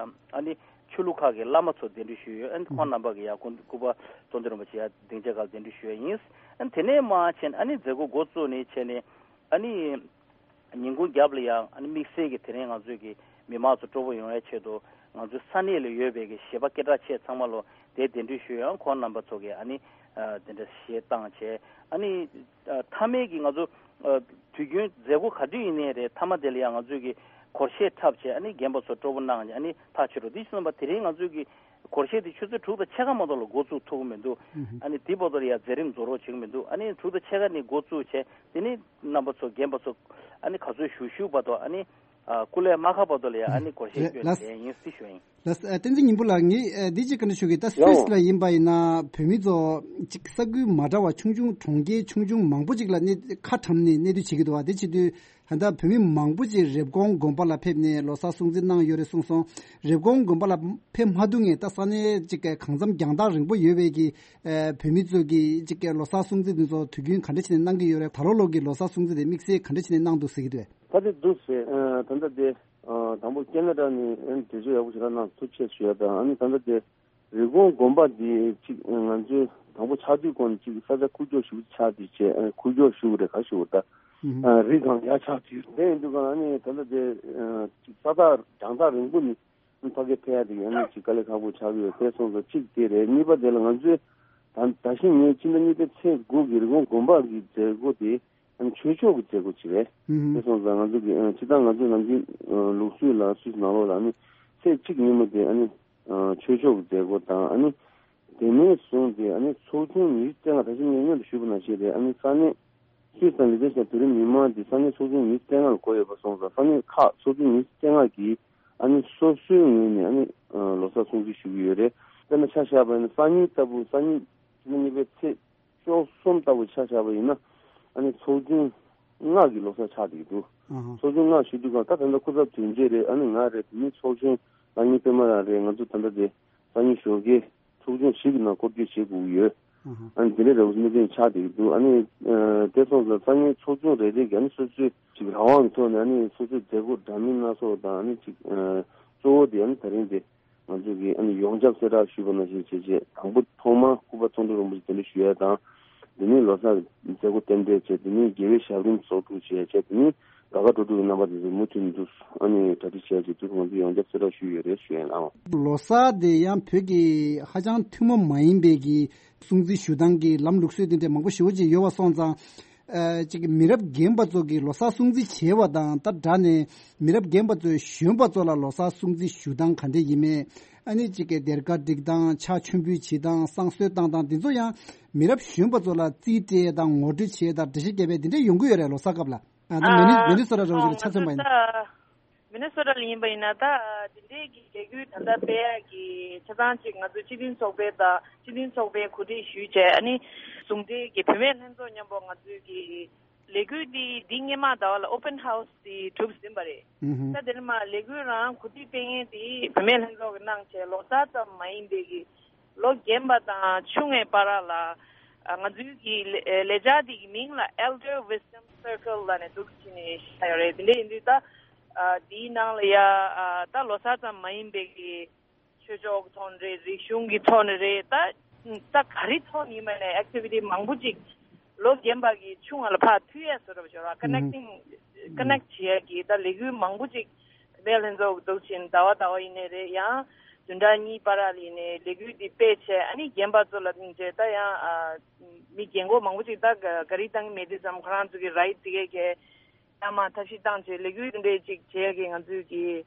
ཨ་ནི་ཆོས་ལུགས་ཁག་གི་བླ་མ་ཚོ་གདན་འདྲེན་ཞུས་ཡོད། ཨ་ནི་ཁོང་རྣམ་པ་གིས་ཡ་སྐུ་སྐུ་པར་མཐོང་ཐོས་རིན་པོ་ཆེ་ཡ་སྡིངས་ཆའི་སྒང་ལ་གདན་འདྲེན་ཞུས་ཡ་ཡིན། ཨ་ནི་དེ་ནས་མར་བྱས་ནས་ཨ་ནི་མཛད་སྒོ་འགོ་བཙུགས་ནས་བྱས་ནས། ཨ་ནི་ཉིན་གུང་རྒྱབ་ལ་ཡང་ཨ་ནི་དམིགས་བསལ་གྱི་དེ་རིང་ང་ཚོའི་གི་མི་མང་ཚོ་སྤྲོ་པོ་ཡོང་ཡའི་ཆེད་དུ། ང་ཚོའི་ས་གནས་ལ་ཡོད་པའི་གི་གཞས་པ་སྐད་གྲགས་ཆེ་ཚང་མ་ལོ་དེ་གདན་འདྲེན་ཞུས་ཡོད། ཁོང་རྣམ་པ་ཚོ་གིས་ཨ་ནི་ཨ་དེ་འདྲ་གཞས་བཏང་བྱས། ཨ་ནི་ཨ་མཐའ་མའི་གི་ང་ཚོ་ ཨ། དུས་རྒྱུན་མཛད་སྒོ་ག་དུས་ཡིན་ནའི་རེད། མཐའ་མ་དེ་ལ་ཡང་ང་ཚོས་ཀྱི་སྒོར་གཞས་འཁྲབ་བྱས། ཨ་ནི་རྒན་པ་ཚོ་སྤྲོ་པོ་གནང་བྱས། ཨ་ནི་ཐག་ཆོད་འགྲོ། དེ་བཞིན་པ་དེ་རིང་ང་ཚོས་ཀྱི་སྒོར་གཞས་དེ་ཆུ་ཚོད་དྲུག་དང་ཕྱེད་ཀ་མ་གཏོགས་ལ་འགོ་བཙུགས་ཐུབ་ཀྱི་མི་འདུག་ཨ་ནི་དེ་བར་དུ་ལ་ཡང་མཛད་རིམ་རྫོགས་རོགས་བྱེད་ཀྱི་མི་འདུག་ཨ་ནི་དྲུག་དང་ཕྱེད་ཀ་ནས་འགོ་བཙུགས་བྱས། དེ་ནི་རྣམ་པ་ཚོ་རྒན་པ་ཚོ་ཨ་ནི་ག་ཚོད་བཞུགས་བཞུགས་བར་དུ། ཨ་ནི་ཨ། སྐུ་ལས་མ་ཁག་བར་དུ་ལ་ཡང་ཨ་ནི་སྒོར་གཞས་རེད། སྐྱོན་ལགས། ལས་ཡིན་སྲིད་ཞུ་ཡིན། ལགས། ཨ། བསྟན་འཛིན་སྙིང་པོ་ལགས། ངས་ཨ་འདི་གཅིག་བཀའ་འདྲི་ཞུ་གི། ད་སུད་སི་ལ་ཡིན་པ་ཡིན་ན་བོད་མི་ཚོ་གཅིག་ས་ཁུལ་མ་འདྲ་བ་ཆུང་ཆུང་གྲོང་ཁྱེར་ཆུང་ཆུང་མང་པོ་ཅིག་ལ་གནས། ཁ་གྲམ་ནས་གནས་སྡོད་བྱེད་ཀྱི་འདུག་བ། དེ་བྱེད་དུས་ད་ལྟ་བོད་མི་མང་པོ་ཅིག་རེབ་གོང་དགོན་པ་ལ་ཕེབས་ནས་ལོ་གསར་སྲུང་བརྩི་གནང་ཡོད་རེད་གསུངས་སོང་། རེབ་གོང་དགོན་པ་ལ་ཕེབས་མ་ཐུབ་མཁན། ད་ས་གནས་གཅིག་གང་འཚམ་རྒྱང་ཐག་རིང་པོ་ཡོད་པའི་གི་ཨ་བོད་མི་ཚོ་གི་གཅིག་གི་ལོ་གསར་སྲུང་བརྩི་འདི་ཚོ་དུས་རྒྱུན་ག་འདྲ་བྱས་ནས་གནང་གི་ཡོད་རེད། ད་ལོ་ལོ་གི་ལོ་གསར་སྲུང་བརྩི་དེ་དམིགས་བསལ་ག་འདྲ་བྱས་ནས་གནང་འདུག་ཟེར་གྱི་འདུག་བས། ད་དེ་འདུག་ཟེར། ཨ། ད་ལྟ་དེ། ཨ། དང་པོ་ཁེ་ན་ཌ་ནས་ཨ་ནི་འགྲེལ་བརྗོད་ཡག་པོ་ཞེ་དྲག་གནང་། ཐུགས་རྗེ་ཆེ་ཞུ་ཡ་དང་། ཨ་ནི་ད་ལྟ་དེ་རི་ཀོན་དགོན་པ་འདི་གཅིག་ང་ཚོའི་དང་པོ་ཆགས་དུས་སྐོར་ནས་གཅིག་ས་ཆ་ཁུག་ཀྱོག་ཞེ་པོ་ཆགས་དེ་བྱས། ཨ། ཁུག་ཀྱོག་ཞེ་པོ་རེད། ག་ཞེ་པོ་ད། ཨ། རི་སྒང་ཡར་ཆགས་དུས། དེ་ཡིན་དུས་ག་ཨ་ནི་ད་ལྟ་དེ། ཨ། གཅིག་ས་ཐག་རྒྱང་ཐག་རིང་པོ་ནས་ཕ་གིར་ཕེབས་ཡ་དེ་ཨ་ནི་གཅིག་དཀའ་ལས་ཁག་པོ་ཆགས་ཀྱི་ཡོད། དེ་སོང་ཙང་གཅིག་དེ་རེད། གཉིས་པ་དེ་ལ་ང་ཚོའི་ད་ད་ཕྱིན་ངའི་ཕྱི་ཟླ་གཉིས་པའི་ཚེས་དགུ་གི་རི་ཀོན་དགོན་པ་གི་མཛད་སྒོ་དེ་ཨ་ནི་ཆོས་ཕྱོགས་ཀྱི་མཛད་སྒོ་ཅིག་རེད། ཨུ་ཧུམ། དེ་སོང་ཙང་ང་ཚོ་གི། ཨ། སྤྱིར་བཏང་ང་ཚོའི་ནམ་རྒྱུན། ཨ། ལུགས་སྲོལ་ལ་སུད་སི་ནང་ལོགས་ལ་ཨ་ནི་ཚེས་གཅིག་ཉིན་མོ་དེ་ཨ་ནི། ཨ། ཆོས་ཕྱོགས་ཀྱི་མཛད་སྒོ་དང་། ཨ་ནི་དེ་ནས་བཟུང་སྟེ་ཨ་ནི་ཚོགས་ཆུང་ཉི་ཤུ་རྩ་ལྔ། ད་ཅི་ངས་སྔོན་དུ་ཞུས་པ་ནང་བཞིན་རེད། ཨ་ནི་ས་གནས་སུད་སི་དང་ལི་ཐེ་ཤན་དུས་རིམ་ཉི་མ་འདི་ས་གནས་ཚོགས་ཆུང་ཉི་ཤུ་རྩ་ལྔ་ལ་གོ་ཡོད་པ་སོང་ཙང་། ས་གནས་ཁག་ཚོགས་ཆུང་ཉི་ཤུ་རྩ་ལྔ་གིས་ཨ་ནི་སོ་སོའི་ངོས་ནས་ཨ་ནི། ཨ། ལོ་གསར་སྲུང་བརྩི་ཞུ་གི་ཡོད་རེད། དཔེར་ན་ཆ་བཞག་པ་ཡིན་ན་སང་ཉིན་ལྟ་བུ། སང་ཉིན་ཕྱི་ཟླ་གཉིས་པའི་ཚེས་བཅུ་གསུམ་ལྟ་བུ་ཆ་བཞག་པ་ཡིན་ན། ཨ་ནི་ཚོགས་ཆུང་ལྔ་གི་ལོ་གསར་ཆགས་བསྡད་ཀྱི་འདུག་ཨ་ཧ། ཚོགས་ཆུང་ལྔ་ཞུ་དུས་གང་ལྟར་ད་ལྟ་སྐུ་ཚབ་དོན་གཅོད་རེད། ཨ་ནི་ང་རེད། བོད་མིའི་ཚོགས་ཆུང་ལ་ཉིན་པད་མ་ལགས་རེད། ང་ཚོ་ད་ལྟ་དེ་སང་ཉིན་ཞོགས་ཀས་ཚོགས་ཆུང་བཞི་གི་ནང་སྐོར་སྐྱོད་བྱེད་དགོས་ཀྱི་ཡོད། ཨ་ཧ། ཨ་ནི་དེ་འདྲའི་རེ་བ་གནད་དོན་ཆགས་བསྡད་ཀྱི་འདུག་ཨ་ནི། ཨ། དེ་སོང་ཙང་སང་ཉིན་ཚོགས་ཆུང་རེ་རེ་གིས་ཨ་ནི་སོ་སོའི་ཅིག་རང་དབང་གི་ཐོག་ནས་ཨ་ནི་སོ་སོའི་མཛད་སྒོ་འདྲ་མིན་སྣ་ཚོགས་དང་། ཨ་ནི་ཅིག་ཨ། གཙོ་བོ་དེ་ཨ་ནི་ད་རིང་དེ་ང་ཚོ་གིས་ཨ་ནི་ཡོངས་ཁྱབ་གསལ་བསྒྲགས་ཞུས་པ་ནང་བཞིན་བྱས་རྗེས། དང་པོ་ཐོག་མར་སྐུ་པར་ཚོགས་འདུ་རིན་པོ་ཆེ་གདན་འདྲེན་ཞུ་ཡ་དང་། དེ་ནས་ལོ་གསར་མཛད་སྒོ་རྟེན་འབྲེལ་བྱས། དེ་ནས་རྒྱལ་བའི་ཞབས་རིམ་ཚོགས་དྲུག་བྱས་བྱས། དེ་ནས་དགའ་དགའ་སྤྲོ་སྤྲོ་གི་རྣམ་པ་དེ་ཚོ་མུ་མཐུད་ནས་འདུག་ཨ་ནི་གྲ་སྒྲིག་བྱས་རྗེས་དུས་ཁོང་ཚོས་ཡོངས་ཁྱབ་གསལ་བསྒྲགས་ཞུས་ཡོད་རེད་ཞུ་ཡ་ཡིན། ཨང་། ལོ་གསར་དེ་ཡང་བོད་ཀྱི་ཧ་ཅང་ཐུན་མོང་མ་ཡིན་པའི་གི་སྲུང་བརྩི་ཞུ་སྟངས་ཀྱི་ལམ་ལུགས་སྲོལ་དེ་འདྲ་མང་པོ་ཞེ་པོ་ཅིག་ཡོད་པ་སོང་ཙང་། ཨ། ཅིག་མི་རབས་རྒན་པ་ཚོ་གིས་ལོ་གསར་སྲུང་བརྩི་བྱས་པ་དང་ད་སྦྲགས་ནས། མི་རབས་རྒན་པ་ཚོས་གཞོན་པ་ཚོ་ལ་ལོ་གསར་སྲུང་བརྩི་ཞུ་སྟངས་ག་འདྲ་ཡིན་མིན། ཨ་ནི་ཅིག་གི་སྡེར་ཁ་སྒྲིག་སྟངས། ཕྱག་མཆོད་འབུལ་བྱེད་སྟངས། བསང་གསོལ་བཏང་སྟངས། འདི་ཚོ་ཡང་མི་རབས་གཞོན་པ་ཚོ་ལ་རྩིས་སྤྲད་དང་། ངོ་སྤྲོད་བྱེད་དང་། འགྲེལ་བཤད་རྒྱབ་པའི་འདི་འདྲ་ཡོང་གི་ཡོད་རེད། ལོ་གསར་སྐབས་ལ། ཨ། ད་མི་ནི། ཨ། མི་ནི་སོ་ཊ་རང་བཞིན་ལ་ཆ་མཚོན་པ་ཡིན་ན། ད་མི་ནི་སོ་ཊ་ལ་ཡིན་པ་ཡིན་ན། ད་དེ་འདྲའི་གི་ལས་འགུལ་ད་ལྟ་སྤེལ་ཡག་གི་ཆ་ཚང་གཅིག་ང་ཚོའི་སྤྱི་མཐུན་ཚོགས་པའི། ད་སྤྱི་མཐུན་ཚོགས་པས་གོ་སྒྲིག་ཞུས་བྱས། ཨ་ནི་ཟུང་འབྲེལ་གྱི་བུད་མེད་ལྷན་ཚོགས་མཉམ་པོ་ང་ཚོའི་གི་ལས་འགུལ་འདི་འདི་སྔོན་མ་ཟླ་བ་ལ་ཨོ་པན་ཧའུ་སི་འདི་གྲུབ་ཟིན་པ་རེད། ཨུ་ཧུ། ད་དེ་ནས་མར་ལས་འགུལ་རང་གོ་སྒྲིག་སྤེལ་མཁན་དེ་བུད་མེད་ལྷན་ཚོགས་ཀྱིས་གནང་བྱས། ལོ་གསར་ཙམ་མ་ཡིན་པའི་གི་ལོ་རྒན་པ་དང་ཆུང་བའི་བར་ལ། ཨ། ང་ཚོའི་གི་ལས་ལས་འཆར་འདི་གི་མིང་ལ་Elder Wisdom Circle ལབ་ནས་འདུག་སེ་བྱས་ནས་བཞག་ཡོད་རེད། དེ་འདྲ་ཡིན་དུས་ད། ཨ། འདིའི་ནང་ལ་ཡ། ཨ། ད་ལོ་གསར་ཙམ་མ་ཡིན་པའི་གི་ཆོས་ཕྱོགས་ཀྱི་ཐོག་ནས་རེད། རིག་གཞུང་གི་ཐོག་ནས་རེད། ད་ད་ག་རེ་ཐོག་ནས་ཡིན་པ་ནས་ཨེག་ཊི་བི་ཊི་མང་པོ་ཅིག་ལོ་རྒན་པ་གི་ཆུང་བ་ལ་ཕར་མཐུད་ཡས་བཟོ་འདྲ་བ་ཞིག་ར། ཀ་ནེག་ཊིང་། ཀ་ནེག་བྱེད་ཡས་ཀྱི་ད་ལས་འགུལ་མང་པོ་ཅིག་བུད་མེད་ལྷན་ཚོགས་འདུག་སེ་ཟླ་བ་ཟླ་བ་ཡིན་ནའི་རེད། ཡང་བདུན་ཕྲག་གཉིས་བར་ལ་ཡིན་ནའི་ལས་འགུལ་འདི་སྤེལ་བྱས། ཨ་ནི་རྒན་པ་ཚོ་ལ་བྱས་ད་ཡང་། ཨ། མི་རྒན་གོག་མང་པོ་ཅིག་ད་ག་རེ་བཏང་གི་མེད་དུས་ཙམ་ཁོ་རང་ཚོ་གི་རའིཊ་དེ་གས་གས་ཡང་མར་ཐབས་ཤེས་བཏང་བྱས་ལས་འགུལ་དེ་འདྲས་ཅིག་བྱེད་ཡ་གི་ང་ཚོས་ཀྱི།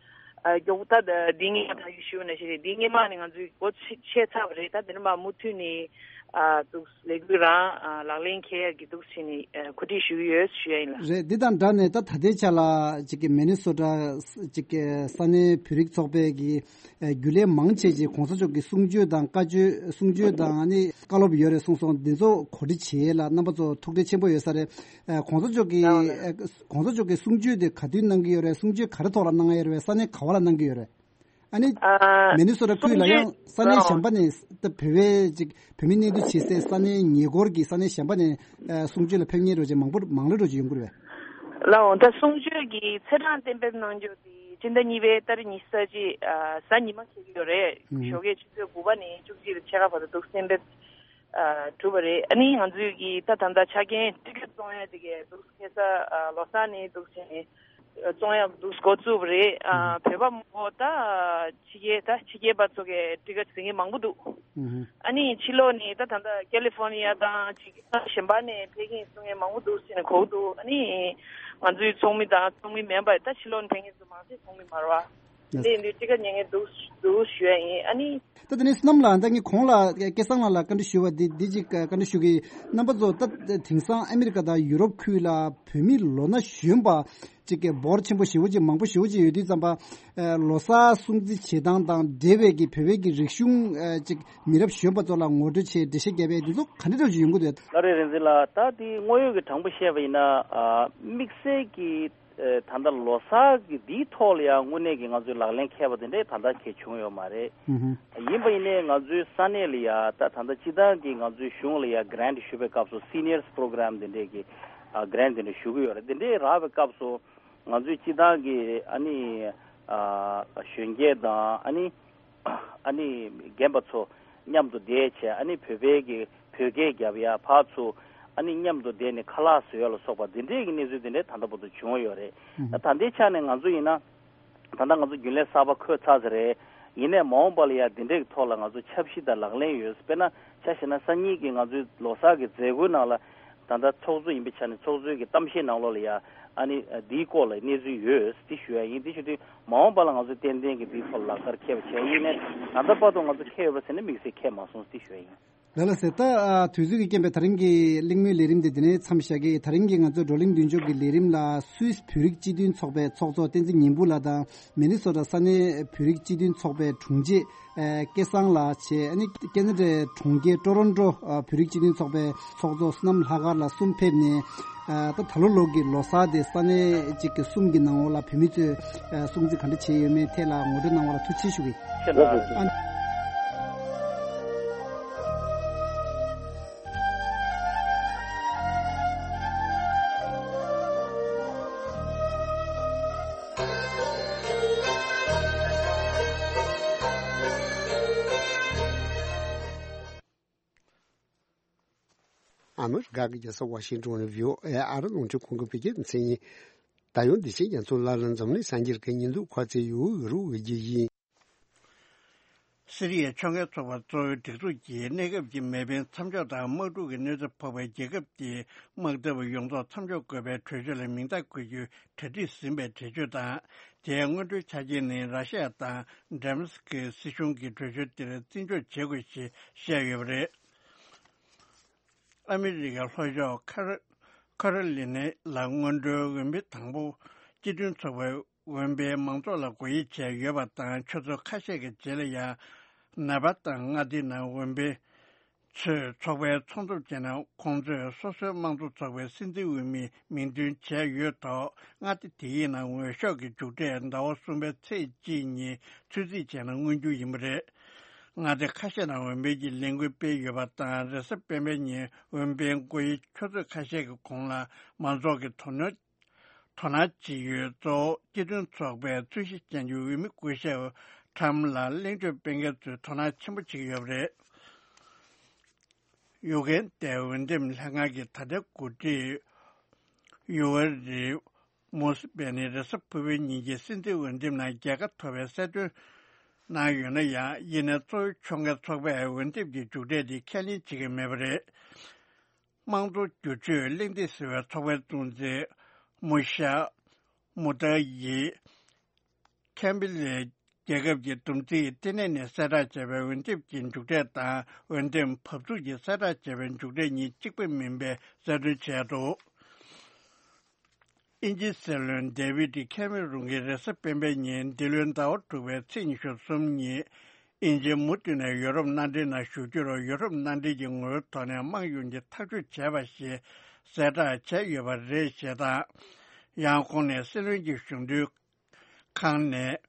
ཨ། མགྱོགས་པོ་ད་འདི་སྔོན་མ་ད་ཞུས་པ་ནང་བཞིན་རེད། འདི་སྔོན་མ་ནས་ང་ཚོས་འགོ་ཚུགས་ཚར་བ་རེད། ད་དེ་ནས་མར་མུ་མཐུད་ནས། ཨ། འདུག་ལས་འགུལ་རང་། ཨ། ལག་ལེན་འཁེལ་ཡ་གི་འདུག་སེ་བྱས་ནས། ཨ། གོ་སྒྲིག་ཞུ་གི་ཡོད་ཞུ་ཡ་ཡིན་ལགས། རེད། འདི་དང་སྦྲགས་ནས་ད་ད་ལྟའི་ཆ་ལ་ཅིག་གི་མི་ནི་སོ་ཊ་ཅིག་གི་ས་གནས་བོད་རིགས་ཚོགས་པའི་གི་ཨ། རྒྱུན་ལས་མང་ཆེ་ཅིག་གོང་ས་མཆོག་གི་གསུང་ཆོས་དང་བཀའ་ཆོས། གསུང་ཆོས་དང་ཨ་ནི་བཀའ་སློབ་ཡོད་རེད་གསུངས་སོང་། འདི་ཚོ་གོ་སྒྲིག་བྱེད་ཡས་ལ་རྣམ་པ་ཚོ་ཐུགས་ཁྲལ་ཆེན་པོ་ཡོད་ས་རེད། ཨ། གོང་ས་མཆོག་གི། ལགས་འོང་ལགས། ཨ། གོང་ས་མཆོག་གི་གསུང་ཆོས་དེ་ག་དུས་གནང་གི་ཡོད་རེད། གསུང་ཆོས་ག་རེ་ཐོག་ལ་གནང་ཡོད་རེད། ས་གནས་ག་བ་ལ་གནང་གི་ཡོད་རེད། ཨ་ནི། ཨ། མི་ནི་སོ་ཊ་ཁུལ་ལ་ཡང་ས་གནས་གཞན་པ་ནས། ད་བོད་པའི་ཅིག་བོད་མི་གནས་སྡོད་བྱེད་སའི་ས་གནས་ཉེ་འཁོར་གྱི་ས་གནས་གཞན་པ་ནས། ཨ། གསུང་ཆོས་ལ་ཕེབས་མཁན་འདྲ་བོ་ཅིག་མང་པོ་མང་ལོས་འདྲ་བོ་ཅིག་ཡོང་གི་རེད་པས། ལགས་འོང་། ད་གསུང་ཆོས་ཀྱི་ཚེས་གྲངས་གཏན་འབེབས་གནང་རྒྱུ་དེ་སྤྱི་ཟླ་གཉིས་པའི་ཏ་རིག་ཉི་ཤུ་རྩ་གཅིག་ཨ། གཟའ་ཉི་མ་འཁེལ་གྱི་ཡོད་རེད། ཨུ། ཞོགས་ཀས་ཆུ་ཚོད་དགུ་པ་ནས་བཅུ་གཅིག་ཕྱེད་ཀ་བར་དུ་འདུག་གཏན་འབེབས། ཨ། གྲུབ་པ་རེད། ཨ་ནི་ང་ཚོས་ཀྱི་ད་ད་ལྟ་ཆ་རྐྱེན་ཊི་ཀེ་ཊི་བཙོང་ཡ་དེ་གས་འདུག་ཁ་སང་། ཨ། ལོ་གསར་ནས་འདུག་སེ་བྱས་ནས་ བཙོང་ཡག་འདུག་འགོ་བཙུགས་པ་རེད། ཨ། བོད་པ་མང་པོ་ད་ཕྱི་རྒྱལ་ད་ཕྱི་རྒྱལ་པ་ཚོ་གིས་ཊི་ཀེ་ཊི་ཟིན་མཁན་མང་པོ་འདུག་ཨ་ནི་ཕྱི་ལོགས་ནས་ད་ད་ལྟ་ཀེ་ལི་ཧྥོར་ནི་ཡ་དང་ཅིག་གཞན་པ་ནས་ཕེབས་མཁན་གསུང་མཁན་མང་པོ་འདུག་ཟེར་ནས་གོ་གི་འདུག་ཨ་ནི་ང་ཚོའི་ཚོགས་མི་དང་ཚོགས་མི་མིན་པ་ད་ཕྱི་ལོགས་ནས་ཕེབས་མཁན་ཚོ་མང་ཆེ་ཚོགས་མི་མ་རེད་པ། དེ་ཡིན་དུས་ཊི་ཀེ་ཊི་ཉོ་མཁན་འདུག་འདུག་ཞུ་ཡ་ཡིན། ཨ་ནི། ད་དེ་ནས་བསོད་ནམས་ལགས། ད་ངས་གོང་ལ་སྐལ་བཟང་ལགས་ལ་བཀའ་འདྲི་ཞུ་བ་འདི་འདི་གཅིག་བཀའ་འདྲི་ཞུ་གི། རྣམ་པ་ཚོ་ད་དེང་སང་ཨ་མི་རི་ཀ་དང་ཡུ་རོབ་ཁུལ་ལ་བོད་མི་ལོ་ན་གཞོན་པ་གཅིག་གི་འབོར་ཆེན་པོ་ཞེ་པོ་ཅིག་མང་པོ་ཞེ་པོ་ཅིག་ཡོད་དུས་ཙམ་པ། ལོ་གསར་སྲུང་བརྩི་བྱེད་སྟངས་དང་འབྲེལ་བའི་གི་བོད་པའི་གི་རིག་གཞུང་ཅིག་མི་རབས་གཞོན་པ་ཚོ་ལ་ངོ་སྤྲོད་བྱས་འགྲེལ་བཤད་བརྒྱབ་པའི་འདི་ཚོ་ག་འདྲ་འདྲ་ཅིག་ཡོང་གི་འདུག་ལགས་རེད། རིག་འཛིན་ལགས། ད་དེ་དངོས་ཡོད་ཀྱི་དྲང་པོ་བཤད་པ་ཡིན་ན། དམིགས་བསལ་གྱི་ད་ལྟ་ལོ་གསར་གྱི་འདིའི་ཐོག་ལ་ཡང་དངོས་གནས་ཀྱི་ང་ཚོས་ལག་ལེན་འཁེལ་བ་དེ་འདྲས་ད་ལྟ་གལ་བྱུང་ཡོད་མ་རེད། ཡིན་པ་ཡིན་ནའི་ང་ཚོའི་ས་གནས་ལ་ཡ་ད་ད་ལྟ་སྤྱི་བཏང་གི་ང་ཚོའི་གཞུང་ལ་ཡ་གྷི་རེན་ཊི་ཞུ་བའི་སྐབས་སུ་སི་ནི་ཡར་སི་པོ་རོ་གྷི་རམ་དེ་འདྲས་ཀྱི་གྷི་རེན་ཊི་དེ་འདྲས་ཞུ་གི་ཡོད་རེད། དེ་འདྲས་རག་པའི་སྐབས་སུ་ང་ཚོའི་སྤྱི་བཏང་གི་ཨ་ནི་གཞོན་སྐྱེས་དང་ཨ་ནི་ཨ་ནི་རྒན་པ་ཚོ་མཉམ་དུ་བསྡད་བྱས། ཨ་ནི་བོད་པའི་གི་བོད་སྐད་རྒྱབ་ཡ། ཕར་ཚུར་ཨ་ནི་མཉམ་དུ་བསྡད་ནས་ཁ་ལག་བཟོ་ཡ་ལ་སོགས་པ་འདི་འདྲས་ཀྱི་གནས་ཚུལ་འདི་འདྲས་ད་ལྟ་བར་དུ་བྱུང་ཡོད་རེད། ད་ད་ལྟའི་ཆ་ནས་ང་ཚོ་ཡིན་ན་ད་ལྟ་ང་ཚོ་རྒྱུན་ལས་གསར་པ་འཁོད་ཚར་ཚར་རེད། ཡིན་ནའི་མ་འོངས་པ་ལ་ཡ་འདི་འདྲས་ཀྱི་ཐོག་ལ་ང་ཚོ་འཆར་གཞི་དང་ལག་ལེན་ཡོད། དཔེར་ན་ཆ་བཞག་ན་སང་ཉིན་གྱི་ང་ཚོའི་ལོ་གསར་གྱི་མཛད་སྒོའི་ནང་ལ་ད་ལྟ་ཚོགས་གཙོ་ཡིན་པའི་ཆ་ནས་ཚོགས་གཙོའི་གི་གཏམ་བཤད་ནང་ལོགས་ལ་ཡ་ཨ་ནི་འདིའི་སྐོར་ལ་གནས་ཚུལ་ཡོད་འདི་ཞུ་ཡ་ཡིན། འདི་ཞུ་དུས་མ་འོངས་པ་ལ་ང་ཚོ་ཏན་ཏན་གྱི་འདིའི་ཐོག་ལ་ལག་བསྟར་འཁེལ་བ་བྱས། ཡིན་ནའི་ད་ལྟ་བར་དུ་ང་ཚོ་འཁེལ་ཡོད་པ་ཟེར་ན་དམིགས་བསལ་འཁེལ་མ་སོང་འདི་ཞུ་ཡ་ཡིན། ལགས་ལགས་སེ། ད་ཨ་དུས་ཚོད་ཀྱི་རྐྱེན་པས་ད་རིང་གི་གླེང་མོལ་ལས་རིམ་དེ་འདི་ནས་མཚམས་བཞག་གི། ད་རིང་གི་ང་ཚོའི་བགྲོ་གླེང་མདུན་ལྕོག་གི་ལས་རིམ་ལ་སུད་སི་བོད་རིགས་སྤྱི་མཐུན་ཚོགས་པའི་ཚོགས་གཙོ་བསྟན་འཛིན་ཉི་འབུམ་ལགས་དང་། མི་ནི་སོ་ཊ་ས་གནས་བོད་རིགས་སྤྱི་མཐུན་ཚོགས་པའི་དྲུང་ཆེ་ཨ་སྐལ་བཟང་ལགས་བྱས། ཨ་ནི་ཁེ་ན་ཌའི་གྲོང་ཁྱེར་ཊོ་རོན་ཊོ་ཨ་བོད་རིགས་སྤྱི་མཐུན་ཚོགས་པའི་ཚོགས་གཙོ་བསོད་ནམས་ལྷག་དཀར་ལགས་གསུམ་ཕེབས་ནས། ཨ་ད་ད་ལོ་ལོ་གི་ལོ་གསར་དེ་ས་གནས་གཅིག་གི་གསུམ་གྱི་ནང་འོག་ལ་བོད་མི་ཚོས་ཨ་སྲུང་བརྩི་ག་འདྲ་བྱས་ཡོད་མེད་ཐད་ལ་ངོ་སྤྲོད་གནང་བ་ལ་ཐུགས་རྗེ་ཆེ་ཞུ་གི། ཁྱེད་ལ། ཨ། ཨ་མི་རི་ཀ་གི་རྒྱལ་ས་ཝ་ཤིང་ཏོན་ནས་བྷི་ཨོ་ཨེ་ཨ་རི་རླུང་འཕྲིན་ཁང་གི་བོད་སྐད་སྡེ་ཚན་ཡིན། ད་ཡང་འདི་ཕྱིན་རྒྱ་མཚོ་ལ་ལ་འཛམ་གླིང་སངས་རྒྱས་ཀྱི་ཉིན་ཐོ་ཁ་ཚིག་ཡུ་རུ་འོས་རྒྱུ་ཡིན། སི་རི་ཡའི་ཕྱོགས་འགལ་ཚོགས་པ་གཙོ་བོའི་སྒྲིག་འཛུགས་ཀྱིས་གནས་སྐབས་ཀྱི་མེ་འཕེན་མཚམས་འཇོག་དང་དམག་འཁྲུག་གི་གནོད་འཚེ་ཕོག་པའི་རྒྱལ་ཁབ་ཀྱི་དམག་འཐབ་ཡོངས་རྫོགས་མཚམས་འཇོག་དགོས་པའི་གྲོས་ཆོད་ལ་མིང་རྟགས་འཁོད་རྒྱུའི་གྲ་སྒྲིག་ཟིན་པའི་འགྲེལ་བརྗོད་དང་། དེའི་སྔོན་འགྲོའི་ཆ་རྐྱེན་ནི་ར་ཤི་ཡ་དང་ཌེ་མཱ་སི་ཀི་སི་གཞུང་གིས་གྲོས་ཆོད་དེར་བརྩི་འཇོག་བྱེད་དགོས་ཞེས་བཤད་ཡོད་པ་རེད། ཨ་མི་རི་ཀའི་ལྷོ་ཕྱོགས་ཁ་ར་ཁ་རོ་ལི་ནའི་ལ་སྔོན་འགྲོའི་འོས་འཕེན་དང་པོ་སྤྱི་མཐུན་ཚོགས་པའི་འོས་འཕེན་མང་ཚོགས་ལ་སྒོ་དབྱེ་བྱས་ཡོད་པ་དང་། ཆུ་ཚོད་ཁ་ཤས་ཀྱི་རྗེས་ལ་ཡང་ནེ་བྷ་དང་མངའ་སྡེའི་ནང་འོས་འཕེན་ཚོས་ཚོགས་པའི་ཚོགས་འདུར་བཅར་ནས་ཁོང་ཚོས་སོ་སོའི་དམངས་གཙོ་ཚོགས་པའི་སྲིད་འཛིན་འོས་མི་མིང་འདོན་བྱས་ཡོད་ཐོག་མངའ་སྡེ་དེ་གའི་ནང་འོས་ཤོག་གི་མཇུག་འབྲས་ཟླ་བ་གསུམ་པའི་ཚེས་གཅིག་ཉིན་ཚོད་རྩིས་བྱས་ན་མངོན་རྒྱུ་ཡིན་པ་རེད། མངའ་སྡེ་ཁ་ཤས་ནང་འོས་འཕེན་གྱི་ལས་འགུལ་སྤེལ་ཡོད་པ་དང་། རེས་གཟའ་སྤེན་པའི་ཉིན་འོས་འཕེན་སྒོ་དབྱེ་ཆུ་ཚོད་ཁ་ཤས་ཀྱི་གོང་ལ་མང་ཚོགས་ཀྱིས་དོ་སྣང་དོ་སྣང་བྱེད་ཡུལ་གཙོ་བོ་སྤྱི་མཐུན་ཚོགས་པའི་རྩོད་གཞི་ཅན་གྱི་འོས་མི་སྐུ་ཞབས་ཁྲམ་ལ་གླེང་བརྗོད་སྤེལ་མཁན་ཚོས་དོ་སྣང་ཆེན་པོ་བྱེད་ཀྱི་ཡོད་པ་རེད། ཡུ་གན་དའི་འོས་འདེམས་ལྷན་ཁང་གི་ད་ལྟའི་འགོ་ཁྲིད་ཡུ་ཝེ་རི་མུ་སི་བེ་ནི་རེས་གཟའ་ཕུར་བུའི་ཉིན་གྱི་སྲིད་འཛིན་འོས་འདེམས་ནང་རྒྱལ་ཁ་ཐོབ་པའི་གསལ་སྟོན་གནང་ཡོད་ན་ཡང་། ཡིན་ནའི་གཙོ་བོའི་ཕྱོགས་འགལ་ཚོགས་པས་འོས་འདེམས་ཀྱི་མཇུག་འབྲས་དེ་ཁས་ལེན་བྱེད་ཀྱི་མེད་པ་རེད། དམངས་གཙོ་བསྒྱུར་བཅོས་གླེང་སྟེགས་ཟེར་བའི་ཚོགས་པའི་གཙོ་འཛིན་མུ་ཤ་མུ་ཏཱ་ཡི་ཁེམ་བྷི་ལའི་རྒྱལ་ཁབ་ཀྱི་བསྡོམས་རྩིས་ལྟེ་གནས་ནས་གསལ་བསྒྲགས་བྱས་པའི་འོས་འདེམས་ཀྱི་མཇུག་འབྲས་དང་། འོས་འདེམས་བབས་ཚུགས་ཀྱིས་གསལ་བསྒྲགས་བྱས་པའི་མཇུག་འབྲས་གཉིས་གཅིག་པ་མིན་པའི་གསལ་སྟོན་བྱས་འདུག་དབྱིན་ཇིའི་སྲིད་བློན་ཌེ་ཝིད་ཁེ་མེ་རུན་གྱིས་རེས་གཟའ་སྤེན་པའི་ཉིན་འདི་ལོའི་ཟླ་བ་དྲུག་པའི་ཚེས་ཉི་ཤུ་གསུམ་ཉིན་དབྱིན་ཇི་མུ་མཐུད་ནས་ཡོ་རོབ་མནའ་འབྲེལ་ནང་ཞུགས་རྒྱུར་ཡོ་རོབ་མནའ་འབྲེལ་གྱི་ངོ་བོའི་ཐོག་ནས་དམངས་ཡོངས་ཀྱིས་ཐག་གཅོད་བྱས་པ་ཞེས་གསལ་བསྒྲགས་བྱས་ཡོད་པ་རེད་ཞེས་དང་། ཡང་ཁོང་ནས་སྲིད་བློན་གྱི་གཞུང་དོན་ཁང་ནས་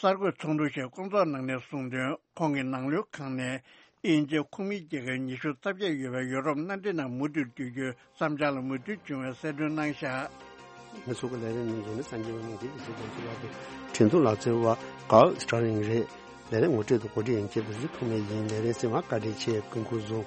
གསར་འགོད་ཚོགས་འདུ་ཞིག་སྐོང་ཚོགས་གནང་ནས་གསུངས་དོན། ཁོང་གི་ནང་ལོའི་ཁང་ནས་དབྱིན་ཇིའི་ཁོངས་མིའི་རྒྱལ་ཁབ་ཉི་ཤུ་རྩ་བརྒྱད་ཡོད་པའི་ཡོ་རོབ་མནའ་འབྲེལ་ནང་མུ་མཐུད་སྡོད་རྒྱུའི་བསམ་འཆར་ལ་མོས་མཐུན་བྱུང་བའི་གསལ་སྟོན་གནང་བཞག་ང་ཚོ་གི་ལས་རིམ་ནང་འཛུལ་ནས་གསན་རྒྱུ་ཡིན་གྱི། འདི་ཚོ་རྒྱང་སྲིང་ལག་དེ་ཁྲིན་ཏུ་ལག་རྩལ་བ་ཀཱལ་སི་ཊར་ལིང་རེད། ལས་རིམ་ངོ་སྤྲོད་དང་གོ་སྒྲིག་ཡིན་གྱི། འདི་ཚོ་ཐོག་མའི་ཡིན། ལས་རིམ་གསན་པར་བཀའ་དྲིན་ཆེ། སྐུ་ཁམས་བཟང་།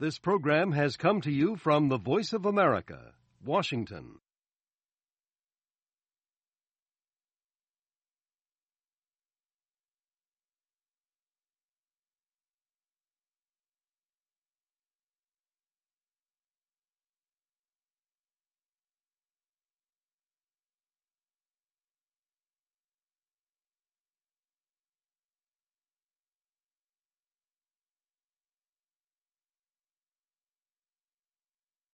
This program has come to you from the Voice of America, Washington.